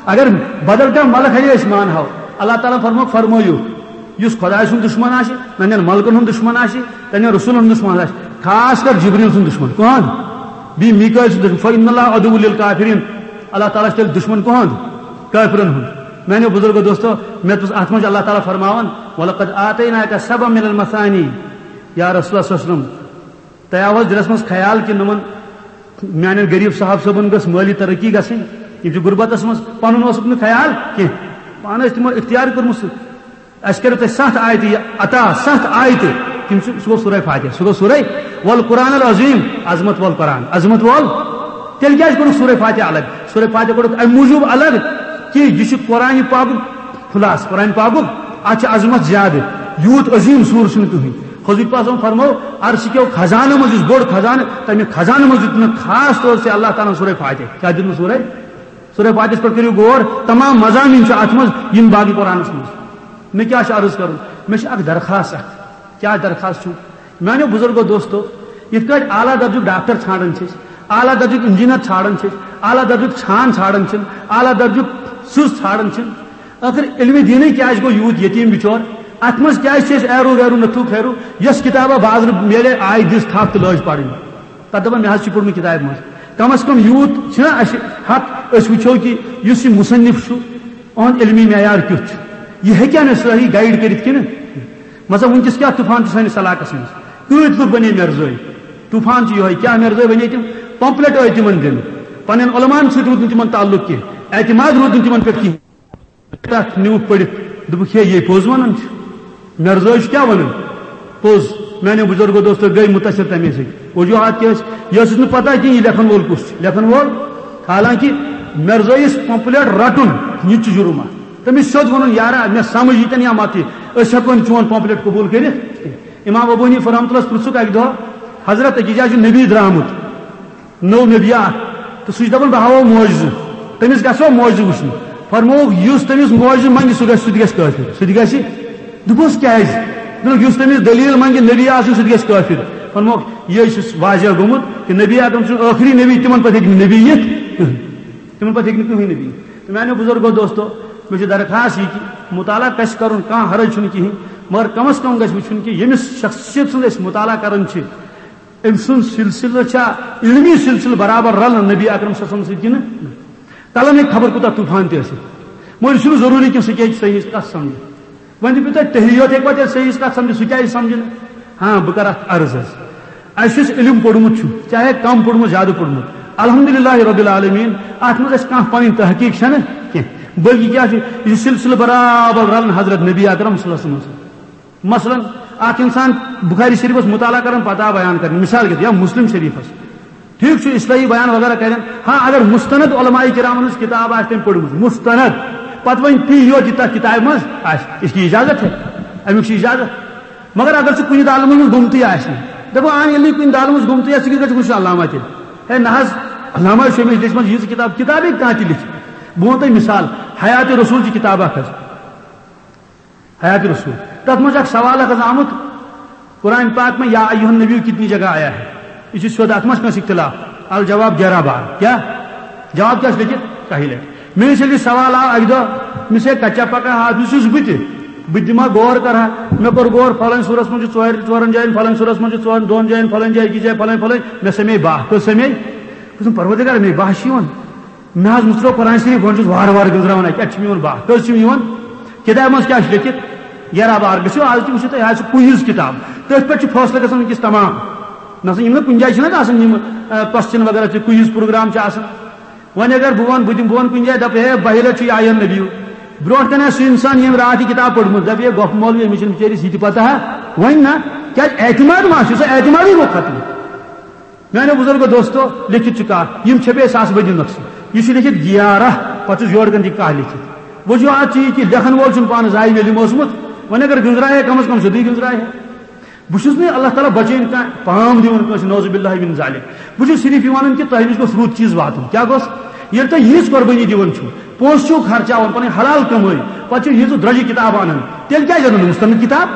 اگر بدل کانٛہہ ملک ہاوِ، أسۍ مانہو۔ اللہ تعالیٰ ہن فرموو، فرمٲیِو، یُس خۄداے سُنٛد دُشمن آسہِ، ننٮ۪ن ملکن ہُنٛد دُشمن آسہِ، تنٮ۪ن رسولن ہُنٛد دُشمن آسہِ، خاص کر جبریل سُنٛد دُشمن۔ کٕہٕنٛد؟ بیٚیہِ میکائیل سُنٛد دُشمن۔ فَإِنَّ اللَّهَ عَدُوٌّ لِلْكَافِرِينَ۔ اللہ تعالیٰ چھُ تیٚلہِ دُشمن کٕہُنٛد؟ کٲفرن ہُنٛد۔ میانیو بُزرگو دوستو، مےٚ دوٚپُس، اتھ منٛز چھُ اللہ تعالیٰ فرماوان، "وَلَقَدْ آتَيْنَاكَ سَبْعًا مِنَ الْمَثَانِي"۔ یا رسول اللہ صلی اللہ علیہ وسلم، تۄہہِ آو حظ دِلس منٛز خیال کہِ نۄمن میانٮ۪ن غریب صاحب صٲبن گٔژھ مٲلی ترقی گژھٕنۍ؟ یِم چھِ غربتس منٛز، پنُن اوسُکھ نہٕ خیال کینٛہہ، پانہٕ ٲسۍ تِمو اختیار کوٚرمُت سُہ۔ اسہِ کٔرِو تۄہہِ ستھ آیتہٕ یہِ عطا، ستھ آیتہٕ۔ تِم چھِ، سُہ گوٚو سورہ فاتحہ، سُہ گوٚو سورہ والقرآن العظیم، عظمت وول قرآن، عظمت وول۔ تیٚلہِ کیٛازِ کوٚرُکھ سورہ فاتحہ الگ؟ سورہ فاتحہ کوٚرُکھ امہِ موٗجوٗب الگ کہِ یہِ چھُ قرآن پاکُک خلاصہٕ، قرآن پاکُک، اتھ چھِ عظمت زیادٕ، یوٗت عظیٖم سوٗر چھُنہٕ کٕہٕنۍ۔ حضور پاک صلی اللہ علیہ وسلم فرموو، عرشہِ کیو خزانو منٛز یُس بوٚڑ خزانہٕ، تمہِ خزانہٕ منٛز دیُت مےٚ خاص طور سے اللہ تعالیٰ ہن سورہ فاتحہ۔ کیٛاہ دیُت مےٚ سورہ؟ سورہ فاتحس پٮ۪ٹھ کٔرِو غور، تمام مضامین چھِ اتھ منٛز، یِم باقی قرآنس منٛز۔ مےٚ کیٛاہ چھُ عرض کرُن؟ مےٚ چھُ اکھ درخواست اکھ۔ کیٛاہ درخواست چھُ؟ میانیو بُزرگو دوستو، یِتھ کٲٹھۍ اعلیٰ درجُک ڈاکٹر ژھانڈان چھِ أسۍ، اعلیٰ درجُک انجینئر ژھانڈان چھِ أسۍ، اعلیٰ درجُک چھان ژھانڈان چھِ، اعلیٰ درجُک سٕژ ژھانڈان چھِ، ٲخر علمِ دیٖنٕے کیٛازِ گوٚو یوٗت یتیٖم بِچور؟ اتھ منٛز کیٛازِ چھِ أسۍ ایرو ویرو نتھو خیرو؟ یۄس کِتابہ بازرٕ میلے، آیہِ دِژ تھپھ تہٕ لٲج پرٕنۍ۔ پتہٕ دپان، "مےٚ حظ چھُ پوٚرمُت کِتابہِ منٛز۔" کم از کم یوٗت چھُنہ اسہِ حق، أسۍ وٕچھو کہِ یُس یہِ مصنف چھُ، اُہُنٛد علمی معیار کیُتھ چھُ؟ یہِ ہیٚکیٛاہ مےٚ صحیح گائیڈ کٔرِتھ کِنہٕ؟ مطلب، وٕنکیٚس کیٛاہ طوفان چھُ سٲنِس علاقس منٛز؟ کۭتۍ لُکھ بنے مرزٲے؟ طوفان چھُ یِہوٚے، کیٛاہ مرزٲے بنے تِم؟ پمپلیٹ ٲسۍ تِمن دِنہٕ، پننٮ۪ن علماہن سۭتۍ روٗد نہٕ تِمن تعلق کینٛہہ، اعتماد روٗد نہٕ تِمن پٮ۪ٹھ کِہیٖنۍ۔ تتھ نیوٗکھ پٔرِتھ، دوٚپُکھ، "ہے، یے پوٚز ونان چھُ، مرزٲے چھُ کیٛاہ ونان؟ پوٚز۔" میانیو بُزرگو دوستو گٔے مُتٲثر تمے سۭتۍ۔ وجوہات کیٛاہ ٲسۍ؟ یہِ ٲسٕس نہٕ پتہ کینٛہہ، یہِ لیکھن وول کُس چھُ۔ لیکھن وول، حالانکہ مرزٲیِس پمپلیٹ رٹُن، یہِ تہِ چھُ جُرم اکھ۔ تٔمِس سیوٚد ووٚنُن، "یارا، مےٚ سمجھ ییٚتٮ۪ن یا متہٕ، أسۍ ہٮ۪کو نہٕ چون پمفلٹ قبول کٔرِتھ کینٛہہ۔" امام ابو حنیفہ رحمۃ اللہ پرٛژھُکھ اکہِ دۄہ، "حضرت، أکِس جایہِ چھُ نبی درٛامُت، نوٚو نبی اکھ، تہٕ سُہ چھُ دپان، بہٕ ہاوو معجزٕ، تٔمِس گژھو معجزٕ وٕچھنہِ۔" فرمووُکھ، "یُس تٔمِس معجزٕ منگہِ، سُہ گژھِ، سُہ تہِ گژھِ کٲفِر۔" سُہ تہِ گژھِ۔ دوٚپُس، "کیازِ؟" دوٚپُکھ، "یُس تٔمِس دٔلیٖل منگہِ نبی آسٕنۍ، سُہ تہِ گژھِ کٲفِر۔" فرمووُکھ، یہِ چھُ واضح گوٚمُت کہِ نبی اکرم چھُنہٕ ٲخری نبی، تِمن پتہٕ ہیٚکہِ نہٕ نبی یِتھ کٕہٕنۍ۔ تِمن پتہٕ ہیٚکہِ نہٕ کٕہٕنۍ نبی۔ تہٕ میانیو بزرگو دوستو، مےٚ چھِ درخواست یہِ کہِ مطالعہ گژھِ کرُن، کانٛہہ حرج چھُنہٕ کِہیٖنۍ، مگر کم از کم گژھِ وٕچھُن کہِ ییٚمِس شخصیت سُنٛد أسۍ مطالعہ کران چھِ، أمۍ سُنٛد سلسلہٕ چھا علمی سلسلہٕ برابر رلان نبی اکرم صلی اللہ علیہ وسلم سۭتۍ کِنہٕ نہ؟ تلان ہیٚکہِ خبر کوٗتاہ طوفان تہِ ٲسِتھ۔ مگر یہِ چھُنہٕ ضروٗری کہِ سُہ کیٛاہ چھِ صحیح کتھ سمجھِ۔ وۄنۍ دِمو تۄہہِ تحیہِ یوت ہیٚکہِ پتہٕ صحیح کتھ سمجھِتھ، سُہ کیٛازِ سمجھِ نہٕ؟ ہاں، بہٕ کرٕ اتھ عرض حظ۔ اسہِ یُس علم پوٚرمُت چھُ، چاہے کم پوٚرمُت، زیادٕ پوٚرمُت، الحمدللہ رب العالمین، اتھ منٛز اسہِ کانٛہہ پنٕنۍ تحقیق چھنہٕ کینٛہہ، بلکہِ کیٛاہ چھُ، یہِ چھُ سلسلہٕ برابر رلان حضرت نبی اکرم صلی اللہ علیہ وسلم سۭتۍ۔ مثلاً، اکھ انسان بخاری شریفس مطالعہ کران، پتہ بیان کران، مثال کے طور، یا مسلم شریفس، ٹھیک چھُ، اصلاحی بیان وغیرہ کرن۔ ہاں، اگر مستند علماء کرامن ہٕنٛز کتاب آسہِ تٔمۍ پٔرمٕژ، مستند، پتہٕ وۄنۍ تی یوت یہِ تتھ کتابہِ منٛز آسہِ، یہِ چھُ اجازت ہے، امیُک چھُ اجازت۔ مگر اگر ژٕ کُنہِ دالہٕ منٛز گوٚمتُے آسہِ نہٕ، دپو، اہن، ییٚلہِ نہٕ کُنہِ دالہٕ منٛز گوٚمتُے آسہِ، ژٕ کِتھ کٲٹھۍ چھُکھ وٕچھان علامہ تیٚلہِ؟ ہے نہ حظ، علامہ چھُ أمِس لیچھمٕژ ییٖژٕ کتاب، کتابے کانٛہہ تہِ لیکھِ۔ بہٕ وَنہٕ تۄہہِ مثال، حیات رسول چھِ کتاب اکھ حظ، حیات رسول۔ تتھ منٛز چھُ اکھ سوال اکھ حظ آمُت، قرآن پاک میں یا ایھا النبی کتنی جگہ آیا ہے؟ یہِ چھُ سیوٚد، اتھ منٛز کٲنٛسہِ اختلاف؟ الجواب گیارہ بار۔ کیٛاہ؟ جواب کیٛاہ چھُ لیکھِتھ؟ کاہہِ لٹہِ۔ مےٚ یُس ییٚلہِ یہِ سوال آو اکہِ دۄہ، مےٚ چھُ کچا پکا حافظ چھُس بہٕ تہِ، بہٕ تہِ دِمہٕ ہا غور کرٕ ہا۔ مےٚ کوٚر غور، فلٲنۍ سورس منٛز چھُ ژورِ، ژورن جاین، فلٲنۍ سورس منٛز چھُ ژورن، دۄن جاین، فلٲنۍ جایہِ، أکِس جایہِ، فلٲنۍ، فلٲنۍ۔ مےٚ سمے باہ، کٔژ سمے؟ بہٕ چھُس پروردگار، مےٚ باہ چھُ یِوان۔ مےٚ حظ مُژروو قرآن شریف، بہٕ چھُس وارٕ وارٕ گٔنزراوان اَتہِ، اَتہِ چھُ میون باہ، کٔژ چھِ میون؟ کِتابہِ منٛز کیٛاہ چھُ لیکھِتھ؟ گیرہ بار گٔژھِو آز تہِ وٕچھِو تُہۍ، آز چھِ کوئز کِتاب، تٔتھۍ پٮ۪ٹھ چھُ فٲصلہٕ گژھان وٕنکیٚس تمام۔ نہ سا یِم نہٕ کُنہِ جایہِ چھِنہٕ آسان یِم، آ، کوسچن وغیرہ تہِ، کوئز پروگرام چھِ آسان۔ وۄنۍ اگر بہٕ وَنہٕ، بہٕ دِمہٕ، بہٕ وَنہٕ کُنہِ جایہِ، دَپہٕ، "ہے، بہہِ لَٹہِ چھُ یہِ آیَن نبیو۔" برونٛٹھ کَنہِ آسہِ سُہ اِنسان، ییٚمۍ راتھ یہِ کِتاب پٔرمٕژ، دَپہِ، "ہے، گۄپھٕ مولوی، أمِس چھِنہٕ بِچٲرِس یہِ تہِ پَتہ ہا۔" وۄنۍ نہ، کیٛازِ اعتماد ما چھُ؟ سُہ اعتمادٕے گوٚو ختم۔ میانیو بزرگو دوستو، لیکھِتھ چھُ کانٛہہ، یِم چھپے ساس بٔدی نۄقصہٕ۔ یہِ چھُ لیکھِتھ گیارہ، پتہٕ چھُس یورٕ کَنہِ تہِ کانٛہہ لیکھِتھ۔ وجوہات چھِ یہِ کہِ لیکھن وول چھُنہٕ پانہٕ زاہد علم اوسمُت، وۄنۍ اگر گٔنزرایہِ کم از کم سیوٚدُے گٔنزرایہِ۔ بہٕ چھُس نہٕ اللہ تعالیٰ بچٲیِن کانٛہہ پام دِوان کٲنٛسہِ، نعوذ باللہ من ذالک۔ بہٕ چھُس صرف یہِ وَنان کہِ تۄہہِ نِش گوٚژھ رُت چیٖز واتُن۔ کیٛاہ گوٚژھ؟ ییٚلہِ تُہۍ یِژھ قۄربٲنی دِوان چھِو، پونٛسہٕ چھِو خرچاوان، پَنٕنۍ حلال کمٲے، پَتہٕ چھِو ییٖژٕ درٛۄجہِ کِتابہٕ اَنان، تیٚلہِ کیٛازِ اَنو نہٕ مُستند کِتاب؟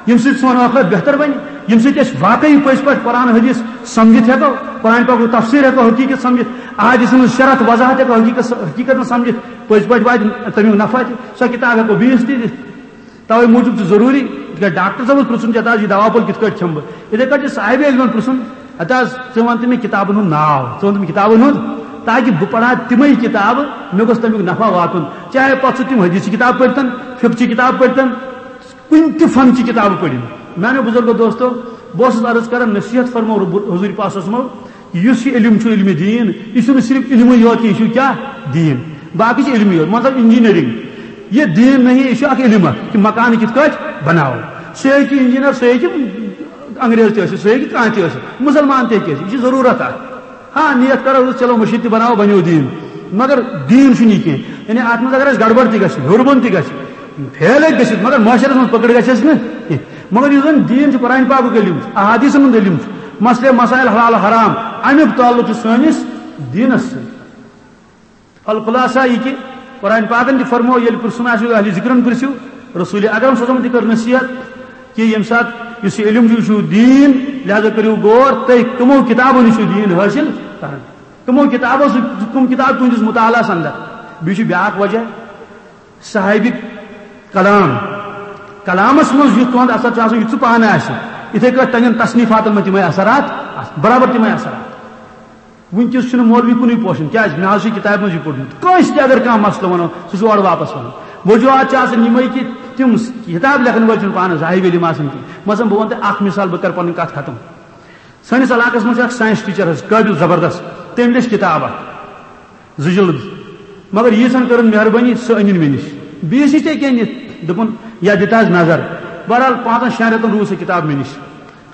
ییٚمہِ سۭتۍ سون ٲخرت بہتر بَنہِ، ییٚمہِ سۭتۍ أسۍ واقعی پٔزۍ پٲٹھۍ قرآن حدیث سمجھِتھ ہٮ۪کو، قرآن پاکُک تفسیٖر ہٮ۪کو حقیٖقت سمجھِتھ، احادیثن ہٕنٛز شرح تہٕ وضاحت ہٮ۪کو حقیٖقت، حقیٖقتن سمجھِتھ، پٔزۍ پٲٹھۍ واتہِ تَمیُک نفع تہِ، سۄ کِتاب ہٮ۪کو بیٚیِس تہِ دِتھ۔ توے موٗجوٗب چھُ ضروٗری، تِکیٛازِ ڈاکٹر صٲبَس پرٛژھُن چھُ، اَتھ حظ یہِ دوا پھوٚل کِتھ کٲٹھۍ کھٮ۪مہٕ بہٕ؟ یِتھَے کٲٹھۍ چھُ صاحبِ علمَن پرٛژھُن، ہَتہٕ حظ، ژٕ وَن تہٕ مےٚ کِتابَن ہُنٛد ناو، ژٕ وَن تہٕ مےٚ کِتابَن ہُنٛد، تاکہِ بہٕ پَرٕ ہا تِمَے کِتابہٕ، مےٚ گوٚژھ تَمیُک نفع واتُن۔ چاہے پَتہٕ سُہ تِم حدیث چہِ کِتاب پٔرۍتَن، فقہ چہِ کِتاب پٔرۍتَن، کُنہِ تہِ فن چہِ کِتابہٕ پٔرِو۔ میانیو بزرگو دوستو، بہٕ اوسُس عرض کران، نصیحت فرمو رب-، حضوٗرِ پاک صلی اللہ علیہ وسلمو، یُس یہِ علم چھُ، علمِ دیٖن، یہِ چھُنہٕ صرف علمٕے یوت کینٛہہ، یہِ چھُ کیٛاہ؟ دیٖن۔ باقٕے چھِ علمٕے یوت، مطلب انجینئرنگ۔ یہِ دیٖن نہیں، یہِ چھُ اکھ علم اکھ، کہِ مکان کِتھ کٲٹھۍ بناوو۔ سُہ ہیٚکہِ انجینئر، سُہ ہیٚکہِ انگریز تہِ ٲسِتھ، سُہ ہیٚکہِ کانٛہہ تہِ ٲسِتھ، مُسلمان تہِ ہیٚکہِ ٲسِتھ، یہِ چھِ ضروٗرت اکھ۔ ہاں، نیت کرو، چلو مٔشیٖد تہِ بناوو، بنیو دیٖن۔ مگر دیٖن چھُنہٕ یہِ کینٛہہ۔ یعنی اتھ منٛز اگر اَسہِ گڑبڑ تہِ گژھِ، ہیوٚر بۄن تہِ گژھِ، فیل ہیٚکہِ گٔژھِتھ، مگر معاشرس منٛز پکڑ گژھٮ۪س نہٕ کینٛہہ۔ مگر یُس زن دیٖن چھُ، قرآن پاکُک علم چھُ، احادیثن ہُنٛد علم چھُ، مسئلے مسائل حلال حرام، امیُک تعلق چھُ سٲنِس دیٖنس سۭتۍ۔ الخلاصہ یہِ کہِ قرآن پاکن تہِ فرموو، ییٚلہِ پرٛژھُن آسہِ اہلِ ذکرن پرٛژھِو، رسول اکرم صلی اللہ علیہ وسلم تہِ کٔر نصیحت کہِ ییٚمہِ ساتہٕ یُس یہِ علم چھُ، یہِ چھُ دیٖن، لہذا کٔرِو غور، تُہۍ کٕمو کِتابو نِش چھُ دیٖن حٲصِل کران، کٕمو کِتابو سۭتۍ، کٕم کِتاب تُہنٛدِس مطالعس اندر۔ بیٚیہِ چھُ بیٛاکھ وجہ، صاحبِ کلام، کلامس منٛز یُتھ تُہُنٛد اثر چھُ آسان، یُتھ سُہ پانہٕ آسہِ، یِتھے کٲٹھۍ تُہنٛدٮ۪ن تصنیفاتن منٛز تِمے اثرات آسان، برابر تِمے اثرات۔ وٕنکیٚس چھُنہٕ مولوی کُنُے پوشان، کیازِ؟ مےٚ حظ چھُ یہِ کِتابہِ منٛز یہِ پوٚرمُت۔ کٲنٛسہِ تہِ اگر کانٛہہ مسلہٕ وَنو، سُہ چھُ اورٕ واپس وَنان۔ وجوہات چھِ آسان یِمے کہِ تِم کِتاب لیکھن وٲلۍ چھِنہٕ پانہٕ زاہد علم آسان کینٛہہ۔ مثلاً بہٕ وَنہٕ تۄہہِ اکھ مثال، بہٕ کرٕ پنٕنۍ کتھ ختم۔ سٲنِس علاقس منٛز چھُ اکھ ساینس ٹیچر حظ، قٲبِل زبردست، تٔمۍ لیٚچھ کِتاب اکھ، زٕ جلد۔ مگر ییٖژہن کٔرٕن مہربٲنی، سۄ أنِن مےٚ نِش۔ بیٚیِس نِش تہِ ہیٚکہِ أنِتھ، دوٚپُن، یا دِتہٕ حظ نظر۔ بہرحال، پانٛژن شٮ۪ن رٮ۪تن روٗز سۄ کِتاب مےٚ نِش۔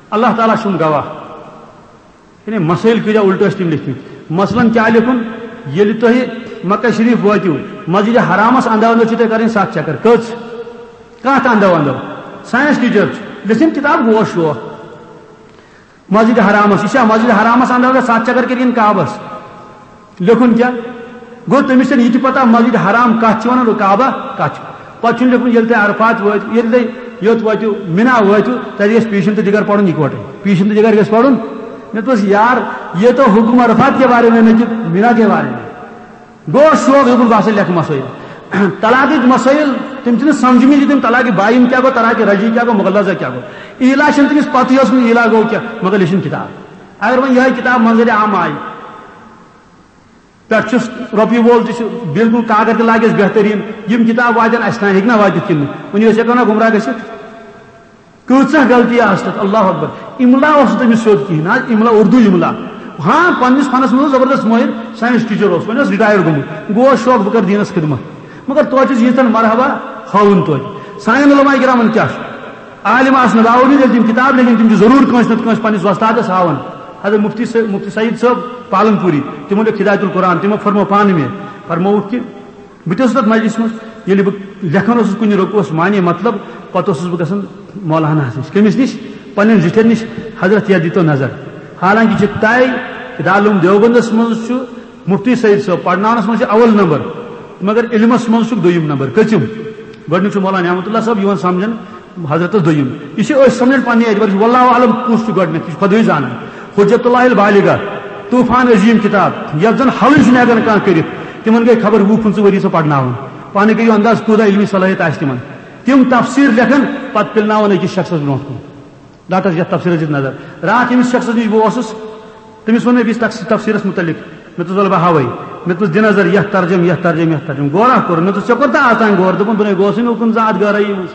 اللہ تعالیٰ چھُم گواہ۔ یعنی مسائل کۭتیاہ الٹہٕ ٲسۍ تٔمۍ لیکھمٕتۍ۔ مثلاً کیٛاہ لیکھُن؟ ییٚلہِ تۄہہِ مکہ شریف وٲتِو، مسجد حرامس اندو اندو چھِ تۄہہِ کرٕنۍ ستھ چکر۔ کٔژ؟ کتھ اندو اندو؟ ساینس ٹیچر چھُ، لیٚچھِن کتاب گوش شوق۔ مسجد حرامس، یہِ چھا مسجد حرامس اندو اندو ستھ چکر کٔرِتھ یِن کعبس؟ لیکھُن کیٛاہ؟ گوٚو تٔمِس چھَنہٕ یہِ تہِ پتہ مسجد حرام کتھ چھِ ونان، کعبہ کتھ چھُ۔ پتہٕ چھُنہٕ لیکھُن، ییٚلہِ تُہۍ عرفات وٲتِو، ییٚلہِ تُہۍ یوٚت وٲتِو، مِنا وٲتِو، تَتہِ گژھِ پیٖشن تہٕ دِگر پرُن یِکوٹے۔ پیٖشن تہٕ دِگر گژھِ پرُن۔ مےٚ دوٚپُس، یار، یہ تو حکم عرفات کے بارے میں نہیں، مِنا کے بارے میں۔ گوٚو شوق، دوٚپُن، بہٕ ہسا لیکھٕ مسٲیِل۔ طلاقٕکۍ مسٲیِل، تِم چھِنہٕ سمجھمٕتۍ، تِم طلاقِ باین کیٛاہ گوٚو، طلاقِ رجعی کیٛاہ گوٚو، مغلظہ کیٛاہ گوٚو۔ ایٖلا چھَنہٕ تٔمِس پتہٕے ٲسمٕژ، ایٖلا گوٚو کیٛاہ، مگر لیچھِن کِتاب۔ اگر وۄنۍ یِہوٚے کِتاب منظرِ عام آیہِ، پٮ۪ٹھ چھُس رۄپیہِ وول تہِ چھُ، بالکل کاکر تہِ لاگٮ۪س بہتریٖن۔ یِم کِتاب واتن اَسہِ تام، ہیٚکہِ نہ واتِتھ کِنہٕ نہٕ؟ وۄنۍ ٲسۍ ہٮ۪کو نہ گمراہ گٔژھِتھ؟ کۭژاہ غلطی آسہٕ تَتھ، اللہ اکبر۔ املا اوس نہٕ تٔمِس سیوٚد کِہیٖنۍ، نہ املا، اردو املا۔ ہاں، پننِس فنس منٛز اوس زبردست مٲہِر، ساینس ٹیچر اوس، وۄنۍ اوس رِٹایَر گوٚمُت۔ گوٚو شوق بہٕ کرٕ دیٖنس خدمت۔ مگر توتہِ چھُس ییٖژہن مرحبا ہاوُن توتہِ۔ سانٮ۪ن علماء کرامن کیٛاہ چھُ؟ عالم آسنہٕ باوجود ییٚلہِ تِم کِتاب لیکھن، تِم چھِ ضروٗر کٲنٛسہِ نتہٕ کٲنٛسہِ پننِس وۄستادس ہاوان۔ حضرت مفتی سہ-، مفتی سعید صٲب پالن پوری، تِمو لیوٚکھ ہدایت القرآن، تِمو فرموو پانہٕ مےٚ، فرمووُکھ کہِ بہٕ تہِ اوسُس تَتھ مجلسہِ منٛز، ییٚلہِ بہٕ لیکھان اوسُس کُنہِ رۄکوَس معنی مطلب، پَتہٕ اوسُس بہٕ گژھان مولانا نِش۔ کٔمِس نِش؟ پنٛنٮ۪ن زِٹھٮ۪ن نِش، حضرت یَتھ دیٖتو نظر۔ حالانکہِ چھِ طے کہِ دارالعلوم دیوبندَس منٛز چھُ مفتی سعید صٲب پَرناونَس منٛز چھِ اول نمبر، مگر علمَس منٛز چھُکھ دوٚیِم نمبر۔ کٔژِم؟ گۄڈٕنیُک چھُ مولانا نعمت اللہ صٲب یِوان سَمجھان، حضرتس دوٚیِم۔ یہِ چھِ أسۍ سَمجھان پننہِ اعتبار، واللہ اعلم کُس چھُ گۄڈٕنیتھ، یہِ چھُ خۄدٕے زانان۔ حجت اللہ البالغہ، طوفان عظیم کتاب، یتھ زن حلٕے چھُنہٕ ہٮ۪کان کانٛہہ کٔرِتھ۔ تِمن گٔے خبر وُہ پٕنٛژٕہ ؤری سۄ پرناوان۔ پانہٕ کٔرِو انداز کوٗتاہ علمی صلٲحیت آسہِ تِمن۔ تِم تفسیر لیکھان، پتہٕ پِلناوان أکِس شخصس برونٛٹھ کُن۔ رٹس یتھ تفسیرس دِتھ نظر۔ راتھ ییٚمِس شخصس نِش بہٕ اوسُس، تٔمِس ووٚن مےٚ بیٚیِس تفس-، تفسیرس متعلق۔ مےٚ دوٚپُس، "ولہٕ بہٕ ہاوے۔" مےٚ دوٚپُس، "دِ نظر یتھ ترجم، یتھ ترجم، یتھ ترجم۔" غورا کوٚر۔ مےٚ دوٚپُس، "ژےٚ کوٚر تہٕ آسان غور؟" دوٚپُن، "بہٕ نے گوسٕے نہٕ اُکُن زانٛہہ اتھ گرٲیی منٛز۔"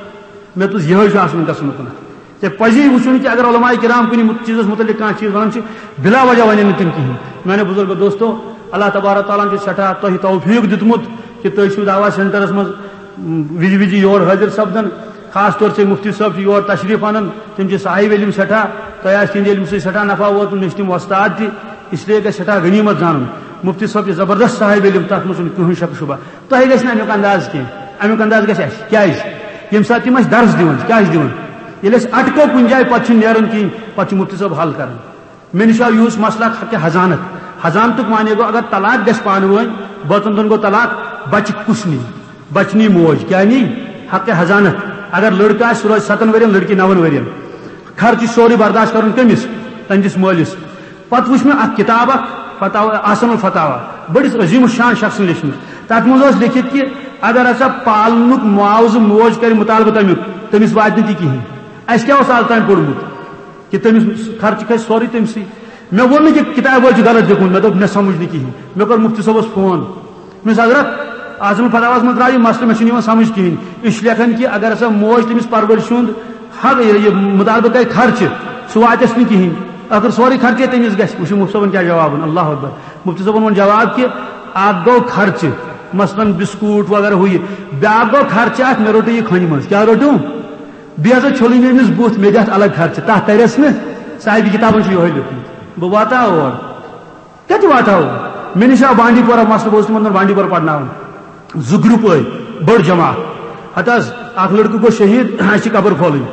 مےٚ دوٚپُس، یِہوٚے چھُ آسان گژھُن اُکُنتھ۔ ژےٚ پزی وٕچھُن کہِ اگر علماء کرام کُنہِ مُت-، چیٖزس متعلق کانٛہہ چیٖز ونان چھِ، بلا وجہ ونن نہٕ تِم کِہیٖنۍ۔ میانیو بُزرگو دوستو، اللہ تبارک تعالیٰ ہن چھُ سٮ۪ٹھاہ تۄہہِ توفیٖق دیُتمُت کہِ تُہۍ چھِو دعویٰ سینٹرس منٛز، م، وِزِ وِزِ یور حٲضِر سپدان۔ خاص طور سے مفتی صٲب چھِ یور تشریٖف انان، تِم چھِ صاحب علم سٮ۪ٹھاہ، تۄہہِ آسہِ تِہنٛدِ علمہٕ سۭتۍ سٮ۪ٹھاہ نفع ووتمُت، مےٚ چھِ تِم وۄستاد تہِ، اس لیے گژھِ سٮ۪ٹھاہ غنیٖمت زانُن۔ مفتی صٲب چھِ زبردست صاحب علم، تتھ منٛز چھُنہٕ کٕہٕنۍ شک شبہ۔ تۄہہِ گژھِ نہٕ امیُک انداز کینٛہہ، امیُک انداز گژھِ اَسہِ۔ کیٛازِ؟ ییٚمہِ ساتہٕ تِم اَسہِ درس دِوان چھِ، کیٛاہ چھِ دِوان؟ ییٚلہِ أسۍ اٹکو کُنہِ جایہِ، پتہٕ چھِنہٕ نیران کِہیٖنۍ، پتہٕ چھُ مفتی صٲب حل کران۔ مےٚ نِش آو یُہُس مسلک حق حضانت۔ حضانتُک معنی گوٚو، اگر طلاق گژھِ پانہٕ ؤنۍ، بٲژن دۄن گوٚو طلاق، بچہِ کُس نی؟ بچہِ نی موج۔ کیٛاہ نی؟ حق حضانت۔ اگر لڑکہٕ آسہِ، سُہ روزِ ستن ؤرین، لڑکی نون ؤرین۔ خرچہِ چھُ سورُے برداشت کرُن کٔمِس؟ تٔہنٛدِس مٲلِس۔ پتہٕ وٕچھ مےٚ اکھ کتاب اکھ، فتاوا، احسن الفتاوا، بٔڑِس عظیم الشان شخصن لیچھمٕژ۔ تتھ منٛز اوس لیکھِتھ کہِ اگر ہسا پالنُک معاوضہٕ موج کرِ مطالبہٕ تمیُک، تٔمِس واتہِ نہٕ تہِ کِہیٖنۍ۔ اسہِ کیٛاہ اوس از تام پوٚرمُت؟ کہ تٔمِس خرچہٕ کھسہِ سورُے تٔمسٕے۔ مےٚ ووٚن نہٕ کہ کتابہِ وٲلۍ چھُ غلط لیوٚکھمُت، مےٚ دوٚپ، مےٚ سمجھ نہٕ کِہیٖنۍ۔ مےٚ کوٚر مفتی صٲبس فون، مےٚ دوٚپُس، "حضرت، اعظم الفتاواہس منٛز درٛاو یہِ مسلہٕ، مےٚ چھُنہٕ یِوان سمجھ کِہیٖنۍ۔ یہِ چھُ لیکھان کہ اگر ہسا موج تٔمِس پرورشہِ ہُنٛد حق، یہِ، یہِ مطالبہٕ کرِ خرچہٕ، سُہ واتٮ۪س نہٕ کِہیٖنۍ، ٲخٕر سورُے خرچے تٔمِس گژھِ۔" وٕچھِو مفتی صٲبن کیٛاہ جواب ووٚن، اللہ اکبر۔ مفتی صٲبن ووٚن جواب کہ اکھ گوٚو خرچہٕ، مثلاً بسکوٹ وغیرہ ہُہ یہِ، بیٛاکھ گوٚو خرچہٕ اکھ، مےٚ روٚٹُے یہِ کھۄنہِ منٛز۔ کیٛاہ روٚٹُم؟ بیٚیہِ ہسا چھوٚلُے مےٚ أمِس بُتھ، مےٚ دِتھ الگ خرچہٕ، تَتھ تَرٮ۪س نہٕ۔ صاحبِ کِتابَن چھُ یِہوٚے لیوٚکھمُت۔ بہٕ واتہٕ ہا اور۔ کَتہِ واتہٕ ہا اور؟ مےٚ نِش آو بانڈی پورہ مسلہٕ، بہٕ اوسُس تِمَن دَپان بانڈی پورہ پَرناوُن۔ زٕ گرُپ ٲے، بٔڑ جماعت۔ ہَتہٕ حظ، اَکھ لٔڑکہٕ گوٚو شہیٖد، اَسہِ چھِ قبر کھولٕنۍ۔ مےٚ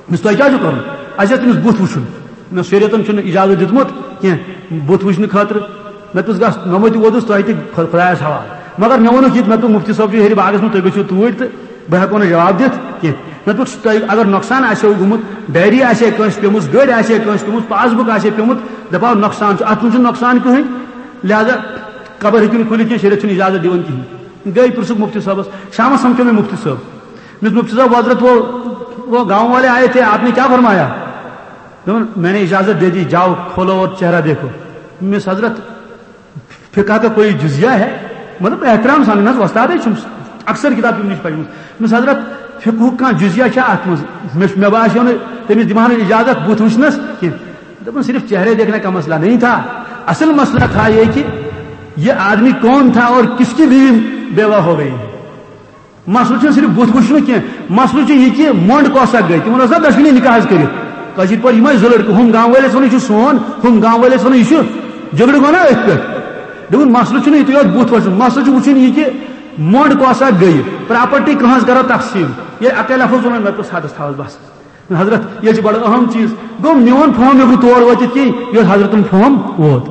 دوٚپُس، "تۄہہِ کیٛاہ چھُو کَرُن؟" "اَسہِ ٲس تٔمِس بُتھ وٕچھُن۔" نہ، شریعتن چھُنہٕ اِجازت دیُتمُت کینٛہہ بُتھ وٕچھنہٕ خٲطرٕ۔ مےٚ دوٚپُس، "گژھ، نوٚمَے تہِ ووتُس، تۄہہِ تہِ خۄ-، خۄدایَس حوالہٕ۔" مگر مےٚ ووٚنُکھ یہِ تہِ، مےٚ دوٚپ، "مُفتی صٲب چھُ ہیٚرِ باغَس منٛز، تُہۍ گٔژھِو توٗرۍ تہٕ بہٕ ہٮ۪کو نہٕ جواب دِتھ کینٛہہ۔" مےٚ دوٚپُکھ، "تۄہہِ اگر نۄقصان آسیو گوٚمُت، ڈایری آسہِ ہے کٲنٛسہِ پیٚمٕژ، گٔرۍ آسہِ ہے کٲنٛسہِ پیٚمٕژ، پاس بُک آسہِ ہے پیٚمُت، دَپہو نۄقصان چھُ، اَتھ منٛز چھُنہٕ نۄقصان کٕہٕنۍ، لہذا قبر ہیٚکِو نہٕ کھُلِتھ کینٛہہ، شریعت چھُنہٕ اِجازت دِوان کِہیٖنۍ۔" گٔے پرٛژھُکھ مُفتی صٲبَس، شامَس سَمکھیو مےٚ مُفتی صٲب۔ مےٚ دوٚپ، "مُفتی صٲب، حضرت، وہ، وہ گاؤں والے آئے تھے، آپ نے کیا فرمایا؟" دوٚپُن، "میں نے اجازت دے دی، جاؤ، کھولو اور چہرہ دیکھو۔" مےٚ ووٚنُس، "حضرت، فقہ کا کوئی جزیہ ہے؟" مطلب، احترام سان، نہ حظ، وۄستادٕے چھُم، اکثر کِتاب تِمنٕے چھِ پَرِمٕژ۔ مےٚ ووٚنُس، "حضرت، فقہُک کانٛہہ جزیہ چھا اَتھ منٛز؟ مےٚ چھُ، مےٚ باسیو نہٕ تٔمِس دِوان اجازت بُتھ وٕچھنَس کینٛہہ۔" دوٚپُن، "صرف چہرے دیکھنے کا مسئلہ نہیں تھا، اصل مسئلہ تھا یہ کہ یہ آدمی کون تھا اور کس کی بیوی بیوہ ہو گئی۔" مسلہٕ چھُنہٕ صرف بُتھ وٕچھنہٕ کینٛہہ، مسلہٕ چھُ یہِ کہِ مۄنٛڈ کۄس اکھ گٔے۔ تِمن اوس نا دۄشوٕنی نکاح حظ کٔرِتھ۔ کٲشِر پٲٹھۍ یِم ٲسۍ زٕ لڑکہٕ، ہُم گامہٕ وٲلۍ ٲسۍ وَنان، "یہِ چھُ سون"، ہُم گامہٕ وٲلۍ ٲسۍ وَنان، "یہِ چھُ جھگڑٕ گوٚو نا أتھۍ پٮ۪ٹھ۔" دوٚپُن، مسلہٕ چھُنہٕ یِتُے یوت بُتھ وٕچھُن، مسلہٕ چھُ وٕچھُن یہِ کہِ مۄنڈ کۄس اکھ گٔیہِ، پراپرٹی کٕہٕنٛز کرو تقسیٖم۔ ییٚلہِ اکے لفظ ووٚنُن، مےٚ دوٚپُس، حدس تھاوس بس۔ حضرت، یہِ چھُ بڑٕ اہم چیٖز۔ گوٚو، میون فہم ہیوٚک نہٕ تور وٲتِتھ کینٛہہ، یوٚت حضرتن فہم ووت۔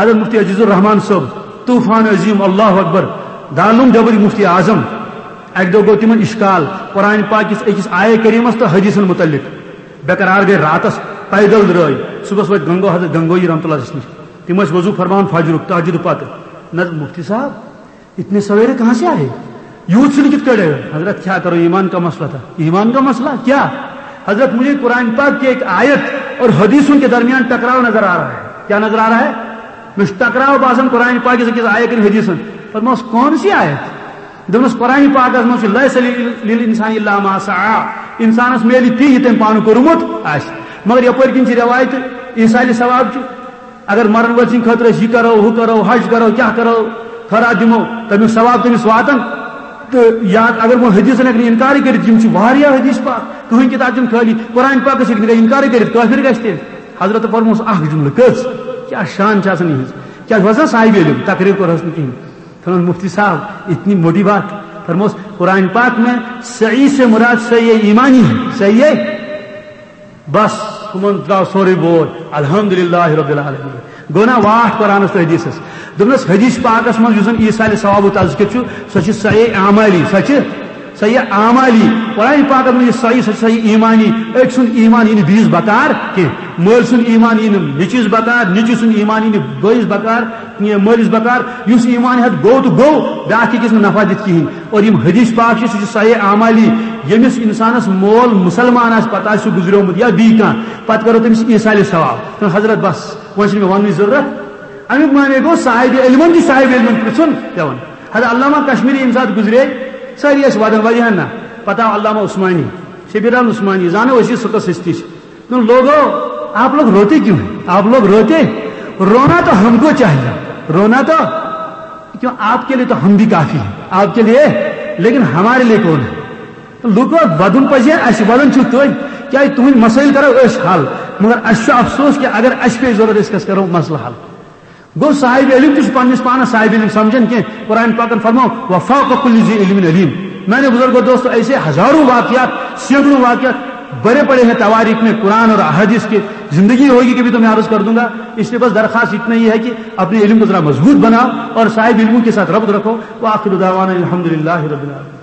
حضرت مفتی عزیز الرحمان صٲب، طوفان عظیم، اللہ اکبر، دارالعلوم دیوبند مفتی اعظم، اکہِ دۄہ گوٚو تِمن اشکال، قرآن پاک کِس أکِس آیے کریمس تہٕ حدیثن متعلق۔ بے قرار گٔے راتس، پیدل درٛاے، صبحس وٲتۍ گنگو، حضرت گنگوہی رحمتہ اللہ علیہ نِش۔ تِم ٲسۍ وضو فرماوان فجرُک، تہجد پتہٕ۔ نہ، مفتی صاحب، اتنے سویرے کہاں سے آئے؟ یوت سُلہِ کِتھ کٲٹھۍ آئے؟ حضرت، کیا کرو، ایمان کا مسئلہ تھا۔ ایمان کا مسئلہ کیا؟ حضرت، مجھے قرآن پاک کی ایک آیت اور حدیثوں کے درمیان ٹکراؤ نظر آ رہا ہے۔ کیا نظر آ رہا ہے؟ مےٚ چھُ ٹکراو باسان قرآن پاک کِس أکِس آیت کِنۍ حدیثن۔ فرموس، کون سی آیت؟ دوٚپنَس، قرآن پاکس منٛز چھُ، "لیس لل-، للانسان الا ما سعی"، انسانس میلہِ تی یہِ تٔمۍ پانہٕ کوٚرمُت آسہِ۔ مگر یپٲرۍ کِنۍ چھِ رٮ۪وایتہٕ ایصال ثواب چھُ، اگر مرن وٲلۍ سٕنٛدِ خٲطرٕ أسۍ یہِ کرو، ہُہ کرو، حج کرو، کیٛاہ کرو، خٲرات دِمو، تَمیُک ثواب تٔمِس واتان۔ تہٕ یا اگر وۄنۍ حدیثن ہٮ۪کہِ نہٕ انکارٕے کٔرِتھ، یِم چھِ واریاہ حدیث پاک، کٕہٕنۍ کِتاب چھِنہٕ خٲلی، قرآن پاکس ہیٚکہِ نہٕ انکارٕے کٔرِتھ، کٲفِر گژھِ تیٚلہِ۔ حضرت فرموس اکھ جملہٕ، کٔژ؟ کیٛاہ شان چھِ آسان یِہٕنٛز؟ کیٛازِ وۄنۍ زن صاحب علم تقریر کوٚرہس نہٕ کِہیٖنۍ۔ فرموس، مفتی صاحب، اتنی موٹی بات۔ فرموس، قرآن پاک میں سعی سے مراد سعی ایمانی ہے، سعی ہے۔ بس، ہُمن درٛاو سورُے بوج، الحمدللہ رب العالمین۔ گوٚو نا واٹھ قرآنس تہٕ حدیثس؟ دوٚپنس، حدیث پاکس منٛز یُس زن ایصال ثوابُک تذکر چھُ، سۄ چھِ سعی اعمالی، سۄ چھِ سعی اعمالی۔ قرآن پاکس منٛز یہِ سعی، سۄ چھِ سعی ایمانی۔ أکۍ سُنٛد ایمان یی نہٕ بیٚیِس بکار کینٛہہ، مٲلۍ سُنٛد ایمان یی نہٕ نیٚچوِس بکار، نیٚچوِ سُنٛد ایمان یی نہٕ بٲیِس بکار، یہِ مٲلِس بکار۔ یُس ایمان ہٮ۪تھ گوٚو تہٕ گوٚو، بیٛاکھ ہیٚکہِ نہٕ نفع دِتھ کِہیٖنۍ۔ اور یِم حدیث پاک چھِ، سُہ چھُ سعی اعمالی۔ ییٚمِس انسانس مول مسلمان آسہِ، پتہٕ آسہِ سُہ گُزریومُت یا بیٚیہِ کانٛہہ، پتہٕ کرو تٔمِس ایصال ثواب۔ تہٕ حضرت، بس، وۄنۍ چھُنہٕ مےٚ وننٕچ ضروٗرت۔ امیُک معنی گوٚو، صاحب علمن تہِ صاحب علمن پرژھُن پٮ۪وان۔ حضرت علامہ کشمیری ییٚمہِ ساتہٕ گُزرے، سٲری ٲسۍ ودان، واریاہن نہ۔ پتہٕ آو علامہ عثمانی، شبیر احمد عثمانی، زانو أسۍ یہِ سُہ کس ہستی چھِ۔ تِم لوگو، آپ لوگ روتے کیوں ہیں؟ آپ لوگ روتے؟ رونا تو ہم کو چاہیے، رونا تو، کیوں، آپ کے لیے تو ہم بھی کافی ہیں، آپ کے لیے، لیکن ہمارے لیے کون ہے؟ لوگو، ودُن پزِ اَسہِ، ودان چھِو تُہۍ، کیٛازِ تُہٕنٛدۍ مسٲیِل کرو أسۍ حل، مگر اَسہِ چھُ افسوس کہِ اگر اَسہِ پیٚیہِ ضروٗرت، أسۍ کَس کرو مسلہٕ حل؟ گوٚو، صاحب علم تہِ چھُ پننِس پانس صاحب علم سمجھان کینٛہہ۔ قرآن پاکن فرماؤ، "وفوق کل ذی علم علیم"۔ میانہِ بزرگو دوستو، ایسے ہزاروں واقعات، سینکڑوں واقعات بھرے پڑے ہیں تواریخ میں قرآن اور احادیث کے۔ زندگی ہوگی کبھی تو میں عرض کر دوں گا۔ اس لیے بس درخواست اتنا ہی ہے کہ اپنے علم کو ذرا مضبوط بناؤ اور صاحب علموں کے ساتھ ربط رکھو۔ وآخر دعوانا الحمدللہ رب العالمین۔